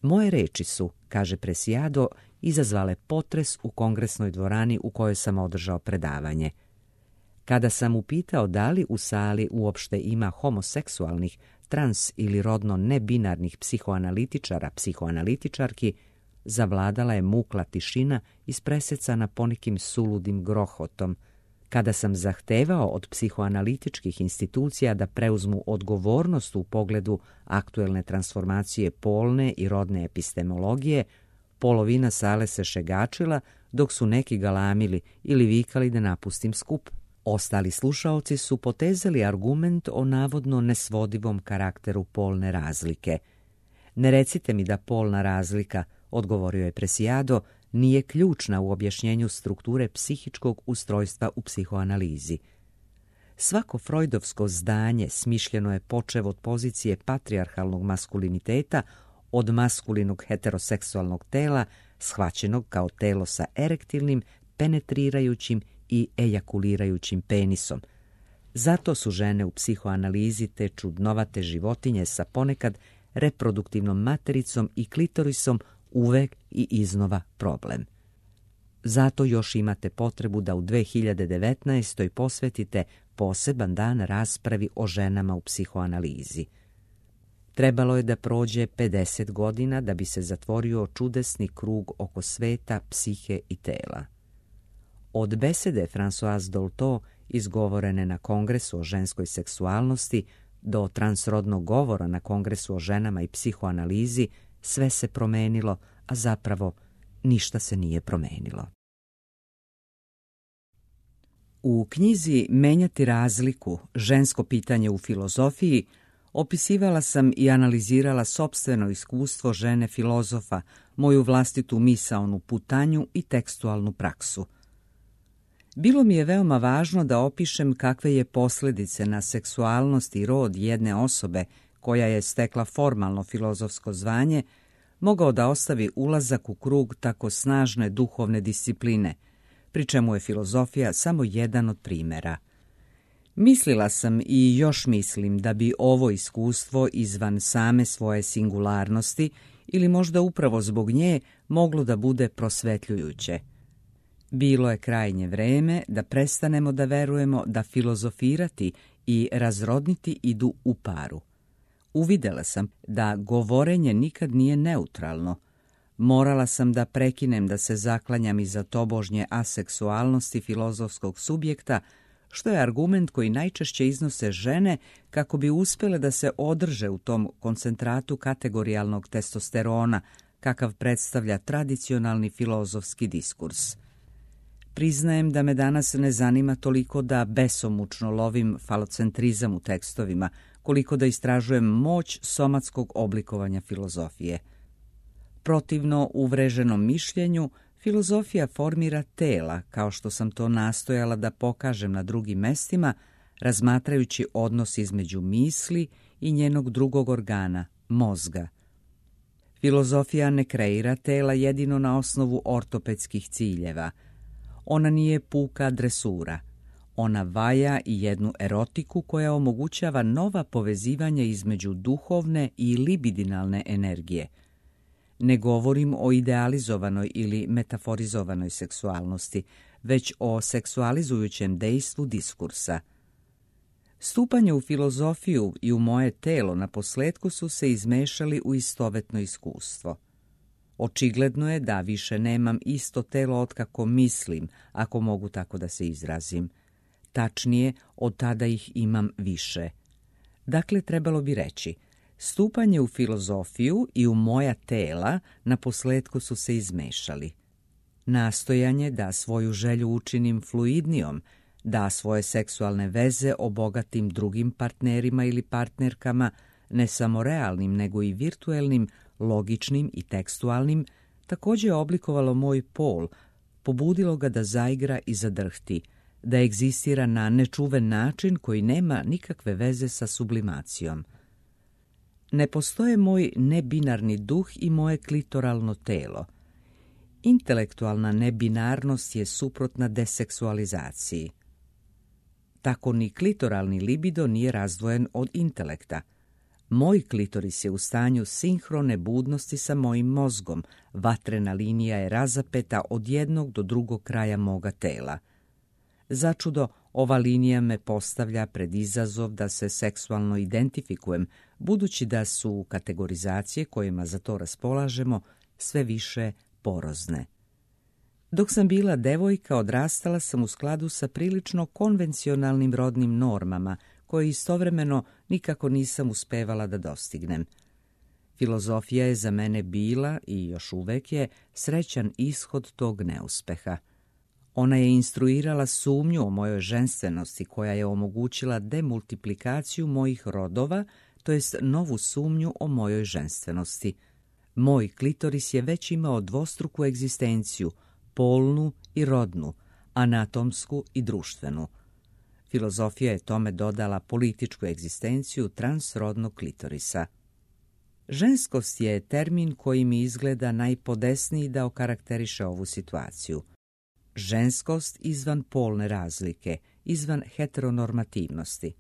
Moje reči su, kaže Preciado, izazvale potres u kongresnoj dvorani u kojoj sam održao predavanje. Kada sam upitao da li u sali uopšte ima homoseksualnih, trans ili rodno nebinarnih psihoanalitičara, psihoanalitičarki, zavladala je mukla tišina ispresecana ponekim suludim grohotom. Kada sam zahtevao od psihoanalitičkih institucija da preuzmu odgovornost u pogledu aktuelne transformacije polne i rodne epistemologije, polovina sale se šegačila, dok su neki galamili ili vikali da napustim skup. Ostali slušaoci su potezali argument o navodno nesvodivom karakteru polne razlike. Ne recite mi da polna razlika, odgovorio je Preciado, nije ključna u objašnjenju strukture psihičkog ustrojstva u psihoanalizi. Svako freudovsko zdanje smišljeno je počev od pozicije patrijarhalnog maskuliniteta, od maskulinog heteroseksualnog tela, shvaćenog kao telo sa erektilnim, penetrirajućim i ejakulirajućim penisom. Zato su žene u psihoanalizi te čudnovate životinje sa ponekad reproduktivnom matericom i klitorisom uvek i iznova problem. Zato još imate potrebu da u 2019. posvetite poseban dan raspravi o ženama u psihoanalizi. Trebalo je da prođe 50 godina da bi se zatvorio čudesni krug oko sveta, psihe i tela. Od besede Françoise Dolto, izgovorene na Kongresu o ženskoj seksualnosti, do transrodnog govora na Kongresu o ženama i psihoanalizi, sve se promenilo, a zapravo ništa se nije promenilo. U knjizi Menjati razliku, žensko pitanje u filozofiji, opisivala sam i analizirala sopstveno iskustvo žene filozofa, moju vlastitu misaonu putanju i tekstualnu praksu. Bilo mi je veoma važno da opišem kakve je posljedice na seksualnost i rod jedne osobe koja je stekla formalno filozofsko zvanje, mogao da ostavi ulazak u krug tako snažne duhovne discipline, pri čemu je filozofija samo jedan od primjera. Mislila sam i još mislim da bi ovo iskustvo izvan same svoje singularnosti ili možda upravo zbog nje moglo da bude prosvetljujuće. Bilo je krajnje vreme da prestanemo da verujemo da filozofirati i razrodniti idu u paru. Uvidela sam da govorenje nikad nije neutralno. Morala sam da prekinem da se zaklanjam iza tobožnje aseksualnosti filozofskog subjekta, što je argument koji najčešće iznose žene kako bi uspjele da se održe u tom koncentratu kategorijalnog testosterona, kakav predstavlja tradicionalni filozofski diskurs. Priznajem da me danas ne zanima toliko da besomučno lovim falocentrizam u tekstovima, koliko da istražujem moć somatskog oblikovanja filozofije. Protivno uvreženom mišljenju, filozofija formira tela, kao što sam to nastojala da pokažem na drugim mestima, razmatrajući odnos između misli i njenog drugog organa, mozga. Filozofija ne kreira tela jedino na osnovu ortopedskih ciljeva. Ona nije puka dresura. Ona vaja i jednu erotiku koja omogućava nova povezivanja između duhovne i libidinalne energije. Ne govorim o idealizovanoj ili metaforizovanoj seksualnosti, već o seksualizujućem dejstvu diskursa. Stupanje u filozofiju i u moje telo na posljetku su se izmešali u istovetno iskustvo. Očigledno je da više nemam isto telo otkako mislim, ako mogu tako da se izrazim. Tačnije, od tada ih imam više. Dakle, trebalo bi reći, stupanje u filozofiju i u moja tela na posljetku su se izmešali. Nastojanje da svoju želju učinim fluidnijom, da svoje seksualne veze obogatim drugim partnerima ili partnerkama, ne samo realnim nego i virtuelnim, logičnim i tekstualnim, također je oblikovalo moj pol, pobudilo ga da zaigra i zadrhti, da egzistira na nečuven način koji nema nikakve veze sa sublimacijom. Ne postoje moj nebinarni duh i moje klitoralno telo. Intelektualna nebinarnost je suprotna deseksualizaciji. Tako ni klitoralni libido nije razdvojen od intelekta. Moj klitoris je u stanju sinhrone budnosti sa mojim mozgom, vatrena linija je razapeta od jednog do drugog kraja moga tela. Začudo, ova linija me postavlja pred izazov da se seksualno identifikujem, budući da su kategorizacije kojima za to raspolažemo sve više porozne. Dok sam bila devojka, odrastala sam u skladu sa prilično konvencionalnim rodnim normama, koje istovremeno nikako nisam uspevala da dostignem. Filozofija je za mene bila, i još uvek je, srećan ishod tog neuspeha. Ona je instruirala sumnju o mojoj ženstvenosti, koja je omogućila demultiplikaciju mojih rodova, to jest novu sumnju o mojoj ženstvenosti. Moj klitoris je već imao dvostruku egzistenciju, polnu i rodnu, anatomsku i društvenu. Filozofija je tome dodala političku egzistenciju transrodnog klitorisa. Ženskost je termin koji mi izgleda najpodesniji da okarakteriše ovu situaciju. Ženskost izvan polne razlike, izvan heteronormativnosti.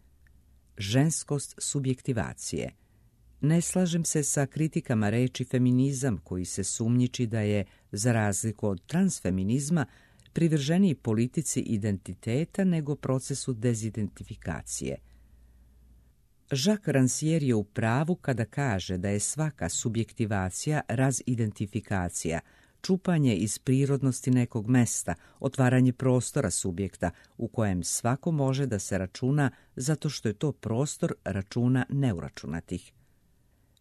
Ženskost subjektivacije. Ne slažem se sa kritikama reči feminizam koji se sumnjiči da je, za razliku od transfeminizma, privrženiji politici identiteta nego procesu dezidentifikacije. Jacques Rancière je u pravu kada kaže da je svaka subjektivacija razidentifikacija, čupanje iz prirodnosti nekog mesta, otvaranje prostora subjekta u kojem svako može da se računa zato što je to prostor računa neuračunatih.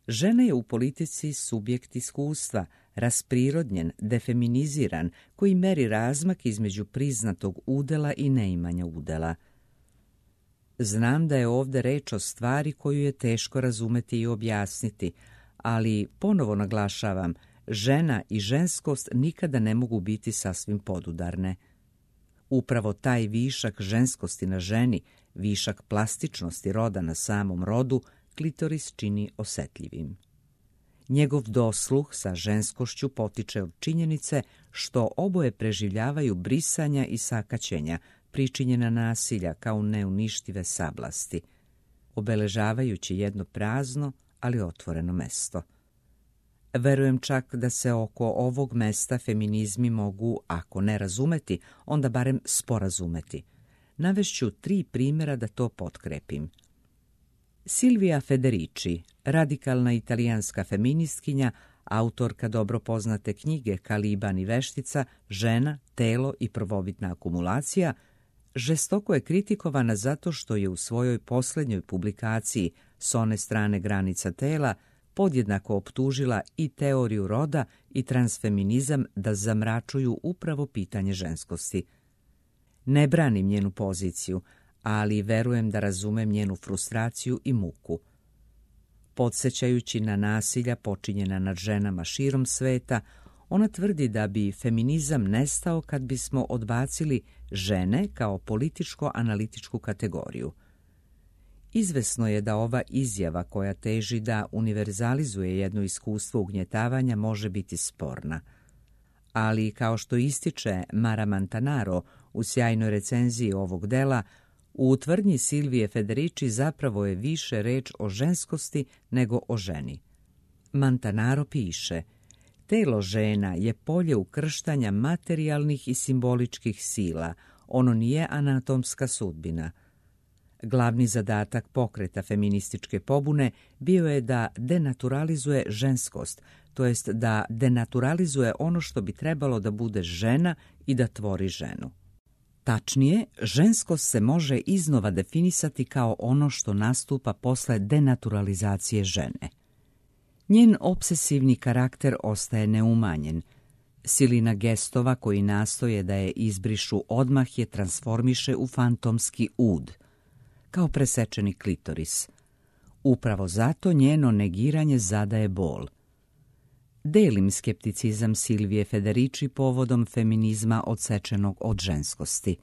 Žena je u politici subjekt iskustva, rasprirodnjen, defeminiziran, koji meri razmak između priznatog udela i neimanja udela. Znam da je ovdje reč o stvari koju je teško razumeti i objasniti, ali ponovo naglašavam, žena i ženskost nikada ne mogu biti sasvim podudarne. Upravo taj višak ženskosti na ženi, višak plastičnosti roda na samom rodu, klitoris čini osjetljivim. Njegov dosluh sa ženskošću potiče od činjenice što oboje preživljavaju brisanja i sakaćenja, pričinjena nasilja kao neuništive sablasti, obeležavajući jedno prazno, ali otvoreno mesto. Verujem čak da se oko ovog mesta feminizmi mogu, ako ne razumeti, onda barem sporazumeti. Navešću 3 primjera da to potkrepim. Silvia Federici, radikalna italijanska feministkinja, autorka dobro poznate knjige Kaliban i veštica, žena, telo i prvobitna akumulacija, žestoko je kritikovana zato što je u svojoj posljednjoj publikaciji S one strane granica tela podjednako optužila i teoriju roda i transfeminizam da zamračuju upravo pitanje ženskosti. Ne branim njenu poziciju, ali verujem da razumem njenu frustraciju i muku. Podsjećajući na nasilja počinjena nad ženama širom sveta, ona tvrdi da bi feminizam nestao kad bismo odbacili žene kao političko-analitičku kategoriju. Izvesno je da ova izjava koja teži da univerzalizuje jedno iskustvo ugnjetavanja može biti sporna. Ali, kao što ističe Mara Montanaro u sjajnoj recenziji ovog dela, u tvrdnji Silvije Federici zapravo je više reč o ženskosti nego o ženi. Montanaro piše: telo žena je polje ukrštanja materijalnih i simboličkih sila, ono nije anatomska sudbina. Glavni zadatak pokreta feminističke pobune bio je da denaturalizuje ženskost, to jest da denaturalizuje ono što bi trebalo da bude žena i da tvori ženu. Tačnije, ženskost se može iznova definisati kao ono što nastupa posle denaturalizacije žene. Njen obsesivni karakter ostaje neumanjen. Silina gestova koji nastoje da je izbrišu odmah je transformiše u fantomski ud, kao presečeni klitoris. Upravo zato njeno negiranje zadaje bol. Delim skepticizam Silvije Federici povodom feminizma odsečenog od ženskosti.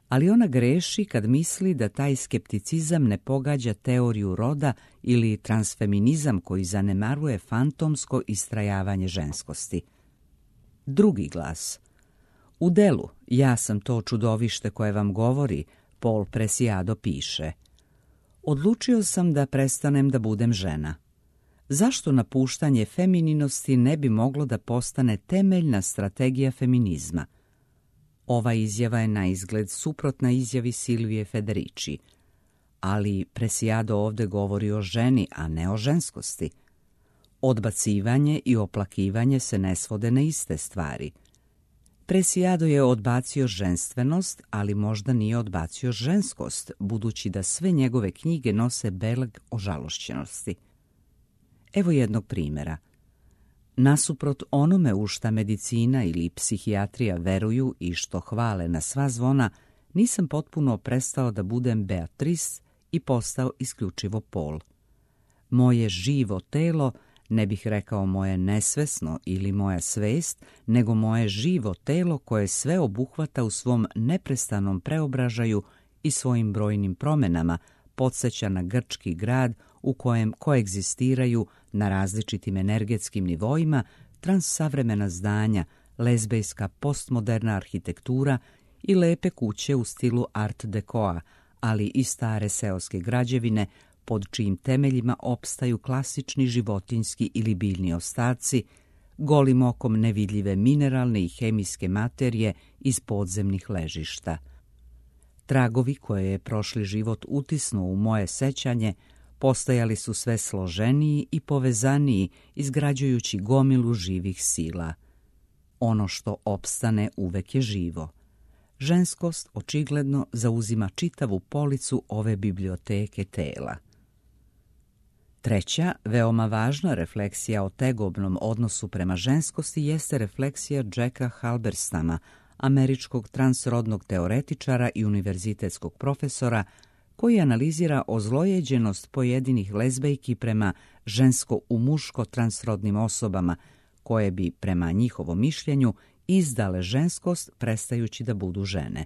Ali ona greši kad misli da taj skepticizam ne pogađa teoriju roda ili transfeminizam koji zanemaruje fantomsko istrajavanje ženskosti. Drugi glas. U delu Ja sam to čudovište koje vam govori, Paul Preciado piše: odlučio sam da prestanem da budem žena. Zašto napuštanje femininosti ne bi moglo da postane temeljna strategija feminizma? Ova izjava je na izgled suprotna izjavi Silvije Federici, ali Preciado ovde govori o ženi, a ne o ženskosti. Odbacivanje i oplakivanje se ne svode na iste stvari. Preciado je odbacio ženstvenost, ali možda nije odbacio ženskost, budući da sve njegove knjige nose belag ožalošćenosti. Evo jednog primjera. Nasuprot onome u šta medicina ili psihijatrija veruju i što hvale na sva zvona, nisam potpuno prestao da budem Beatrice i postao isključivo Paul. Moje živo telo, ne bih rekao moje nesvesno ili moja svest, nego moje živo telo koje sve obuhvata u svom neprestanom preobražaju i svojim brojnim promenama, podsjeća na grčki grad u kojem koegzistiraju na različitim energetskim nivoima transsavremena zdanja, lezbejska postmoderna arhitektura i lepe kuće u stilu art decoa, ali i stare seoske građevine pod čijim temeljima opstaju klasični životinjski ili biljni ostaci, golim okom nevidljive mineralne i hemijske materije iz podzemnih ležišta. Tragovi koje je prošli život utisnuo u moje sećanje postajali su sve složeniji i povezaniji, izgrađujući gomilu živih sila. Ono što opstane uvek je živo. Ženskost očigledno zauzima čitavu policu ove biblioteke tela. Treća, veoma važna refleksija o tegobnom odnosu prema ženskosti jeste refleksija Jacka Halberstama, američkog transrodnog teoretičara i univerzitetskog profesora, koji analizira ozlojeđenost pojedinih lezbejki prema žensko u muško transrodnim osobama, koje bi, prema njihovom mišljenju, izdale ženskost prestajući da budu žene.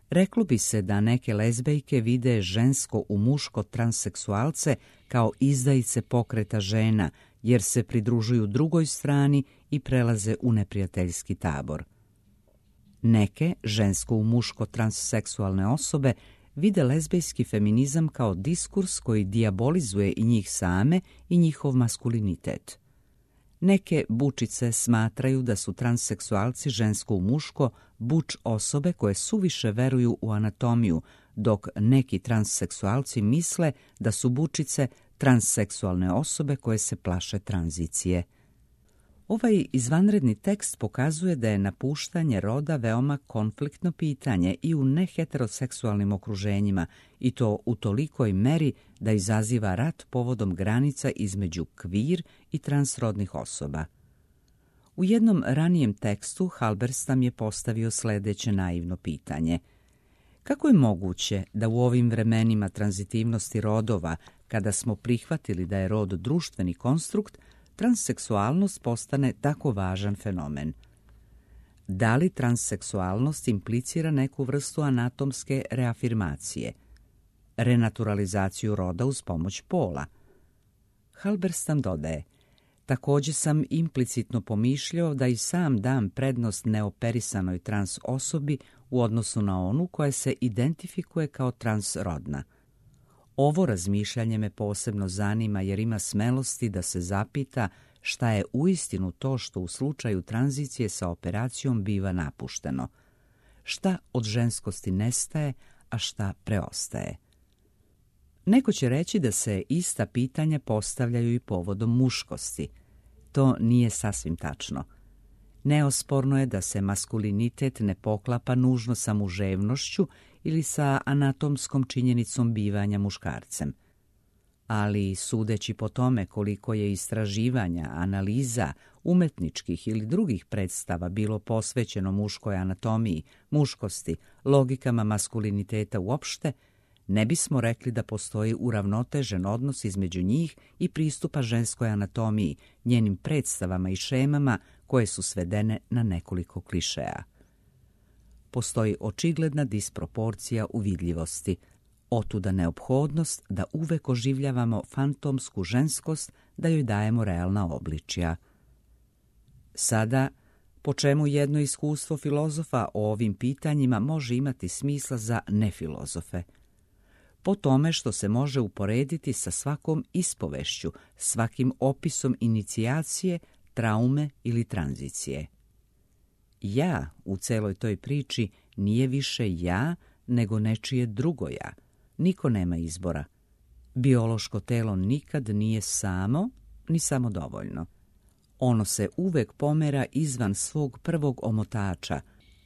Reklo bi se da neke lezbejke vide žensko u muško transseksualce kao izdajice pokreta žena, jer se pridružuju drugoj strani i prelaze u neprijateljski tabor. Neke žensko u muško transseksualne osobe vide lezbejski feminizam kao diskurs koji dijabolizuje i njih same i njihov maskulinitet. Neke bučice smatraju da su transseksualci žensko u muško buč osobe koje suviše veruju u anatomiju, dok neki transseksualci misle da su bučice transseksualne osobe koje se plaše tranzicije. Ovaj izvanredni tekst pokazuje da je napuštanje roda veoma konfliktno pitanje i u neheteroseksualnim okruženjima, i to u tolikoj meri da izaziva rat povodom granica između kvir i transrodnih osoba. U jednom ranijem tekstu Halberstam je postavio sledeće naivno pitanje. Kako je moguće da u ovim vremenima tranzitivnosti rodova, kada smo prihvatili da je rod društveni konstrukt, transseksualnost postane tako važan fenomen? Da li transseksualnost implicira neku vrstu anatomske reafirmacije, renaturalizaciju roda uz pomoć pola? Halberstam dodaje: također sam implicitno pomišljao da i sam dam prednost neoperisanoj trans osobi u odnosu na onu koja se identifikuje kao transrodna. Ovo razmišljanje me posebno zanima jer ima smelosti da se zapita šta je uistinu to što u slučaju tranzicije sa operacijom biva napušteno. Šta od ženskosti nestaje, a šta preostaje. Neko će reći da se ista pitanja postavljaju i povodom muškosti. To nije sasvim tačno. Neosporno je da se maskulinitet ne poklapa nužno sa muževnošću ili sa anatomskom činjenicom bivanja muškarcem. Ali sudeći po tome koliko je istraživanja, analiza, umetničkih ili drugih predstava bilo posvećeno muškoj anatomiji, muškosti, logikama maskuliniteta uopšte, ne bismo rekli da postoji uravnotežen odnos između njih i pristupa ženskoj anatomiji, njenim predstavama i šemama koje su svedene na nekoliko klišeja. Postoji očigledna disproporcija u vidljivosti, otuda neophodnost da uvek oživljavamo fantomsku ženskost, da joj dajemo realna obličja. Sada, po čemu jedno iskustvo filozofa o ovim pitanjima može imati smisla za nefilozofe? Po tome što se može uporediti sa svakom ispovešću, svakim opisom inicijacije, traume ili tranzicije. Ja u celoj toj priči nije više ja, nego nečije drugo ja. Niko nema izbora. Biološko telo nikad nije samo, ni samodovoljno. Ono se uvek pomera izvan svog prvog omotača.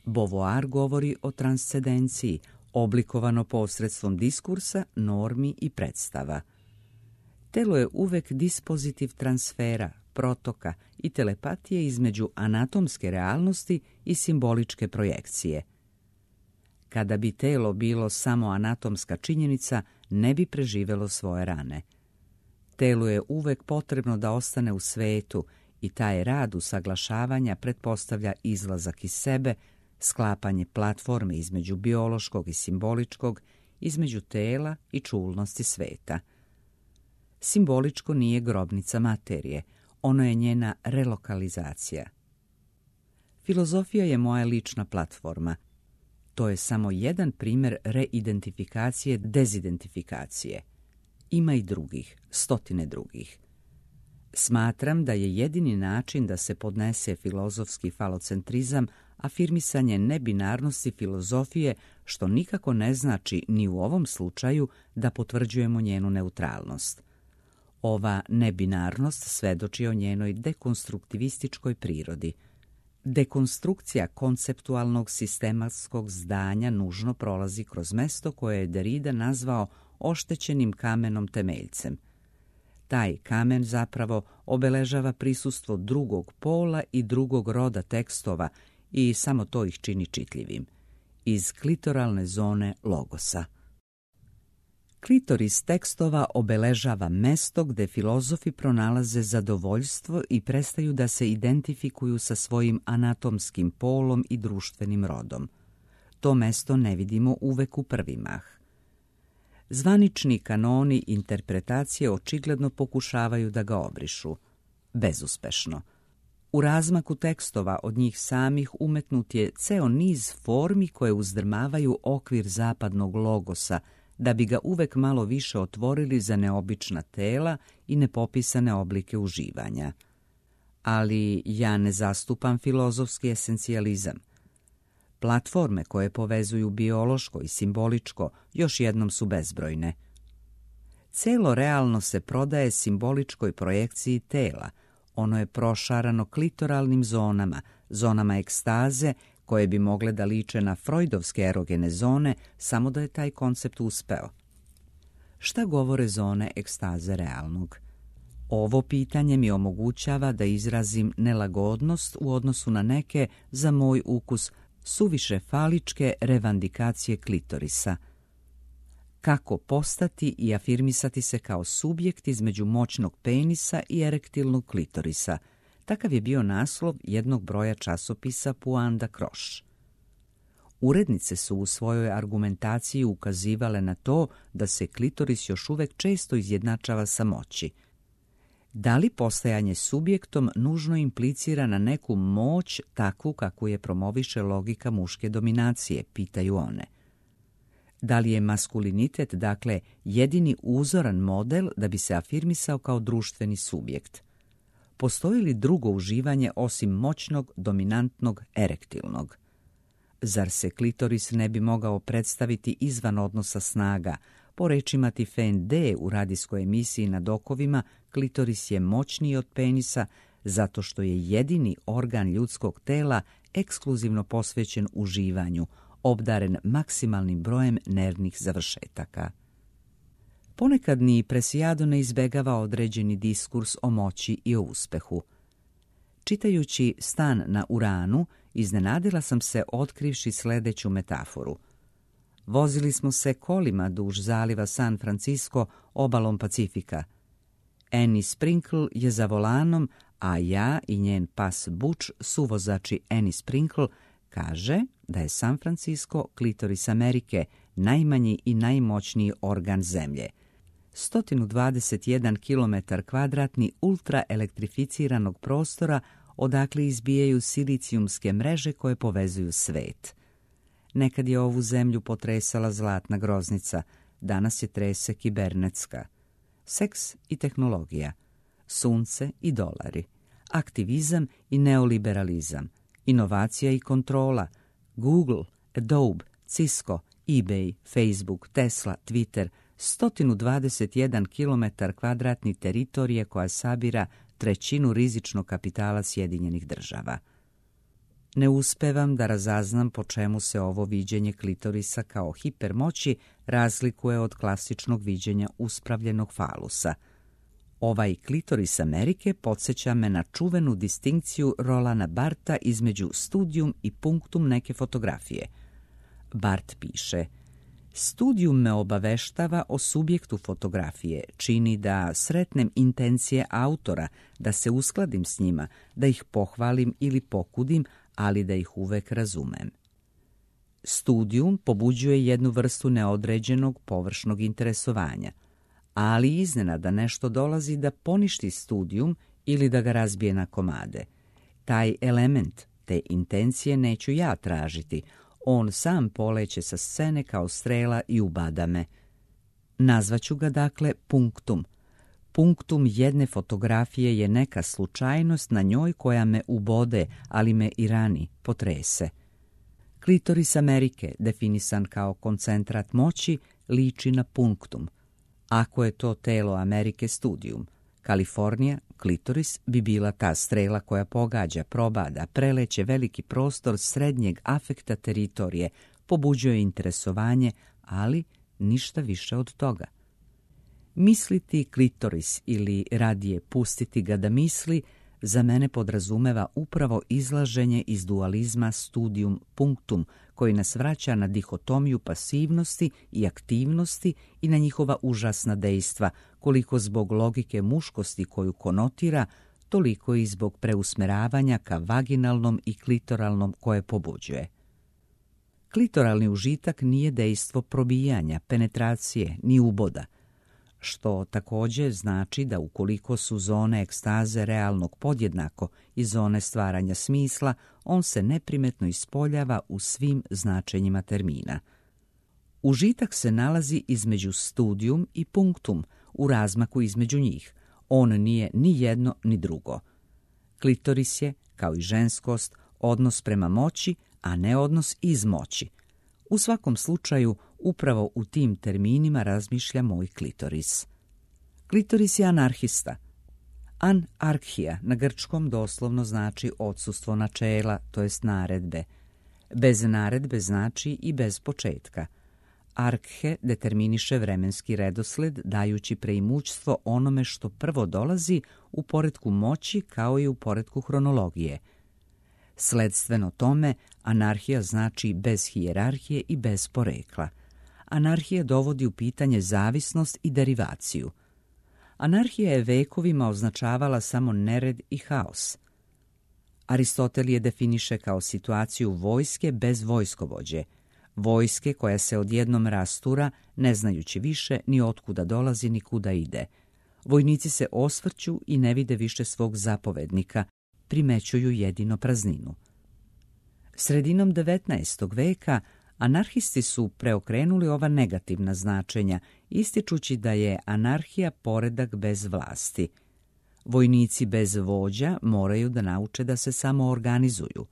Beauvoir govori o transcendenciji, oblikovano posredstvom diskursa, normi i predstava. Telo je uvek dispozitiv transfera, protoka i telepatije između anatomske realnosti i simboličke projekcije. Kada bi telo bilo samo anatomska činjenica, ne bi preživelo svoje rane. Telu je uvek potrebno da ostane u svetu i taj rad usaglašavanja pretpostavlja izlazak iz sebe, sklapanje platforme između biološkog i simboličkog, između tela i čulnosti sveta. Simboličko nije grobnica materije, ono je njena relokalizacija. Filozofija je moja lična platforma. To je samo jedan primjer reidentifikacije, dezidentifikacije. Ima i drugih, stotine drugih. Smatram da je jedini način da se podnese filozofski falocentrizam afirmisanje nebinarnosti filozofije, što nikako ne znači ni u ovom slučaju da potvrđujemo njenu neutralnost. Ova nebinarnost svedoči o njenoj dekonstruktivističkoj prirodi. Dekonstrukcija konceptualnog sistematskog zdanja nužno prolazi kroz mesto koje je Derrida nazvao oštećenim kamenom temeljcem. Taj kamen zapravo obeležava prisustvo drugog pola i drugog roda tekstova i samo to ih čini čitljivim. Iz klitoralne zone logosa. Klitoris tekstova obeležava mesto gde filozofi pronalaze zadovoljstvo i prestaju da se identifikuju sa svojim anatomskim polom i društvenim rodom. To mesto ne vidimo uvek u prvi mah. Zvanični kanoni interpretacije očigledno pokušavaju da ga obrišu. Bezuspešno. U razmaku tekstova od njih samih umetnut je ceo niz formi koje uzdrmavaju okvir zapadnog logosa, da bi ga uvek malo više otvorili za neobična tela i nepopisane oblike uživanja. Ali ja ne zastupam filozofski esencijalizam. Platforme koje povezuju biološko i simboličko još jednom su bezbrojne. Celo realno se prodaje simboličkoj projekciji tela. Ono je prošarano klitoralnim zonama, zonama ekstaze, koje bi mogle da liče na freudovske erogene zone, samo da je taj koncept uspeo. Šta govore zone ekstaze realnog? Ovo pitanje mi omogućava da izrazim nelagodnost u odnosu na neke, za moj ukus, suviše faličke revandikacije klitorisa. Kako postati i afirmisati se kao subjekt između moćnog penisa i erektilnog klitorisa? Takav je bio naslov jednog broja časopisa Point d'Accroche. Urednice su u svojoj argumentaciji ukazivale na to da se klitoris još uvek često izjednačava sa moći. Da li postajanje subjektom nužno implicira na neku moć takvu kakvu je promoviše logika muške dominacije, pitaju one. Da li je maskulinitet, dakle, jedini uzoran model da bi se afirmisao kao društveni subjekt? Postoji li drugo uživanje osim moćnog, dominantnog, erektilnog? Zar se klitoris ne bi mogao predstaviti izvan odnosa snaga? Po rečima Tiffany D. u radijskoj emisiji Na dokovima, klitoris je moćniji od penisa zato što je jedini organ ljudskog tela ekskluzivno posvećen uživanju, obdaren maksimalnim brojem nervnih završetaka. Ponekad ni Preciado ne izbegava određeni diskurs o moći i o uspehu. Čitajući Stan na Uranu, iznenadila sam se otkrivši sledeću metaforu. Vozili smo se kolima duž zaliva San Francisco obalom Pacifika. Annie Sprinkle je za volanom, a ja i njen pas Butch, suvozači Annie Sprinkle, kaže da je San Francisco klitoris Amerike, najmanji i najmoćniji organ zemlje. 121 km² ultraelektrificiranog prostora odakle izbijaju silicijumske mreže koje povezuju svet. Nekad je ovu zemlju potresala zlatna groznica, danas je trese kibernetska. Seks i tehnologija, sunce i dolari, aktivizam i neoliberalizam, inovacija i kontrola, Google, Adobe, Cisco, eBay, Facebook, Tesla, Twitter, 121 km² teritorije koja sabira trećinu rizičnog kapitala Sjedinjenih Država. Ne uspevam da razaznam po čemu se ovo viđenje klitorisa kao hipermoći razlikuje od klasičnog viđenja uspravljenog falusa. Ovaj klitoris Amerike podsjeća me na čuvenu distinkciju Rolana Bartha između studium i punktum neke fotografije. Barth piše: Studijum me obaveštava o subjektu fotografije, čini da sretnem intencije autora, da se uskladim s njima, da ih pohvalim ili pokudim, ali da ih uvek razumem. Studijum pobuđuje jednu vrstu neodređenog površnog interesovanja, ali iznenada nešto dolazi da poništi studijum ili da ga razbije na komade. Taj element, te intencije neću ja tražiti, on sam poleće sa scene kao strela i ubada me. Nazvaću ga dakle punktum. Punktum jedne fotografije je neka slučajnost na njoj koja me ubode, ali me i rani, potrese. Klitoris Amerike, definisan kao koncentrat moći, liči na punktum. Ako je to telo Amerike studijum, Kalifornija, klitoris, bi bila ta strela koja pogađa, probada, preleće veliki prostor srednjeg afekta teritorije, pobuđuje interesovanje, ali ništa više od toga. Misliti klitoris ili radije pustiti ga da misli, za mene podrazumeva upravo izlaženje iz dualizma studium punktum, koji nas vraća na dihotomiju pasivnosti i aktivnosti i na njihova užasna dejstva, koliko zbog logike muškosti koju konotira, toliko i zbog preusmeravanja ka vaginalnom i klitoralnom koje pobuđuje. Klitoralni užitak nije dejstvo probijanja, penetracije, ni uboda, što također znači da ukoliko su zone ekstaze realnog podjednako i zone stvaranja smisla, on se neprimetno ispoljava u svim značenjima termina. Užitak se nalazi između studijum i punktum, u razmaku između njih. On nije ni jedno ni drugo. Klitoris je, kao i ženskost, odnos prema moći, a ne odnos iz moći. U svakom slučaju, upravo u tim terminima razmišlja moj klitoris. Klitoris je anarhista. Anarhija na grčkom doslovno znači odsustvo načela, to jest naredbe. Bez naredbe znači i bez početka. Arhe determiniše vremenski redosled, dajući preimućstvo onome što prvo dolazi u poretku moći kao i u poretku hronologije. Sledstveno tome, anarhija znači bez hijerarhije i bez porekla. Anarhija dovodi u pitanje zavisnost i derivaciju. Anarhija je vekovima označavala samo nered i haos. Aristotel je definiše kao situaciju vojske bez vojskovođe, vojske koja se odjednom rastura, ne znajući više ni otkuda dolazi ni kuda ide. Vojnici se osvrću i ne vide više svog zapovednika, primećuju jedino prazninu. Sredinom 19. veka anarhisti su preokrenuli ova negativna značenja, ističući da je anarhija poredak bez vlasti. Vojnici bez vođa moraju da nauče da se samo organizuju.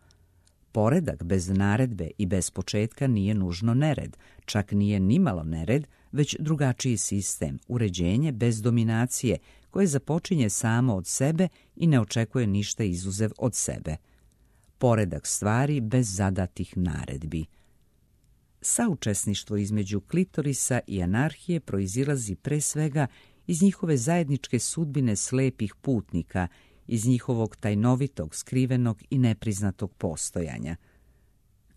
Poredak bez naredbe i bez početka nije nužno nered, čak nije nimalo nered, već drugačiji sistem, uređenje bez dominacije, koje započinje samo od sebe i ne očekuje ništa izuzev od sebe. Poredak stvari bez zadatih naredbi. Saučesništvo između klitorisa i anarhije proizilazi pre svega iz njihove zajedničke sudbine slepih putnika, iz njihovog tajnovitog, skrivenog i nepriznatog postojanja.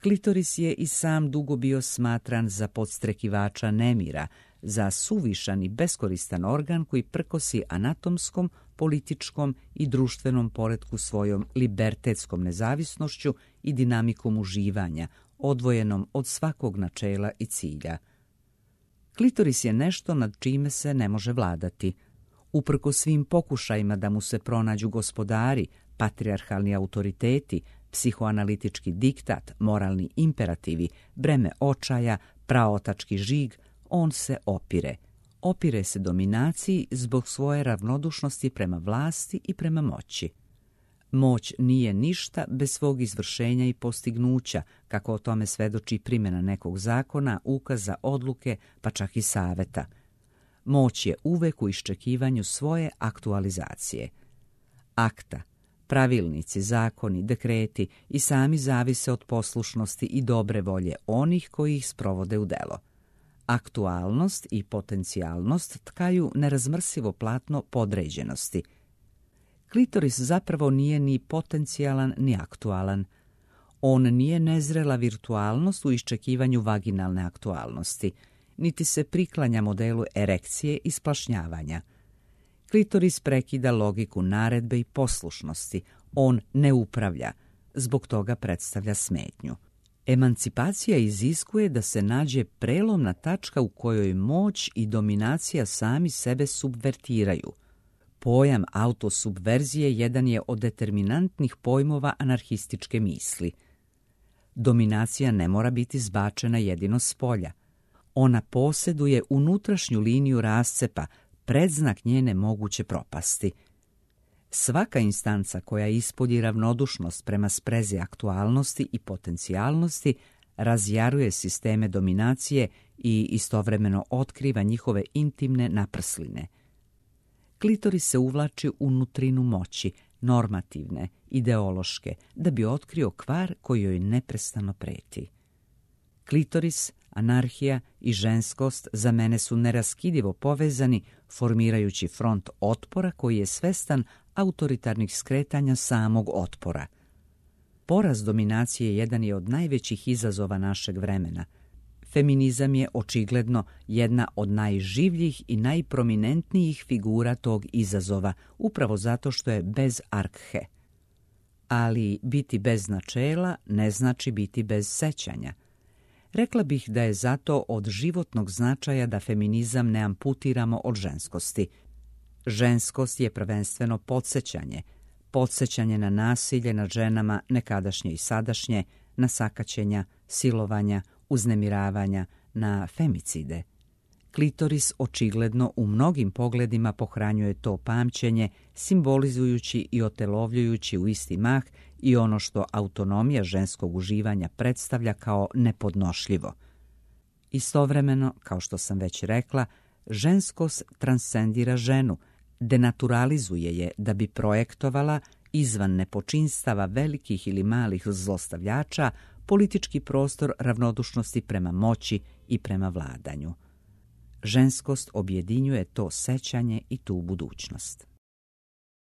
Klitoris je i sam dugo bio smatran za podstrekivača nemira, za suvišan i beskoristan organ koji prkosi anatomskom, političkom i društvenom poretku svojom libertetskom nezavisnošću i dinamikom uživanja, odvojenom od svakog načela i cilja. Klitoris je nešto nad čime se ne može vladati. Uprkos svim pokušajima da mu se pronađu gospodari, patrijarhalni autoriteti, psihoanalitički diktat, moralni imperativi, breme očaja, praotački žig, on se opire. Opire se dominaciji zbog svoje ravnodušnosti prema vlasti i prema moći. Moć nije ništa bez svog izvršenja i postignuća, kako o tome svedoči primjena nekog zakona, ukaza, odluke, pa čak i saveta. Moć je uvek u iščekivanju svoje aktualizacije. Akta, pravilnici, zakoni, dekreti i sami zavise od poslušnosti i dobre volje onih koji ih sprovode u delo. Aktualnost i potencijalnost tkaju nerazmrsivo platno podređenosti. Klitoris zapravo nije ni potencijalan ni aktualan. On nije nezrela virtualnost u iščekivanju vaginalne aktualnosti, niti se priklanja modelu erekcije i splašnjavanja. Klitoris prekida logiku naredbe i poslušnosti. On ne upravlja, zbog toga predstavlja smetnju. Emancipacija iziskuje da se nađe prelomna tačka u kojoj moć i dominacija sami sebe subvertiraju. Pojam autosubverzije jedan je od determinantnih pojmova anarhističke misli. Dominacija ne mora biti zbačena jedino s polja. Ona posjeduje unutrašnju liniju rascepa, predznak njene moguće propasti. Svaka instanca koja ispolji ravnodušnost prema sprezi aktualnosti i potencijalnosti razjaruje sisteme dominacije i istovremeno otkriva njihove intimne naprsline. Klitoris se uvlači u nutrinu moći, normativne, ideološke, da bi otkrio kvar koji joj neprestano preti. Klitoris, anarhija i ženskost za mene su neraskidivo povezani, formirajući front otpora koji je svestan autoritarnih skretanja samog otpora. Poraz dominacije jedan je od najvećih izazova našeg vremena. Feminizam je očigledno jedna od najživljih i najprominentnijih figura tog izazova, upravo zato što je bez arkhe. Ali biti bez načela ne znači biti bez sećanja. Rekla bih da je zato od životnog značaja da feminizam ne amputiramo od ženskosti. Ženskost je prvenstveno podsjećanje na nasilje nad ženama nekadašnje i sadašnje, na sakaćenja, silovanja, uznemiravanja, na femicide. Klitoris očigledno u mnogim pogledima pohranjuje to pamćenje, simbolizujući i otelovljujući u isti mah i ono što autonomija ženskog uživanja predstavlja kao nepodnošljivo. Istovremeno, kao što sam već rekla, ženskost transcendira ženu, denaturalizuje je da bi projektovala izvan nepočinstava velikih ili malih zlostavljača politički prostor ravnodušnosti prema moći i prema vladanju. Ženskost objedinjuje to sećanje i tu budućnost.